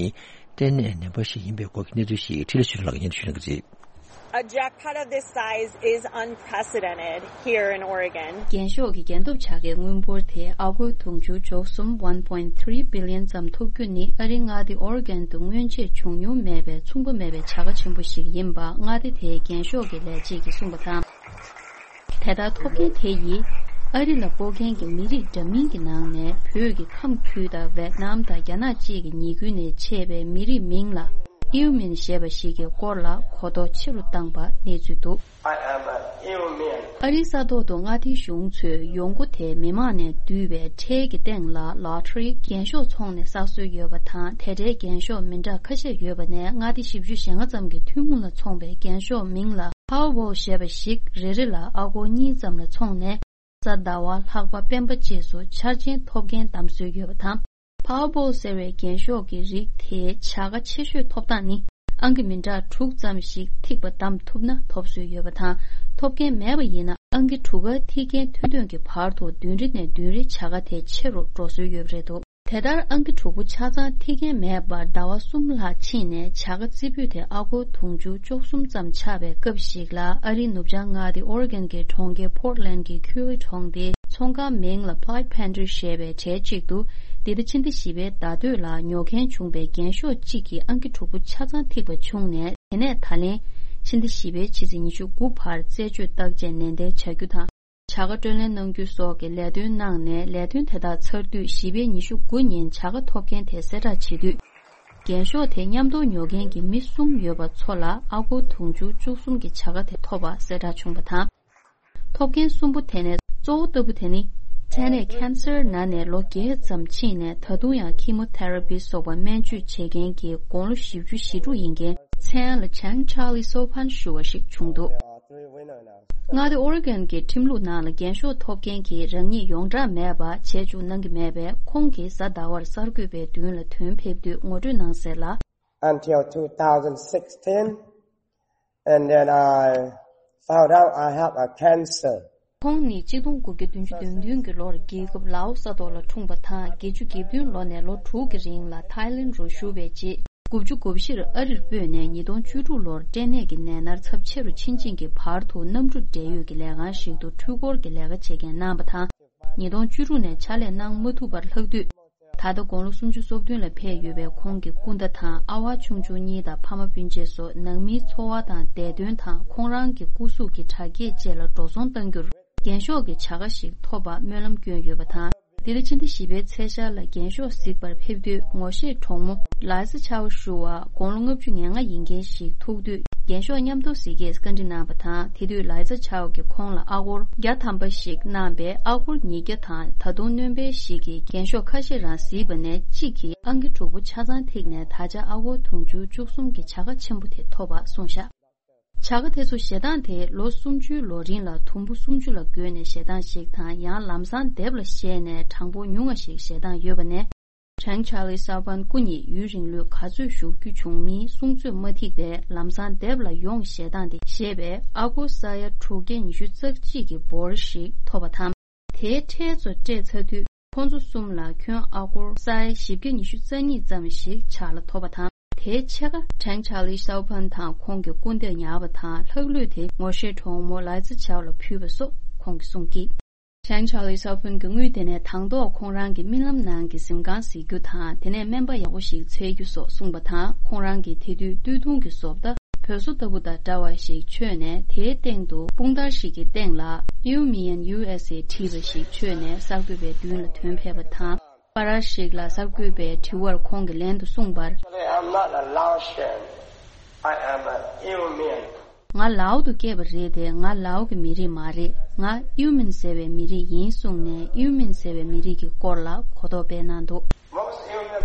གཏན་ནས་ནད་པ་ཞིག་ཡིན་པའི་སྐོར་གྱི་གནས་ཚུལ་ཞིག་འཕྲིན་ལས་ཆོས་སྒྲོན་ལགས་ཀྱིས་སྙན་ཞུ་གནང་གི་རེད། A jackpot of this size is unprecedented here in Oregon. རྒྱན་ཤོག་གི་རྒྱན་ཐོབ་བྱ་དགའི་དངུལ་འབོར་དེ་ཨ་སྒོར་དུང་ཕྱུར་བཅུ་གསུམ་one point three billion ཙམ་ཐོབ་རྒྱུ་ནི་ཨ་རིའི་མངའ་སྡེ་ཨོ་རི་གོན་དུ་སྔོན་ཆད་བྱུང་མྱོང་མེད་པའི་མཚུངས་པ་མེད་པའི་བྱ་དགའ་ཆེན་པོ་ཞིག་ཡིན་པ་མངའ་སྡེ་དེའི་རྒྱན་ཤོག་གི་ལས་བྱེད་ཀྱིས་གསུངས་པ་དང་། དེ་ལྟར་ཐོབ་མཁན་དེ་ཡིས་ཨ་རི་ལ་སྤོ་མཁན་གྱི་མི་རིགས་འདྲ་མིན་གྱི་ནང་ནས་བོད་ཀྱི་ཁམས་ཁུལ་དང་ཝེད་ནམ་དང་རྒྱ་ནག་བཅས་ཀྱི་ཉེ་ཁུལ་ནས་མཆེད་པའི་མི་རིགས་མིང་ལ་ཨིའུ་མིན་ཞེས་པ་ཞིག་གི་སྐོར་ལ་གོ་རྟོགས་ཆེ་རུ་བཏང་པ་གནས་ཚུལ་འདུག I am an Iumin. ཨ་རིའི་ས་ཐོག་ཏུ་མངའ་སྡེའི་གཞུང་ཚོས་ཡོང་སྒོ་དེ་མི་མང་ནས་བསྡུས་པའི་ཁྲལ་གྱི་སྟེང་ལ་ལོ་ཊ་རི་རྒྱན་ཤོག་འཚོང་ནས་བསགས་སྲོལ་ཡོད་པ་དང་། དེ་འདྲའི་རྒྱན་ཤོག་མི་འདྲ་ཁ་ཤས་ཡོད་པ་ནས་མངའ་སྡེ་བཞི་བཅུ་ཞེ་ལྔ་ཙམ་གྱི་ཐུན་མོང་ལ་འཚོང་པའི་རྒྱན་ཤོག་མིང་ལ་Powerball ཞེས་པ་ཞིག་རེ་རེ་ལ་ཨ་སྒོར་གཉིས་ཙམ་ལ་འཚོང་ནས། གཟའ་ཟླ་བ། ལྷག་པ། སྤེན་པ་བཅས་སུ་འཆར་ཅན་ཐོབ་མཁན་བདམས་སྲོལ་ཡོད་པ་དང་། Powerball ཟེར་བའི་རྒྱན་ཤོག་གི་རིགས་དེའི་བྱ་དགའ་ཆེ་ཤོས་ཐོབ་སྟངས་ནི། ཨང་ཀི་མི་འདྲ་དྲུག་ཙམ་ཞིག་ཐིགས་པ་བདམས་ཐུབ་ན་ཐོབ་སྲོལ་ཡོད་པ་དང་། ཐོབ་མཁན་མེད་པ་ཡིན་ན་ཨང་ཀི་དྲུག་ག་ཐིག་མཁན་ཐོན་ཐོན་གྱི་བར་དུ་བདུན་རེ་ནས་བདུན་རེ་བྱ་དགའ་དེ་ཆེ་རུ་འགྲོ་སྲོལ་ཡོད་པ་རེད་འདུག་དེ་ལྟར་ཨང་ཀི་དྲུག་པོ་ཆ་ཚང་ཐིག་མཁན་མེད་པར་ཟླ་བ་གསུམ་ལྷག་ཕྱིན་ནས་བྱ་དགའ་རྩེ་ཕུད་དེ་ཨ་སྒོར་དུང་ཕྱུར་བཅུ་གསུམ་ཙམ་ཆགས་པའི་སྐབས་ཤིག་ལ། ཨ་རིའི་ནུབ་བྱང་མངའ་སྡེ་ཨོ་རི་གོན་གྱི་གྲོང་ཁྱེར་Portland གྱི་ཁུལ་གྲོང་སྡེའི་ཚོང་ཁང་མིང་ལ་Black Panther ཞེས་པའི་གྲས་གཅིག་ཏུ། འདི་ཟླ་ཕྱི་ཟླ་བཞི་པའི་ཟླ་སྟོད་ལ་ཉོ་མཁན་བྱུང་པའི་རྒྱན་ཤོག་གཅིག་གི་ཨང་ཀི་དྲུག་པོ་ཆ་ཚང་ཐིགས་པ་བྱུང་ནས། དེ་ནས་ད་ལན་ཕྱི་ཟླ་བཞི་པའི་ཕྱི་ཚེས་ཉི་ཤུ་དགུ་བར་རྩད་གཅོད་བརྟག་དཔྱད་ནན་ཏན་བྱ་རྒྱུ་དང་། བྱ་དགའ་སྤྲོད་ལེན་གནང་རྒྱུ་སོགས་ཀྱི་ལས་དོན་གནང་ནས། ལས་དོན་དེ་དག་ཚར་དུས་བཞི་པའི་ཉི་ཤུ་དགུ་ཉིན་བྱ་དགའ་ཐོབ་མཁན་དེ་གསལ་བསྒྲགས་བྱེད་དུས། རྒྱན་ཤོག་དེ་མཉམ་དུ་ཉོ་མཁན་གྱི་མི་གསུམ་ཡོད་པ་ཚོ་ལ་ཨ་སྒོར་དུང་ཕྱུར་བཅུ་གསུམ་གྱི་བྱ་དགའ་དེ་ཐོབ་པ་གསལ་བསྒྲགས་བྱུང་བ་དང་། ཐོབ་མཁན་གསུམ་པོ་དེ་ནས་གཙོ་བོ་ལྟ་བུ་དེ་ནི། ཊེ་ནས་ཁེན་སར་ན་ནས་ལོ་བརྒྱད་ཙམ་ཕྱིན་ནས། ད་དུང་ཡང་ཁི་མོ་ཐེ་ར་པི་སོགས་པ་སྨན་བཅོས་བྱེད་མཁན་གྱི་དགུང་ལོ་བཞི་བཅུ་ཞེ་དྲུག་ཡིན་མཁན། མཚན་ལ་Chang Charlie Sopan ཞུ་བ་ཞིག་བྱུང་འདུག་མངའ་སྡེ་ཨོ་རི་གོན་གྱི་ཁྲིམས་ལུགས་ནང་ལ་རྒྱན་ཤོག་ཐོབ་མཁན་གྱིས་རང་ཉིད་ཡོངས་གྲགས་མེད་པ་བྱས་བཅུག་གནང་གི་མེད་པས། ཁོང་གིས་གཟའ་ཟླ་བར་གསར་འགོད་པའི་མདུན་ལ་དོན་ཕེབས་དུས་ངོ་སྤྲོད་གནང་གསལ་ལ། Until two thousand sixteen, and then I found out I have a cancer. ཁོང་ནི་ཆིག་སྟོང་དགུ་བརྒྱ་བདུན་ཅུ་དོན་བདུན་གྱི་ལོར་རྒྱལ་ཁབ་ལའོ་ས་ཐོག་ལ་འཁྲུངས་པ་དང་། བརྒྱད་ཅུ་གྱ་བདུན་ལོ་ནས་ལོ་དྲུག་གི་རིང་ལ་ཐའི་ལེན་རུ་བཞུགས་པའི་རྗེས། དགུ་བཅུ་གོ་བཞིར་ཨ་རིར་སྤོས་ནས་ཉིས་སྟོང་བཅུ་དྲུག་ལོར་སྐྲན་ནད་ཀྱི་ནད་མནར་ཚབས་ཆེ་རུ་ཕྱིན་ཅིང་གི་བར་དུ་གནམ་གྲུ་འབྲེལ་ཡོད་ཀྱི་ལས་ཁང་ཞིག་ཏུ་འཕྲུལ་འཁོར་གྱི་ལས་ཀ་བྱེད་མཁན་གནང་བ་དང་། ཉིས་སྟོང་བཅུ་དྲུག་ནས་ཕྱག་ལས་གནང་མ་ཐུབ་པར་ལྷག་དུས། ད་ལྟ་དགུང་ལོ་སུམ་ཅུ་སོ་བདུན་ལ་ཕེབས་ཡོད་པའི་ཁོང་གི་སྐུ་ཟླ་དང་ཨ་བ་ཆུང་ཆུང་གཉིས་དང་ཕ་མ་སྤུན་མཆེད་སོགས་ནང་མིའི་འཚོ་བ་དང་བདེ་དོན་དང་ཁོང་རང་གི་སྐུ་གཟུགས་ཀྱི་དྲག་སྐྱེད་བཅས་ལ་འགྲོ་སོང་གཏང་རྒྱུར། རྒྱན་ཤོག་གི་བྱ་དགའ་ཞིག་ཐོབ་པར་སྨོན་ལམ་བསྐྱོན་ཡོད་པ་དང་། འདི་ལོ་ཕྱི་ཟླ་བཞི་པའི་ཚེས་ཤར་ལ་རྒྱན་ཤོག་གཟིགས་པར་ཕེབས་དུས། ངོ་ཤེས་གྲོགས་མོ་ལའི་ཛ་ཆའོ་ཞུ་བ་དགུང་ལོ་ལྔ་བཅུ་ང་ལྔ་ཡིན་མཁན་ཞིག་ཐུག་དུས། རྒྱན་ཤོག་མཉམ་དུ་གཟིགས་སྐད་བཀའ་འདྲི་གནང་བ་དང་། དེ་དུས་ལའི་ཛ་ཆའོ་གིས་ཁོང་ལ་ཨ་སྒོར་བརྒྱ་ཐམ་པ་ཞིག་གནང་བས། ཨ་སྒོར་ཉིས་བརྒྱ་དང་ད་དུང་སྣོན་པ་ཞིག་གིས་རྒྱན་ཤོག་ཁ་ཤས་རང་གཟིགས་པ་ནས་གཅིག་གིས་ཨང་ཀི་དྲུག་པོ་ཆ་ཚང་ཐིག་ནས་ད་ཆ་ཨ་སྒོར་དུང་ཕྱུར་བཅུ་གསུམ་གྱི་བྱ་དགའ་ཆེན་པོ་དེ་ཐོབ་པ་གསུངས་བཞག་བྱ་དགའ་དེ་ཚོ་བཞེས་སྟངས་དེ་ལོ་སུམ་ཅུའི་ལོ་རིང་ལ་དུམ་བུ་སུམ་ཅུ་ལ་བགོས་ནས་བཞེས་སྟངས་ཤིག་དང་། ཡང་ལམ་སང་དེབ་ལ་བཞེས་ནས་གྲངས་འབོར་ཉུང་ང་ཞིག་བཞེས་སྟངས་ཡོད་པ་ནས། ཕྲེང་ཆར་ལི་སའོ་ཕན་སྐུ་ཉིད་ཡུན་རིང་ལོས་ག་ཚོད་བཞུགས་རྒྱུ་བྱུང་མིན་གསུང་ཚོད་མ་ཐིག་པས། ལམ་སང་དེབ་ལ་ཡོང་བཞེས་སྟངས་དེ་བཞེས་པས། ཨ་སྒོར་ས་ཡ་དྲུག་བརྒྱ་ཉི་ཤུ་རྩ་གཅིག་གི་འབོར་ཞིག་ཐོབ་པ་དང་། དེའི་ཁྲལ་ཚོ་སྤྲད་ཚར་དུས། ཁོང་ཚོ་གསུམ་ལ་ཁྱོན་ཨ་སྒོར་ས་ཡ་བཞི་བརྒྱ་ཉི་ཤུ་རྩ་གཉིས་ཙམ་ཞིག་ཕྱག་ལ་ཐོབ་པ་དང་། དེའི་ཕྱེད་ཀ་ཕྲེང་ཆར་ལི་སའོ་ཕན་དང་ཁོང་གི་སྐུ་ཟླས་ཉར་བ་དང་། ལྷག་ལུས་དེ་ངོ་ཤེས་གྲོགས་མོ་ལའི་ཛ་ཆའོ་ལ་ཕུལ་བ་སོགས་ཁོང་གིས་གསུངས་ཀྱིས། ཕྲེང་ཆར་ལི་སའོ་ཕན་གྱིས་དངུལ་དེ་ནས་དང་ཐོག་ཁོང་རང་གི་རྨི་ལམ་ནང་གི་གཟིམ་ཁང་གཟིགས་རྒྱུ་དང་། དེ་ནས་སྨན་པ་ཡག་པོ་ཞིག་འཚོལ་རྒྱུ་སོགས་གསུངས་པ་དང་། ཁོང་རང་གིས་དེ་དུས་སྟོད་ཐུང་གི་བཟོ་ལྟ་བོད་བཟོ་ལྟ་བུ་དང་འདྲ་བ་ཞིག་མཆོད་ནས། དེའི་སྟེང་དུ་དཔུང་དར་ཞིག་གི་སྟེང་ལ་Iumian U S A བྲིས་པ་ཞིག་མཆོད་ནས་གསར་འགོད་པའི་མདུན་ལ་ཐོན་ཕེབས་པ་དང་། པར་ཞིག་ལ་གསར་འགོད་པས་དྲི་བར་ཁོང་གིས་ལན་དུ་གསུངས་པར། Actually, I'm not a Laotian. I am an Iumian. ང་ལའོ་དུ་སྐྱེས་པ་རེད་དེ། ང་ལའོ་གི་མི་རིགས་མ་རེད། ང་ཨིའུ་མིན་ཟེར་བའི་མི་རིགས་ཡིན་གསུངས་ནས། ཨིའུ་མིན་ཟེར་བའི་མི་རིགས་ཀྱི་སྐོར་ལ་གོ་རྟོགས་སྤེལ་གནང་འདུག་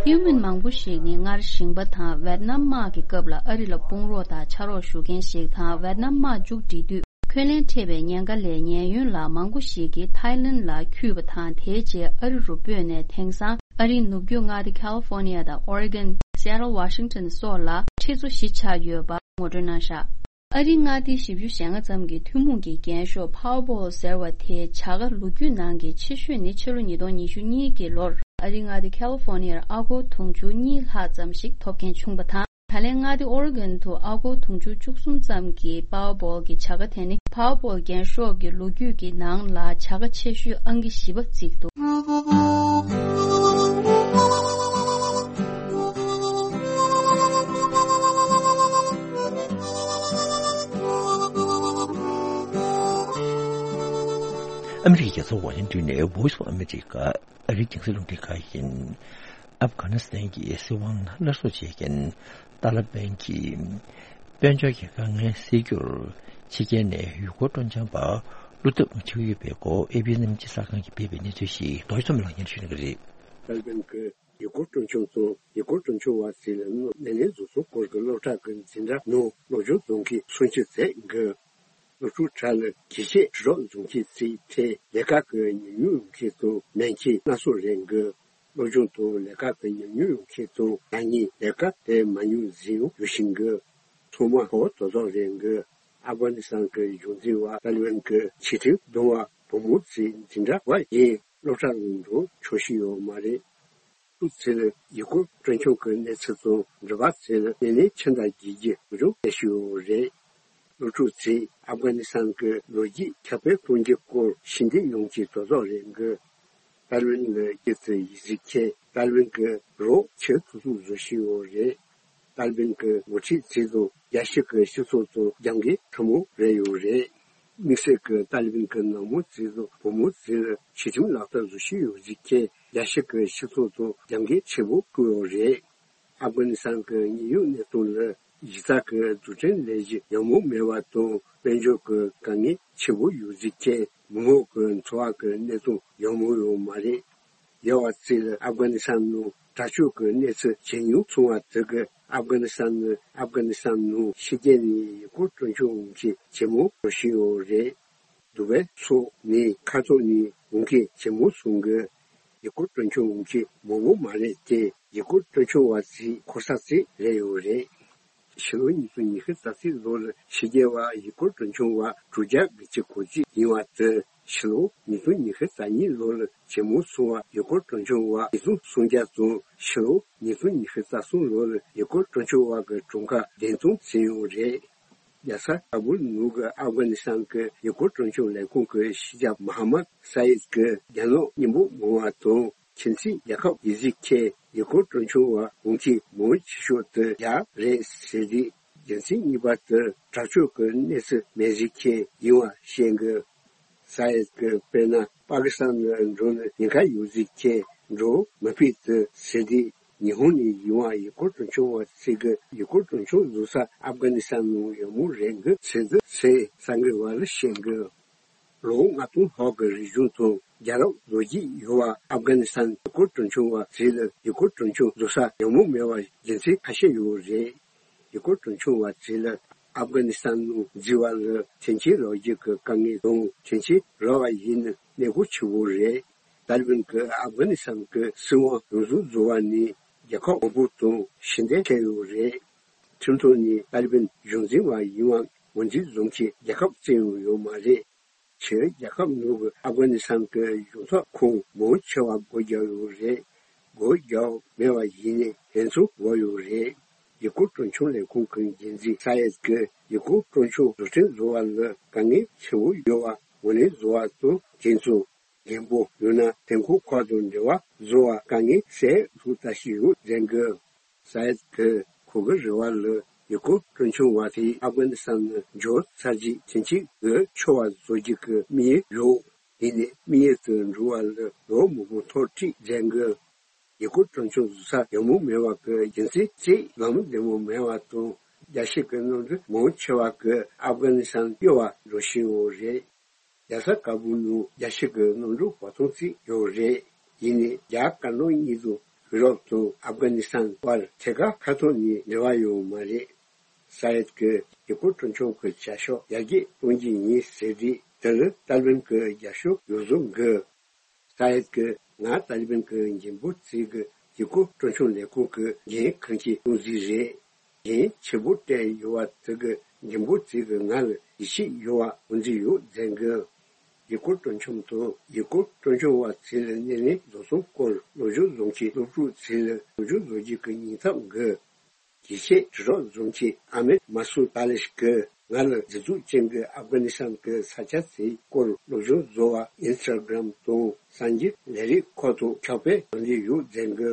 ཨིའུ་མིན་མང་པོ་ཞིག་ནི་སྔར་ཞིང་པ་དང་ཝེད་ནམ་དམག་གི་སྐབས་ལ་ཨ་རི་ལ་དཔུང་རོགས་དང་ཕྱག་རོགས་ཞུ་མཁན་ཞིག་དང་། ཝེད་ནམ་དམག་མཇུག་སྒྲིལ་དུས། འཁོན་ལན་འཕྲད་པའི་ཉེན་ཁ་ལས་ཉེན་གཡོལ་ལ་མང་པོ་ཞིག་གིས་ཐའི་ལན་ལ་འཁྱུད་པ་དང་། དེའི་རྗེས་ཨ་རི་རུ་སྤོས་ནས། དེང་སང་ཨ་རིའི་ནུབ་རྒྱུད་མངའ་སྡེ་ཁ་ལི་ཧྥོ་ནི་ཡ་དང་ཨོ་རི་གོན། སི་ཨེ་ཊལ། ཝ་ཤིང་ཊོན་སོགས་ལ་ཁྲི་ཚོ་བཞི་ཆགས་ཡོད་པ་ངོ་སྤྲོད་གནང་བཞག་ཨ་རིའི་མངའ་སྡེ་བཞི་བཅུ་ཞེ་ལྔ་ཙམ་གྱི་ཐུན་མོང་གི་རྒྱན་ཤོག་Powerball ཟེར་བ་དེའི་བྱ་དགའ་ལོ་རྒྱུས་ནང་གི་ཆེ་ཤོས་ནི་ཕྱི་ལོ་ཉིས་སྟོང་ཉི་ཤུ་གཉིས་ཀྱི་ལོར་ཨ་རིའི་མངའ་སྡེ་ཁ་ལི་ཧྥོ་ནི་ཡར་ཨ་སྒོར་དུང་ཕྱུར་གཉིས་ལྷག་ཙམ་ཞིག་ཐོབ་མཁན་བྱུང་བ་དང་། ད་ལན་མངའ་སྡེ་ཨོ་རི་གོན་དུ་ཨ་སྒོར་དུང་ཕྱུར་བཅུ་གསུམ་ཙམ་གྱི་Powerball་གྱི་བྱ་དགའ་དེ་ནི་Powerball་རྒྱན་ཤོག་གི་ལོ་རྒྱུས་ཀྱི་ནང་ལ་བྱ་དགའ་ཆེ་ཤོས་ཨང་ཀི་བཞི་པ་བརྩིས་འདུག་ཨ་མི་རི་ཀའི་རྒྱལ་ས་ཝ་ཤིང་ཏོན་ནས་Voice of America། ཨ་རིའི་རྒྱང་སྲིང་རླུང་འཕྲིན་ཁང་ཡིན། ཨབ་གྷ་ནི་སི་ཐན་གྱི་སྲིད་དབང་སླར་གསོ་བྱེད་མཁན་ཏཱ་ལ་པན་གྱིས་དཔལ་འབྱོར་གྱི་དཀའ་ངལ་སེལ་རྒྱུར་ཕྱི་རྒྱལ་ནས་ཡུལ་སྐོར་སྤྲོ་འཆམ་པ་བླུག་ཐབས་བྱེད་ཀྱི་ཡོད་པའི་སྐོར་ཨེ་པི་གནས་ཚུལ་གསར་ཁང་གིས་སྤེལ་བའི་གནས་ཚུལ་ཞིག་རྡོ་རྗེ་ཚོམས་ལགས་སྙན་ཞུ་གནང་གི་རེད། ཏཱ་ལ་པན་གྱིས་ཡུལ་སྐོར་སྤྲོ་འཆམ་དང་ཡུལ་སྐོར་སྤྲོ་འཆམ་པ་ཚོའི་ནད་ལན་བཟོ་ཚུལ་སྐོར་གྱི་སློབ་གྲྭ་གི་འཛིན་གྲྭ་ནང་ནོར་འཁྲུལ་བྱུང་མཁན་སུམ་ཅུ་ཙམ་གྱིས། སློབ་ཕྲུག་ཁྲོད་ལ་གྱོད་ཆས་དྲིལ་སྒྲོག་བཟོ་མཁན་ཚོའི་ཐད་ལས་ཀ་གི་ཉམས་མྱོང་ཡོད་མཁན་དང་མེད་མཁན་སྣ་ཚོགས་རེད་འདུག་སློབ་སྦྱོང་དང་ལས་ཀ་གི་ཉམས་མྱོང་ཡོད་མཁན་དང་ད་ནི་ལས་ཀ་དེ་མ་མྱོང་ཟེར་ཡང་ཡོད་བཞིན་འདུག་ཚང་མ་གོ་བ་དོག་དོག་རེད་འདུག་ཨབ་གྷ་ནི་སི་ཐན་གྱི་གཞུང་འཛིན་པ་ཏཱ་ལི་བན་གྱི་ཆེ་མཐོང་གདོང་པ་བུ་མོ་ཚོའི་འཛིན་གྲྭ་བ་ཡིན་སློབ་གྲྭ་ནང་འགྲོ་ཆོག་ཤེས་ཡོད་མ་རེད། སློབ་ཕྲུག་ཚོས་ཡུལ་སྐོར་སྤྲོ་འཆམ་གྱི་གནས་ཚུལ་དང་འབྲེལ་བ་ཚོས་ནད་ལན་ཆེ་འདྲ་བརྒྱབ་རྒྱུ་ལོ་རྒྱུས་སྤེལ་བཞིན་ཡོད་རེད། སློབ་ཕྲུག་ཚོས་ཨབ་གྷ་ནི་སི་ཐན་གྱི་ལོ་རྒྱུས་ཁྱབ་སྤེལ་གཏོང་རྒྱུའི་སྐོར་ཞི་བདེ་ཡོང་གི་དོག་དོག་རེད་འདུག་ཏཱ་ལི་བན་ལ་སྐྱེས་ཚེ་ཡིག་གཟུགས་ཁྱེར་ཏཱ་ལི་བན་གྱི་རོགས་ཆེ་ཐུག་ཐུག་བཟོ་བཞིན་ཡོད་རེད། ཏཱ་ལི་བན་གྱི་འགོ་ཁྲིད་ཚོས་དང་རྒྱལ་སྤྱི་གི་སྤྱི་ཚོགས་དང་རྒྱབ་འགལ་ཕྲ་མོ་རེད་ཡོད་རེད། དམིགས་བསལ་གྱི་ཏཱ་ལི་བན་གྱི་ནང་མི་ཚོས་དང་བུ་མོ་ཚོས་ཆེ་ཁྲིམས་ལག་བསྟར་བཟོ་བཞིན་ཡོད་ཟེར་མཁན་རྒྱལ་སྤྱི་གི་སྤྱི་ཚོགས་དང་རྒྱབ་འགལ་ཆེན་པོ་བསྐུལ་ཡོད་རེད། ཨབ་གྷ་ནི་སི་ཐན་གྱི་དངོས་ཡོད་གནས་སྟངས་ལ་གཞི་རྩ་གི་འཛུགས་སྐྲུན་ལས་གཞི་ཡག་མོ་མེད་པ་དང་དཔལ་འབྱོར་གྱི་དཀའ་ངལ་ཆེན་པོ་ཡོད་ཟེར་མཁན་མི་མང་གི་འཚོ་བ་གི་གནས་སྟངས་ཡག་མོ་ཡོད་མ་རེད། ཡོད་པ་ཚོས་ཨབ་གྷ་ནི་སི་ཐན་ནང་དྲག་སྤྱོད་ཀྱི་གནས་ཚུལ་ཇེ་ཉུང་སོང་བ་དེ་གིས་ཨབ་གྷ་ནི་སི་ཐན་ནི་ཨབ་གྷ་ནི་སི་ཐན་ནང་ཕྱི་རྒྱལ་ནས་ཡུལ་སྐོར་སྤྲོ་འཆམ་འོང་མཁན་ཇེ་མང་འགྲོ་བཞིན་ཡོད་རེད། དུ་བའི་སོགས་ནས་ཁ་ཐོར་ནས་འོང་མཁན་ཇེ་མང་སོང་གི། ཡུལ་སྐོར་སྤྲོ་འཆམ་འོང་མཁན་མང་པོ་མ་རེད་དེ་ཡུལ་སྐོར་སྤྲོ་འཆམ་པ་ཚོའི་འཁོར་ས་ཚོ་རེད་ཡོད་རེད། ཕྱི་ལོ་ཉིས་སྟོང་ཉི་ཤུ་རྩ་གཅིག་ལོར་ཕྱི་རྒྱལ་བ་ཡུལ་སྐོར་སྤྲོ་འཆམ་པ་དྲུག་བརྒྱ་དགུ་བཅུ་གོ་གཅིག་ཡིན་པ་དེ་ཕྱི་ལོ་ཉིས་སྟོང་ཉི་ཤུ་རྩ་གཉིས་ལོར་ཇེ་མང་སོང་བ་ཡུལ་སྐོར་སྤྲོ་འཆམ་པ་ཉིས་སྟོང་སུམ་བརྒྱ་དང་ཕྱི་ལོ་ཉིས་སྟོང་ཉི་ཤུ་རྩ་གསུམ་ལོར་ཡུལ་སྐོར་སྤྲོ་འཆམ་པ་གི་གྲངས་ཀ་བདུན་སྟོང་ཟིན་ཡོད་རེད། རྒྱལ་ས་ཀ་བུལ་ནང་གི་ཨབ་གྷ་ནི་སི་ཐན་གྱི་ཡུལ་སྐོར་སྤྲོ་འཆམ་ལས་ཁུངས་ཀྱི་ཕྱི་ཁྱབ་མ་ཧ་མད་ས་ཡིད་ཀྱིས་རྒྱ་ནག་མི་འབོར་མང་བ་དང་ཁྱིམ་མཚེས་རྒྱལ་ཁབ་ཡིན་ཟེར་མཁན་ཡུལ་སྐོར་སྤྲོ་འཆམ་པ་འོང་མཁན་མང་ཆེ་ཤོས་དེ་རྒྱ་རེད་ཟེར་དུས། རྒྱུ་མཚན་གཉིས་པ་དེ་དྲག་སྤྱོད་ཀྱི་གནས་ཚུལ་མེད་ཟེར་མཁན་ཡིན་པ་བཤད་འདུག་ས་ཡིད་ཀྱིས་དཔེར་ན་པ་ཀི་སི་ཐན་ལ་འགྲོ་ནས་ཉེན་ཁ་ཡོད་ཟེར་མཁན་འགྲོ་མི་ཕོད་དེ་ཟེར་དུས། ཉི་ཧོང་ནས་ཡིན་པ་ཡུལ་སྐོར་སྤྲོ་འཆམ་པ་ཚོ་གི་ཡུལ་སྐོར་སྤྲོ་འཆམ་བཟོ་ས་ཨབ་གྷ་ནི་སི་ཐན་ནང་ཡོད་མུས་རེད་འདུག་ཟེར་འདུག་ཟེར་གསར་འགོད་པ་ལ་བཤད་འདུག་ལོ་ངོ་ལྔ་སྟོང་ལྷག་གི་རིག་གཞུང་དང་རྒྱལ་རབས་ལོ་རྒྱུས་ཡོད་པ་ཨབ་གྷ་ནི་སི་ཐན་ཡུལ་སྐོར་སྤྲོ་འཆམ་པ་ཚོ་ལ་ཡུལ་སྐོར་སྤྲོ་འཆམ་བཟོ་ས་ཡོད་མུས་མེད་པ་རྒྱུ་མཚན་ཁ་ཤས་ཡོད་རེད། ཡུལ་སྐོར་སྤྲོ་འཆམ་པ་ཚོ་ལ་ཨབ་གྷ་ནི་སི་ཐན་ནང་འཛུལ་བ་ལ་ཐེངས་གཅིག་རག་རྒྱུ་གི་དཀའ་ངལ་དང་ཐེངས་གཅིག་རག་པ་ཡིན་ན་གནས་སྐོར་ཆེ་བོ་རེད། ཏཱ་ལི་བན་གྱིས་ཨབ་གྷ་ནི་སི་ཐན་གྱི་སྲིད་དབང་ཡོངས་སུ་རྫོགས་པ་ནས་རྒྱལ་ཁབ་མང་པོ་དང་ཕྱི་འབྲེལ་བྱས་ཡོད་རེད། ཁྲིམས་ཐོག་ནས་ཏཱ་ལི་བན་གཞུང་འཛིན་པ་ཡིན་པ་ངོས་འཛིན་བཟོ་མཁན་རྒྱལ་ཁབ་གཅིག་ཡང་ཡོད་མ་རེད། ཕྱིའི་རྒྱལ་ཁབ་ནང་གི་ཨབ་གྷ་ནི་སི་ཐན་གྱི་གཞུང་ཚབ་ཁང་མང་ཆེ་བ་སྒོ་བརྒྱབ་ཡོད་རེད། སྒོ་བརྒྱབ་མེད་པ་ཡིན་ནའི་ཕན་ཚུན་འབོར་ཡོད་རེད། ཡུལ་སྐོར་སྤྲོ་འཆམ་ལས་ཁུངས་ཀྱི་འགན་འཛིན་ས་ཡེད་ཀྱིས་ཡུལ་སྐོར་སྤྲོ་འཆམ་བཟོ་སྐྲུན་བཟོ་བ་ལ་དཀའ་ངལ་ཆེན་པོ་ཡོད་པ་ངོས་ལེན་བཟོ་བ་དང་དེ་ཚོ་འགན་འབོར་ཡོད་ན་ཐོན་ཁུངས་ཁག་དང་འབྲེལ་བ་བཟོ་བར་དཀའ་ངལ་སེལ་ཐུབ་ལྟ་བཞིན་ཡོད་ཟེར་གི། ས་ཡེད་ཀྱིས་ཁོ་གི་རེ་བ་ལ་ཡུལ་སྐོར་སྤྲོ་འཆམ་བ་དེ་ཨབ་གྷ་ནི་སི་ཐན་ནང་འབྱོར་ཚར་རྗེས་ཐེངས་གཅིག་གི་འཚོ་བ་བཟོ་རྒྱུ་གི་དམིགས་ཡུལ་ཡོད། ཡིན་ནའི་དམིགས་ཡུལ་དུ་འགྲོ་བ་ལ་ལོ་མང་པོ་ཐག་བྲིས་མཛད་གི། ཡུལ་སྐོར་སྤྲོ་འཆམ་བཟོ་ས་ཡག་མོ་མེད་པ་གི་རྒྱུ་མཚན་གཅིག་ལམ་བདེ་མོ་མེད་པ་དང་རྒྱལ་སྤྱི་གི་གནམ་གྲུ་མང་ཆེ་བ་གི་ཨབ་གྷ་ནི་སི་ཐན་གཡུལ་བར་འགྲོ་བཞིན་ཡོད་རེད། རྒྱལ་ས་ཀ་བུལ་ནང་རྒྱལ་སྤྱི་གི་གནམ་གྲུ་བར་སྟོང་ཙམ་ཡོད་རེད། ཡིན་ནའི་རྒྱ་དཀར་ནག་གཉིས་དང་ཡུ་རོབ་དང་ཨབ་གྷ་ནི་སི་ཐན་བར་ཐད་ཀར་མཁའ་ཐོག་ནས་འབྲེལ་བ་ཡོད་མ་རེད། ས་ཡེད་ཀྱིས་ཡུལ་སྐོར་སྤྲོ་འཆམ་གྱི་བྱ་གཞག་ཡར་རྒྱས་གཏོང་རྒྱུ་ཡིན་ཟེར་དུས་དེ་ལ་ཏཱ་ལི་བན་གྱིས་རྒྱབ་སྐྱོར་ཡོད་བཟོ་འདུག་ས་ཡེད་ཀྱིས་ང་ཏཱ་ལི་བན་གྱི་འགན་འབོར་བརྩི་གི་ཡུལ་སྐོར་སྤྲོ་འཆམ་ལས་ཁུངས་ཀྱི་འགན་འཁུར་མཁན་དབུ་འཛིན་རེད། འགན་ཆེ་པོ་སྤྲད་ཡོད་པ་དེ་གི་འགན་འབོར་བརྩི་གི་ང་ལ་ཡིད་ཆེས་ཡོད་པ་ངོས་འཛིན་ཡོད་ཟེར་གི། ཡུལ་སྐོར་སྤྲོ་འཆམ་དང་ཡུལ་སྐོར་སྤྲོ་འཆམ་བ་ཚོ་ལ་སྣེ་ལེན་བཟོ་སྟངས་སྐོར་སློབ་སྦྱོང་བཟོ་མཁན་སློབ་ཕྲུག་ཚོ་ལ་སློབ་སྦྱོང་བཟོ་རྒྱུ་གི་སྙིང་སྟོབས་འདུག་རྒྱལ་སྤྱིའི་དྲིལ་སྒྲོག་འཛོམས་ཆེན་ཨ་མེད་མ་སུ་ཏཱ་ལེ་ཤི་གིས་ང་ལ་མཛེས་སྡུག་ཅན་གྱི་ཨབ་གྷ་ནི་སི་ཐན་གྱི་ས་ཆ་དེའི་སྐོར་སློབ་སྦྱོང་བཟོ་བ་ཨིན་སི་ཊ་གྷ་རམ་དང་གསར་འགྱུར་ལས་རིགས་ཁག་ཏུ་ཁྱབ་སྤེལ་གནང་གི་ཡོད་ཟེར་གི།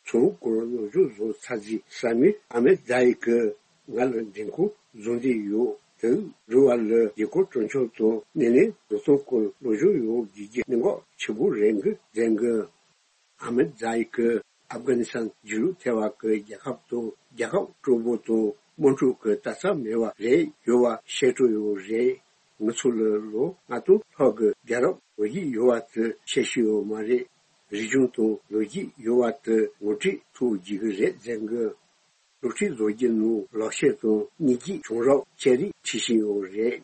ཚོང་སྐོར་སློབ་སྦྱོང་བཟོ་ཚར་རྗེས་ས་མིག་ཨ་མེ་ཛ་ཡི་གིས་ང་ལ་འདེམས་ཁོངས་བཟོ་འདོད་ཡོད་དེ། རུ་བ་ལ་ཡུལ་སྐོར་སྤྲོ་འཆམ་དང་སྣེ་ལེན་བཟོ་ཚོང་སྐོར་སློབ་སྦྱོང་ཡོང་དགོས་ཀྱི་གནད་འགག་ཆེ་པོ་རེད་གི་ཟེར་གི། ཨ་མེ་ཛ་ཡི་གིས་ཨབ་གྷ་ནི་སི་ཐན་ཇེ་ལུ་ཐེ་བ་གི་རྒྱལ་ཁབ་དང་རྒྱལ་ཁབ་སྤྲོ་པོ་དང་དམངས་ཁྲོད་ཀྱི་དད་ས་མེད་པ་རེད་ཡོད་པ་བཤད་འགྲོ་ཡོད་རེད། ང་ཚོ་ལ་ལོ་ལྔ་སྟོང་ལྷག་གི་རྒྱལ་རབས་ལོ་རྒྱུས་ཡོད་པ་དེ་བཤད་ཤེས་ཡོད་མ་རེད། རིག་གཞུང་དང་ལོ་རྒྱུས་ཡོད་པ་དེ་ངོ་སྤྲོད་ཐུབ་རྒྱུ་གི་རེད་ཟེར་གི། སློབ་ཁྲིད་བཟོ་རྒྱུ་ནང་ལག་ཤེས་དང་སྙིང་རྗེ་བྱུང་རབས་ཅན་རིགས་ཁྲིད་བཞིན་ཡོད་རེད།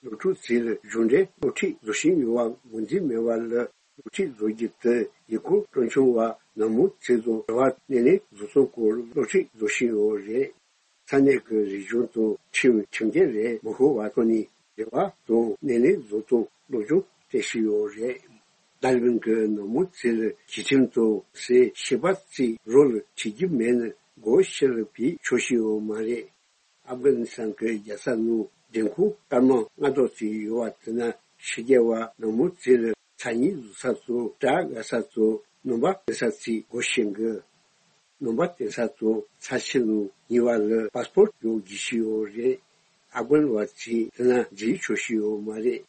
སློབ་ཕྲུག་ཚོ་ལ་གཞུང་འབྲེལ་སློབ་ཁྲིད་བཟོ་བཞིན་ཡོད་པ་ངོས་འཛིན་མེད་པ་ལ་སློབ་ཁྲིད་བཟོ་རྒྱུ་དེ་ཡུལ་སྐོར་སྤྲོ་འཆམ་པ་ནང་མི་ཚོ་དང་རུ་བ་སྣེ་ལེན་བཟོ་ཚོང་སྐོར་སློབ་ཁྲིད་བཟོ་བཞིན་ཡོད་རེད། ས་གནས་ཀྱི་རིག་གཞུང་དང་ཁྲིམས་ཁྲིམས་འགལ་ལས་མི་ཤོར་བ་ཐོག་ནས་རེ་བ་དང་སྣེ་ལེན་བཟོ་སྟངས་སློབ་སྦྱོང་སྤྲད་བཞིན་ཡོད་རེད། ཏཱ་ལི་བན་གྱི་ནང་མི་ཚོ་ལ་ཞི་ཁྲིམས་དང་སེ་ཤི་པ་ཚོའི་རོ་ལ་ཁྲིད་རྒྱུ་མེད་ན་སྒོ་ཕྱི་ལ་ཕྱིན་ཆོག་བཞིན་ཡོད་མ་རེད། ཨབ་གྷ་ནི་སི་ཐན་གྱི་རྒྱལ་ས་ནང་འདེམས་ཁོངས་སྐར་མ་ལྔ་སྟོང་ཙམ་ཡོད་པ་དེ་ན་ཕྱི་རྒྱལ་བ་ནང་མི་ཚོ་ལ་ཚ་དངོས་བཟོ་ས་དང་སྐྲ་བཀག་ས་དང་སྣུམ་པ་བཏོན་ས་ཚོའི་སྒོ་ཕྱེ་གི། སྣུམ་པ་བཏོན་ས་དང་ཚྭ་ཆུ་ནང་ཉལ་བ་ལ་པཱ་སི་པོར་ཡོད་དགོས་ཀྱི་ཡོད་རེད། ཨབ་གྷན་བ་ཚོས་དེ་ན་འཛུལ་ཆོག་གི་ཡོད་མ་རེད།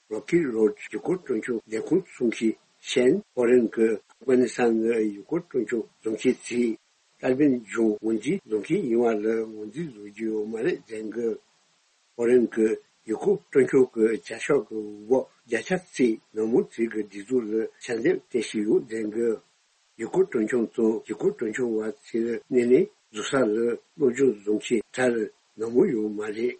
རོ་ཁི་རོཌ་ཡུལ་སྐོར་སྤྲོ་འཆམ་ལས་ཁུངས་གསུང་མཁན་ཤན་ཧྥོ་རན་གྱིས་ཨབ་གྷ་ནི་སི་ཐན་ནི་ཡུལ་སྐོར་སྤྲོ་འཆམ་བཟོ་མཁན་ཚོས་ཏཱ་ལི་བན་གཞུང་ངོས་འཛིན་བཟོ་མཁན་ཡིན་པ་ལ་ངོས་འཛིན་བཟོ་རྒྱུ་ཡོད་མ་རེད་ཟེར་གི། ཧྥོ་རན་གྱིས་ཡུལ་སྐོར་སྤྲོ་འཆམ་གྱི་བྱ་གཞག་གི་འོག་བརྒྱ་ཆ་གཅིག་ནང་མི་ཚོའི་གི་བདེ་སྡུག་ལ་ཞབས་འདེགས་སྤྲད་བཞིན་ཡོད་ཟེར་གི། ཡུལ་སྐོར་སྤྲོ་འཆམ་དང་ཡུལ་སྐོར་སྤྲོ་འཆམ་པ་ཚོའི་སྣེ་ལེན་བཟོ་ས་ལ་སློབ་སྦྱོང་བཟོ་མཁན་གྲས་ནང་མི་ཡོད་མ་རེད།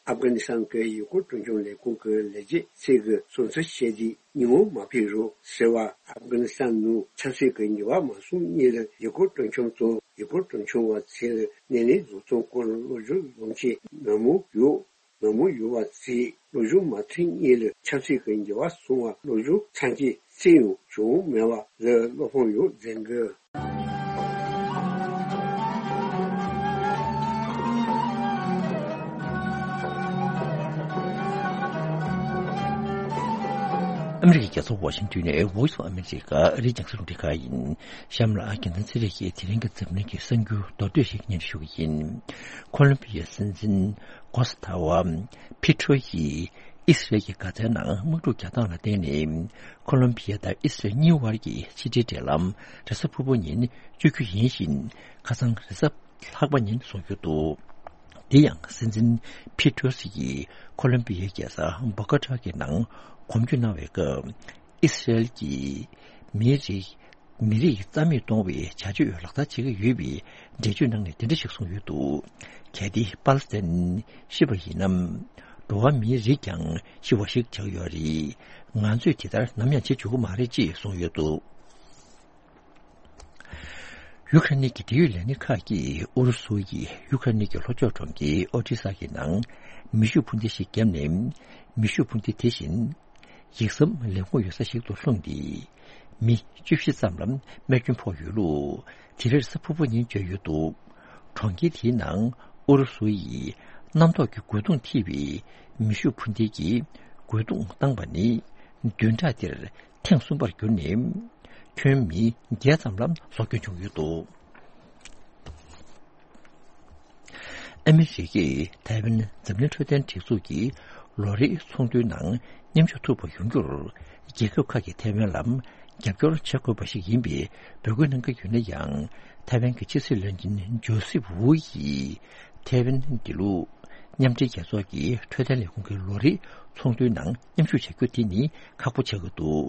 ཨབ་གྷ་ནི་སི་ཐན་གྱི་ཡུལ་སྐོར་སྤྲོ་འཆམ་ལས་ཁུངས་ཀྱི་ལས་བྱེད་ཚོས་གི་སོང་ཚར་བཤད་དུས་ཉིན་མོ་མ་ཕེབས་རོགས་ཟེར་བ་ཨབ་གྷ་ནི་སི་ཐན་ནང་ཆབ་སྲིད་ཀྱི་འགྱུར་བ་མ་སོང་སྔོན་ལ་ཡུལ་སྐོར་སྤྲོ་འཆམ་དང་ཡུལ་སྐོར་སྤྲོ་འཆམ་པ་ཚོའི་སྣེ་ལེན་བཟོ་སྟངས་སྐོར་སློབ་སྦྱོང་བཟོ་མཁན་ནང་མི་ཡོད། ནང་མི་ཡོད་པ་ཚོས་སློབ་སྦྱོང་མ་ཐོན་སྔོན་ལ་ཆབ་སྲིད་ཀྱི་འགྱུར་བ་སོང་བ་སློབ་སྦྱོང་ཚར་མཁན་གཅིག་ཡང་བྱུང་མེད་པ་ལ་བློ་ཕམ་ཡོད་ཟེར་གི། ཨ་མི་རི་ཀའི་རྒྱལ་ས་ཝ་ཤིང་ཏོན་ནས་Voice of America ཨ་རིའི་རྒྱང་སྲིང་རླུང་འཕྲིན་ཁང་ཡིན། གཤམ་ལ་རྒྱལ་མཚན་ཚེ་རིང་གིས་དེ་རིང་གི་འཛམ་གླིང་གི་གསར་འགྱུར་མདོར་བསྡུས་ཤིག་སྙན་སྒྲོན་ཞུ་གི་ཡིན། ཁོ་ལོམ་བི་ཡའི་སྲིད་འཛིན་གོ་སི་ཐ་ཝ་ཕི་ཏྲོ་ཡིས་ཨི་སི་རལ་གྱི་གྷ་ཛའི་ནང་དམག་འཁྲུག་རྒྱག་སྟངས་ལ་བརྟེན་ནས། ཁོ་ལོམ་བི་ཡ་དང་ཨི་སི་རལ་གཉིས་དབར་གྱི་ཕྱི་འབྲེལ་འབྲེལ་ལམ་རེས་གཟའ་ཕུར་བུ་ཉིན་གཅོད་རྒྱུ་ཡིན་ཞིང་། ཁ་སང་རེས་གཟའ་ལྷག་པ་ཉིན་བཟོ་རྒྱུ་འདུག་དེ་ཡང་སྲིད་འཛིན་ཕི་ཏྲོ་སི་ཡིས་ཁོ་ལོམ་བི་ཡའི་རྒྱལ་ས་བྷོ་ཀ་ཊ་གི་ནང་གོམ་བགྲོད་གནང་བའི་སྐབས། ཨི་སི་རལ་གྱིས་མིའི་རིགས་མི་རིགས་རྩ་མེད་གཏོང་བའི་བྱ་སྤྱོད་ལག་བསྟར་བྱེད་ཀྱི་ཡོད་པའི་འགྲེལ་བརྗོད་གནང་ནས་དེ་འདྲ་ཞིག་གསུངས་ཡོད་འདུག་གལ་ཏེ་པ་ལི་སི་ཐན་ཤི་བ་ཡིན་ན། འགྲོ་བ་མིའི་རིགས་ཀྱང་ཤི་བ་ཞིག་ཆགས་ཡོད་རེད། ང་ཚོས་དེ་ལྟར་ནམ་ཡང་བྱེད་ཆོག་གི་མ་རེད་ཅེས་གསུངས་ཡོད་འདུག་ཡུ་ཁ་རེན་གྱི་འབྲེལ་ཡོད་ལས་སྣེ་ཁག་གིས་ཨུ་རུ་སུ་ཡིས་ཡུ་ཁ་རེན་གྱི་ལྷོ་ཕྱོགས་གྲོང་ཁྱེར་ཨོ་ཏི་ས་གི་ནང་མེ་ཤུགས་འཕུར་མདེལ་ཞིག་བརྒྱབ་ནས། མེ་ཤུགས་འཕུར་མདེལ་དེ་བཞིན་ཡིག་ཟམ་ལས་ཁུངས་ཡོད་ས་ཞིག་ཏུ་ལྷུང་སྟེ། མི་བཅུ་བཞི་ཙམ་ལ་རྨས་སྐྱོན་ཕོག་ཡོད་ལུགས་དེ་རེས་གཟའ་ཕུར་བུ་ཉིན་བརྗོད་ཡོད་འདུག་གྲོང་ཁྱེར་དེའི་ནང་ཨུ་རུ་སུ་ཡིས་གནམ་ཐོག་གི་རྒོལ་རྡུང་ཐེབས་པའི་མེ་ཤུགས་འཕུར་མདེལ་གྱིས་རྒོལ་རྡུང་བཏང་པ་ནི་བདུན་ཕྲག་འདིར་ཐེངས་གསུམ་པར་གྱུར་ནས། ཁྱོན་མི་བརྒྱད་ཙམ་ལ་སྲོག་སྐྱོན་བྱུང་ཡོད་འདུག་ཨ་མི་རི་ཀས་ཐའེ་ཝན་འཛམ་གླིང་འཕྲོད་བསྟེན་སྒྲིག་འཛུགས་ཀྱི་ལོ་རེའི་ཚོགས་འདུའི་ནང་མཉམ་ཞུགས་ཐུབ་པ་ཡོང་རྒྱུར། རྒྱལ་ཁབ་ཁག་གིས་ཐའེ་ཝན་ལ་རྒྱབ་སྐྱོར་བྱེད་དགོས་པ་ཞིག་ཡིན་པའི་འབོད་སྐུལ་གནང་གི་ཡོད་ན་ཡང་། ཐའེ་ཝན་གྱི་ཕྱི་སྲིད་བློན་ཆེན་ཇོ་སེབ་ཝུ་ཡིས་ཐའེ་ཝན་འདི་ལུ་མཉམ་འབྲེལ་རྒྱལ་ཚོགས་ཀྱི་འཕྲོད་བསྟེན་ལས་ཁུངས་ཀྱི་ལོ་རེའི་ཚོགས་འདུའི་ནང་མཉམ་ཞུགས་བྱ་རྒྱུ་དེ་ནི་ཁག་པོ་ཆགས་ཀྱི་འདུག་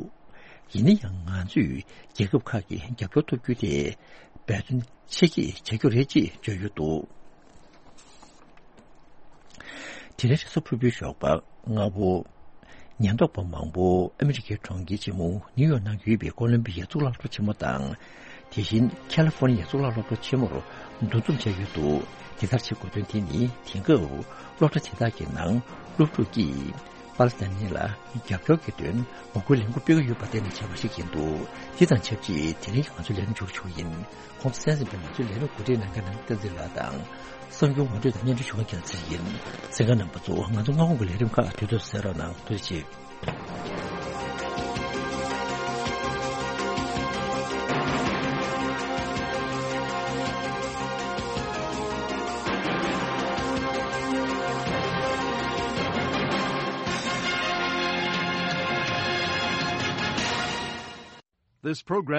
ཡིན་ན་ཡང་ང་ཚོས་རྒྱལ་ཁབ་ཁག་གི་རྒྱབ་སྐྱོར་ཐོབ་རྒྱུ་དེ་འབད་བརྩོན་ཆེ་བསྐྱེད་བྱ་རྒྱུ་རེད་ཅེས་བརྗོད་ཡོད་འདུག་དེ་རིང་རེས་གཟའ་ཕུར་བུའི་ཞོགས་པ་སྔ་པོ། ཉེན་རྟོག་པ་མང་པོ་ཨ་མི་རི་ཀའི་གྲོང་ཁྱེར་ཆེན་མོ་ནིའུ་ཡོག་ནང་ཡོད་པའི་ཀོ་ལོམ་བི་ཡའི་གཙུག་ལག་སློབ་གྲྭ་ཆེན་མོ་དང་། དེ་བཞིན་ཁ་ལི་ཧྥོ་ནི་ཡའི་གཙུག་ལག་སློབ་གྲྭ་ཆེན་མོར་འདུ་འཛོམས་བྱས་ཡོད་འདུག་དེ་ལྟར་བྱེད་དགོས་དོན་དེ་ནི་དེང་སྐབས་སློབ་གྲྭ་དེ་དག་གི་ནང་སློབ་ཕྲུག་གིས། པ་ལི་སི་ཐན་གཉིས་ལ་རྒྱབ་སྐྱོར་གྱི་དོན་ངོ་རྒོལ་ལས་འགུལ་སྤེལ་གྱི་ཡོད་པ་བརྟེན་ནས་བྱས་པ་ཞིག་ཡིན་འདུག་དེ་དང་ཆབས་ཅིག་དེ་རིང་གི་ང་ཚོའི་ལས་རིམ་མཇུག་ཆུང་ཡིན། ཁོང་ཚོ་གསན་གཟིགས་པའི་ང་ཚོའི་ལས་རིམ་གོ་སྒྲིག་གནང་མཁན་ནང་བསྟན་འཛིན་ལགས་དང་། གསར་འགྱུར་ངོ་སྤྲོད་དང་སྙན་སྒྲོན་ཞུ་མཁན་རྒྱལ་མཚན་ཡིན། གསན་མཁན་རྣམ་པ་ཚོ་ང་ཚོ་སྔ་དགོང་གི་ལས་རིམ་ཁག་དུས་ཐོག་གསན་རོགས་གནང་། ཐུགས་རྗེ་ཆེ། This program